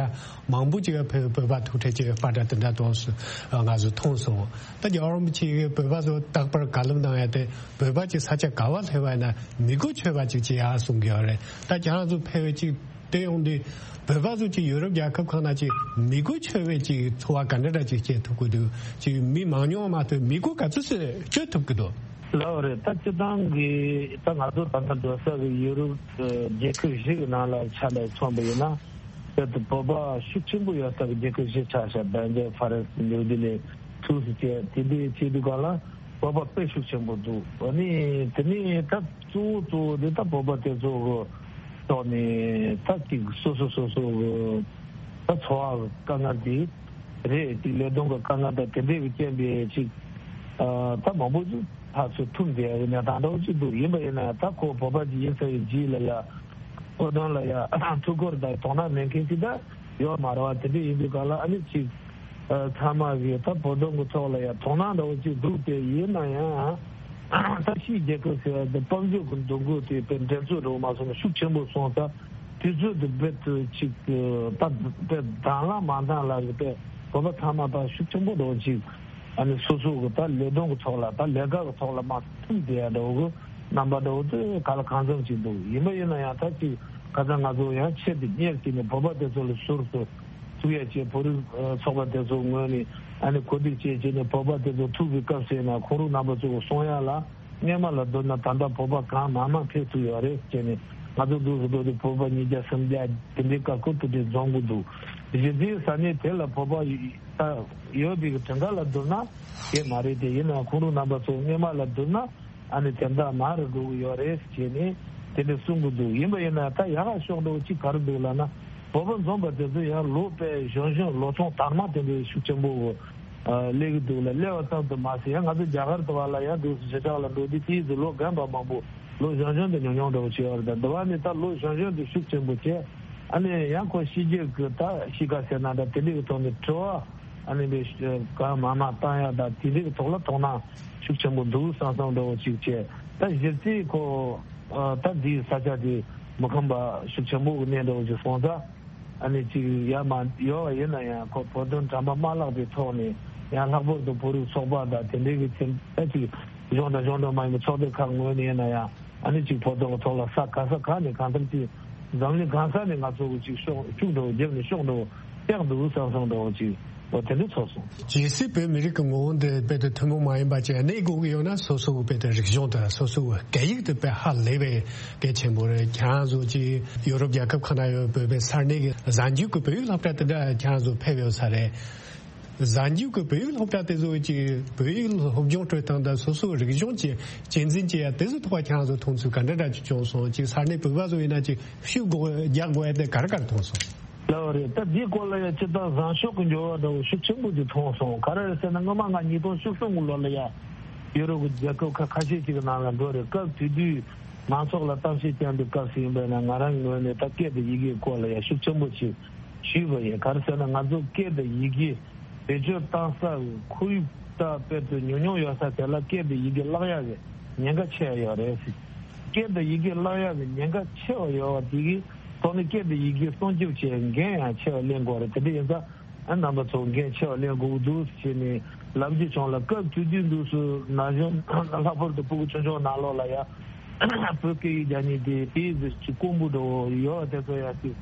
མང་པོ་ཅིག་བོད་བོད་པ་ཐུག་འཕྲད་ཅིག་པ་འདྲ་དེ་འདྲ་དོགས་སུ་ང་ཚོ་མཐོང་སོང་། ད་རྒྱལ་བ་རིན་པོ་ཆེ་གིས་བོད་པ་ཚོ་རྟག་པར་བཀའ་སློབ་གནང་ཡ་དེ་བོད་པ་ཅིག་ས་ཆ་ག་བ་སླེབས་པ་ཡིན་ན་མི་གོ་ཆོད་པ་ཅིག་བྱེད་ཡ་གསུང་གི་ཡོད་རེད། ད་ཁྱེད་རང་ཚོ་ཕེབས་པའི་ཅིག་བལྟས་ཡོང་དུས་བོད་པ་ཚོ་ཅིག་ཡུ་རོབ་རྒྱལ་ཁབ་ཁག་ན་ཅིག་མི་གོ་ཆོད་པའི་ཅིག་འཚོ་བ་ག་འདྲ་འདྲ་ཅིག་སྐྱེལ་ཐུབ་ཀྱི་འདུག་ཅིག་མི་མང་ཉུང་མ་གཏོགས་མི་གོ་ག་ཚོད་ཅིག་སྤྱོད་ཐུབ་ཀྱི་འདུག་ལགས་རེད། ད་སྤྱིར་བཏང་གི་ད་ང་ཚོ་ད་ལྟ་འགྲོ་ས་གི་ཡུ་རོབ་རྒྱལ་ཁབ་བཞི་གི་ནང་ལ་ཆ་ནས་མཚོན་པ་ཡིན་ན། དཔེར་ན་བོད་པ་ཤུགས་ཆེན་པོ་ཡོད་ས་གི་རྒྱལ་ཁབ་བཞི་ཆགས་ཤག་སྦེལ་ཇམ། ཧྥ་རན་སི། ནིའུ་ཌི་ལི། སུད་སི་བཅས། དེ་འདྲའི་ཆེད་དུ་གང་ལ་བོད་པ་དཔེ་ཤུགས་ཆེན་པོ་འདུག་ཨ་ནི་དེ་ནས་ད་གཙོ་བོ་གཙོ་བོ་དེ་ད་བོད་པ་དེ་ཚོ་གི་ཐོག་ནས་ད་ཅིག་སོ་སོ་སོ་སོ་གི་ད་འཚོ་བ་གི་དཀའ་ངལ་དེ་རེད། ཅིག་ལས་དོན་གི་དཀའ་ངལ་དང་དེ་འདྲའི་གི་རྐྱེན་པས་ཅིག་ཨ་ད་མང་པོ་ཅིག་ཕར་ཚུར་ཐུག་བསྡད་ཡ་གི་གནས་སྟངས་འདྲ་བོ་ཅིག་འདུག་ཡིན་པ་ཡིན་ན་ད་ཁོ་བོད་པ་ཅིག་ཡིན་ས་ཡི་རྗེས་ལ་ཡ་བོད་དོན་ལ་ཡ་ཐུགས་ཁུར་དང་དོ་སྣང་མེད་མཁན་ཅིག་ད་ཡོད་མ་རེད་བ། དེ་འདྲ་ཡིན་དུས་གང་ལ་ཨ་ནི་ཅིག་ཨ་ཚང་མ་གིས་ད་བོད་དོན་གི་ཐོག་ལ་ཡ་དོ་སྣང་འདྲ་བོ་ཅིག་འདུག་དེ་ཡིན་ན་ཡང་ད་ཕྱིའི་རྒྱལ་ཁབ་ཟེར་བ་འདི་དཔལ་འབྱོར་གི་འདུ་འགོད་དེ་དཔེ་འགྲན་རྩོད་འདྲ་བོ་མ་སོང་ན་ཤུགས་ཆེན་པོ་སོང་ཙང་དུས་ཚོད་དེ་རྦད་དེ་ཅིག་ད་དཔེ་དང་བླངས་མ་བཏང་ལ་གི་དཔེ་བོད་པ་ཚང་མ་ད་ཤུགས་ཆེན་པོ་འདྲ་བོ་ཅིག་ཨ་ནི་སོ་སོ་གི་ད་ལས་དོན་གི་ཐོག་ལ་ད་ལས་ཀ་གི་ཐོག་ལ་མ་ཐུག་བསྡད་ཡ་འདྲ་བོ་གི་རྣམ་པ་འདྲ་བོ་དེ་ག་ལ་གང་འཚམ་ཅིག་འདུག་ཡིན་པ་ཡིན་ན་ཡང་ད་ཅིག་ཁ་སང་ང་ཚོ་ཡང་ཆེད་དུ་གཉེར་བྱས་ནས་བོད་པ་དེ་ཚོ་ལ་ཟུར་དུ་ཐུག་ཡ་བྱས། བོད་རིགས་ཚོགས་པ་དེ་ཚོ་ངོས་ནས་ཨ་ནི་གོ་སྒྲིག་བྱས་བྱས་ནས་བོད་པ་དེ་ཚོ་ཐུག་པའི་སྐབས་སུ་ཡིན་ན་ཁོང་རང་རྣམ་པ་ཚོ་གི་གསུང་ཡ་ལ་སྔོན་མ་ལ་བསྡུར་ན་ད་ལྟ་བོད་པ་གང་མང་མང་ཕེབས་ཐུབ་ཡོད་རེད་བྱས་ནས་ང་ཚོ་འདུག་སུ་འགྲོ་དུས་བོད་པ་ཉིས་བརྒྱ་སུམ་བརྒྱ་དེ་འདྲའི་ཁ་ཁུར་དེ་འདྲའི་འཛོམས་ཀྱི་འདུག་གཞི་རྩའི་ས་གནས་དེ་ལ་བོད་པ་ད་ཡོད་པའི་གྲངས་ཀ་ལ་བསྡུར་ན་དེ་མ་རེད་དེ། ཡིན་ནའང་ཁོང་རང་རྣམ་པ་ཚོ་སྔོན་མ་ལ་བསྡུར་ན། ཨ་ནི་དེ་འདྲ་མང་རུ་འགྲོ་གི་ཡོད་རེད་ཅེས་ནས་དེ་འདྲ་གསུང་གི་འདུག་ཡིན་པ་ཡིན་ན་ད་ཡག་ག་ཕྱོགས་འགྲོ་གཅིག་ག་རེ་འདུག་ལབ་ན། བོད་པ་འཛོམས་པ་དེ་ཚོ་ཡང་ལོ་དཔེ་གཞོན་གཞོན་ལོ་ཆུང་དར་མ་དེ་འདྲའི་ཤུགས་ཆེན་པོ་སླེབས་ཀྱི་འདུག་ལ། སླེབས་པ་ཙམ་དུ་མ་ཟད། ཡང་ང་ཚོ་རྒྱ་གར་དུ་བ་ལ་ཡང་འདུག་སེ་ཞེ་དྲག་ལ་འགྲོ་དུས་དེའི་ཚོ་ལོ་རྒན་པ་མང་པོ་ལོ་གཞོན་གཞོན་དུ་ཉུང་ཉུང་འདྲ་བོ་བྱས་པ་རེད། ད་འདི་བ་ནི་ད་ལོ་གཞོན་གཞོན་དུ་ཤུགས་ཆེན་པོ་བྱས། ཨ་ནི་ཡང་ཁོ་ཕྱི་རྒྱལ་གྱི་ད་གཤིས་ཀ་ཟེར་ན་འདྲ་དེ་འདྲའི་གི་ཐོག་ནས་དྲི་བ་ཨ་ནི་པའི་གང་མང་མང་བཏང་ཡ་ད་དེ་འདྲའི་གི་ཐོག་ལ་དོ་སྣང་ཤུགས་ཆེན་པོ་འདུག་བསམ་བསམ་འདྲ་བོ་ཅིག་བྱས། ད་གཞི་རྩའི་ཁོ་ད་འདིའི་ས་ཆ་དེ་མི་ཁོམ་པ་ཤུགས་ཆེན་པོ་གི་གནས་འདྲ་བོ་ཅིག་སོང་ཙང་། ཨ་ནི་ཅིག་ཡ་མ་ཡོད་པ་ཡིན་ན་ཡང་ཁོ་བོད་དོན་དྲན་པ་མ་བརླག་པའི་ཐོག་ནས། ཡང་ལྷག་པར་དུ་བོད་རིགས་ཚོགས་པ་དང་དེ་འདྲའི་གི་ཚིག་ད་ཅིག་གཞུང་དང་གཞུང་འབྲེལ་མ་ཡིན་པའི་ཚོགས་སྡེ་ཁག་ངོས་ནས་ཡིན་ན་ཡང་། ཨ་ནི་ཅིག་བོད་དོན་གི་ཐོག་ལ་ས་ག་ས་ག་ནས་གང་ལྟར་ཅིག་འཛམ་གླིང་གང་ས་ནས་ང་ཚོ་གི་ཅིག་ཤོག་ཤུགས་འགྲོ་བརྒྱབ་ནས་ཤོག་འགྲོ་སྟེགས་འདུག་བསམ་བསམ་འདྲ་བོ་ཅིག་འོ་དེ་འདྲ་ཚོར་སོང་། གལ་སྲིད་བོད་མི་རིགས་ཀྱི་ངོ་བོ་འདི་དཔེ་དེ་ཐུན་མོང་མ་ཡིན་པ་ཅིག་གནས་དགོས་ཀྱི་ཡོད་ན། སོ་སོ་གི་དཔེ་དེ་རིག་གཞུང་དང་སོ་སོ་གི་སྐད་ཡིག་དེ་དཔེ་ཧ་ལས་པའི་གལ་ཆེན་པོ་རེད། ཁྱེད་རང་ཚོ་ཅིག་ཡོ་རོབ་རྒྱལ་ཁབ་ཁག་ན་ཡོད་བོད་པའི་ས་གནས་ཀྱི་གཟའ་མཇུག་གི་བོད་ཡིག་སློབ་གྲྭ་དེ་འདྲ་ཁྱེད་རང་ཚོ་ཕེབས་ཡོད་ས་རེད། གཟའ་མཇུག་གི་བོད་ཡིག་སློབ་གྲྭ་དེ་ཚོ་ཅིག་བོད་ཡིག་སློབ་སྦྱོང་སྤྲོད་སྟངས་དང་སོ་སོའི་རིག་གཞུང་ཅིག་གཅེས་འཛིན་བྱེད་ཡ་དེ་ཚོའི་ཐོག་ཁྱེད་རང་ཚོ་མཐོང་ཚུལ་ག་འདྲ་འདྲ་ཅིག་བྱུང་སོང་། ཅིག་ས་གནས་བོད་པ་ཚོ་ཡིན་ན་ཅིག་ཤུགས་དགོས་རྒྱག་དགོས་ཡ་དེ་ག་རེ་ག་རེ་མཐོང་སོང་། ལགས་རེད། ད་འདིའི་སྐོར་ལ་ཡང་སྤྱིར་བཏང་བཟང་ཕྱོགས་ཀྱི་འགྱུར་བ་འདྲ་བོ་ཤུགས་ཆེན་པོ་ཅིག་མཐོང་སོང་། ག་རེ་རེད་ཟེར་ན། སྔོན་མ་ང་ཉིས་སྟོང་བཅུ་གསུམ་གྱི་ལོ་ལ་ཡ་ཡུ་རོབ་ཀྱི་རྒྱལ་ཁབ་ཁ་ཁ་ཤས་ཅིག་གི་ནང་ལ་འགྲོ་རེད། སྐབས་དེ་དུས་མང་ཚོགས་ལ་གཏམ་བཤད་བསྐྱངས་པའི་སྐབས་སུ་ཡིན་པས་ན། ང་རང་གི་ངོས་ནས་ད་སྐད་དང་ཡི་གེའི་སྐོར་ལ་ཡ་ཤུགས་ཆེན་པོ་ཅིག་ཞུས་པ་ཡིན། ག་རེ་ཟེར་ན། ང་ཚོ་སྐད་དང་ཡི་གེ་བེད་སྤྱོད་བཏང་ས་ཁོར་ཡུག་ད་དཔེ་དེ་ཉུང་ཉུང་ཡོད་ས་དེ་ལ་སྐད་དང་ཡི་གེ་བརླག་ཡག་གི་ཉེན་ཁ་ཆེ་བ་ཡོད་རེད་ཟེར། སྐད་དང་ཡི་གེ་བརླག་ཡག་གི་ཉེན་ཁ་ཆེ་བ་ཡོད་པ་དེ་གི་ཐོག་ནས་སྐད་དང་ཡི་གེ་སྲུང་སྐྱོབ་བྱེད་འགན་ཡང་ཆེ་བ་ལེན་དགོས་རེད། དེ་འདྲ་ཡིན་ཙང་ཨ་རྣམ་པ་ཚོ་འགན་ཆེ་བ་ལེན་དགོས་ཀྱི་འདུག་ཟེར་ནས་ལབ་རྒྱུ་བྱུང་ལ། སྐབས་དེ་དུས་འདུག་སུ་ན་གཞོན་ལྷག་པར་དུ་ཕྲུ་གུ་ཆུང་ཆུང་ནང་ལོགས་ལ་ཡ་བོད་སྐད་ཡིག་སྦྱང་མཁན་དེ་དེའི་ཟེར་གྱི་དཀོན་པོ་འདྲ་བོ་ཡོད་པ་དེ་ཚོ་ཡ་ཅིག་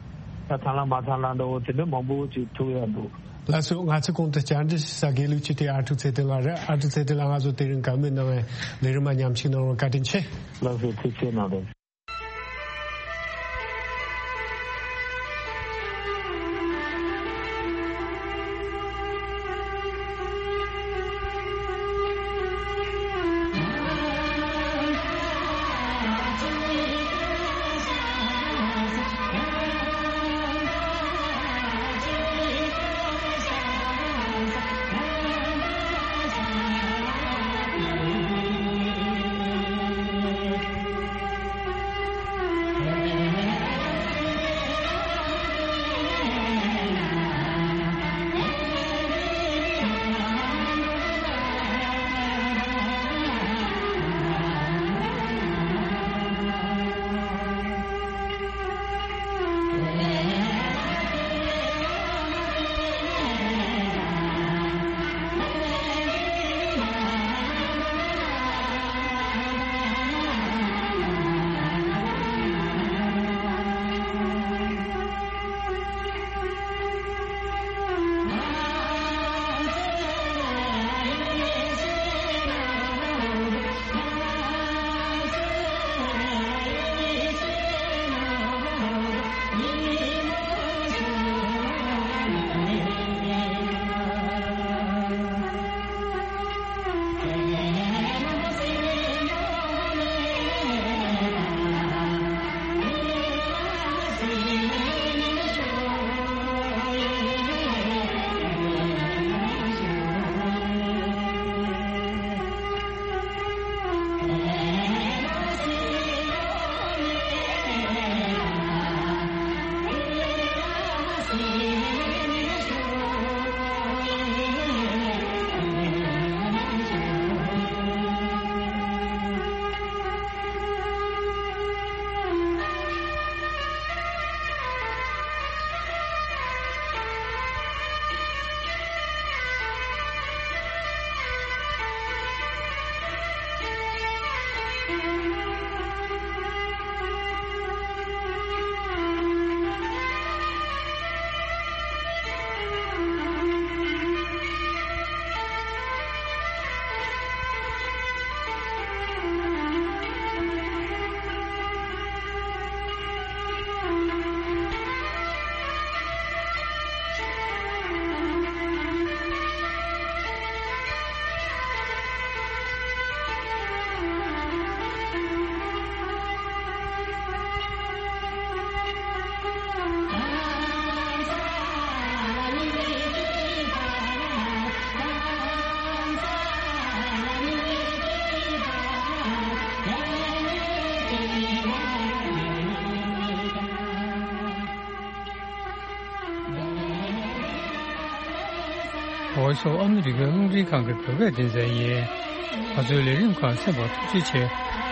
ད་ཐང་ལ་མ་ཐང་ལ་འདྲ་བོ་དེ་འདྲ་མང་པོ་ཅིག་ཐུག་ཡ་འདུག་ལགས་སོ། ང་ཚོའི་གོང་དུ་བཅར་འདྲི་ཞུ་ས་དགེ་ལུགས་སྤྱི་འཐུས་ཨ་ཀྲུག་ཚེ་བརྟན་ལགས་རེད། ཨ་ཀྲུག་ཚེ་བརྟན་ལགས་ང་ཚོ་དེ་རིང་བཀའ་མོལ་གནང་བའི་ལས་རིམ་མ་ཉམས་ཞིབ་གནང་རོགས། བཀའ་དྲིན་ཆེ། ལགས་སོ། ཐུགས་རྗེ་གནང་རོགས། སོགས་ཨ་མི་རི་ཀའི་རླུང་འཕྲིན་ཁང་གི་བོད་སྐད་སྡེ་ཚན་ཡིན། ང་ཚོའི་ལས་རིམ་ཁག་གསན་པར་ཐུགས་རྗེ་ཆེ།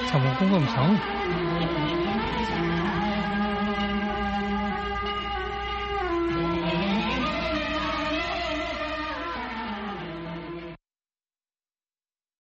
ཚང་མ་སྐུ་ཁམས་བཟང་།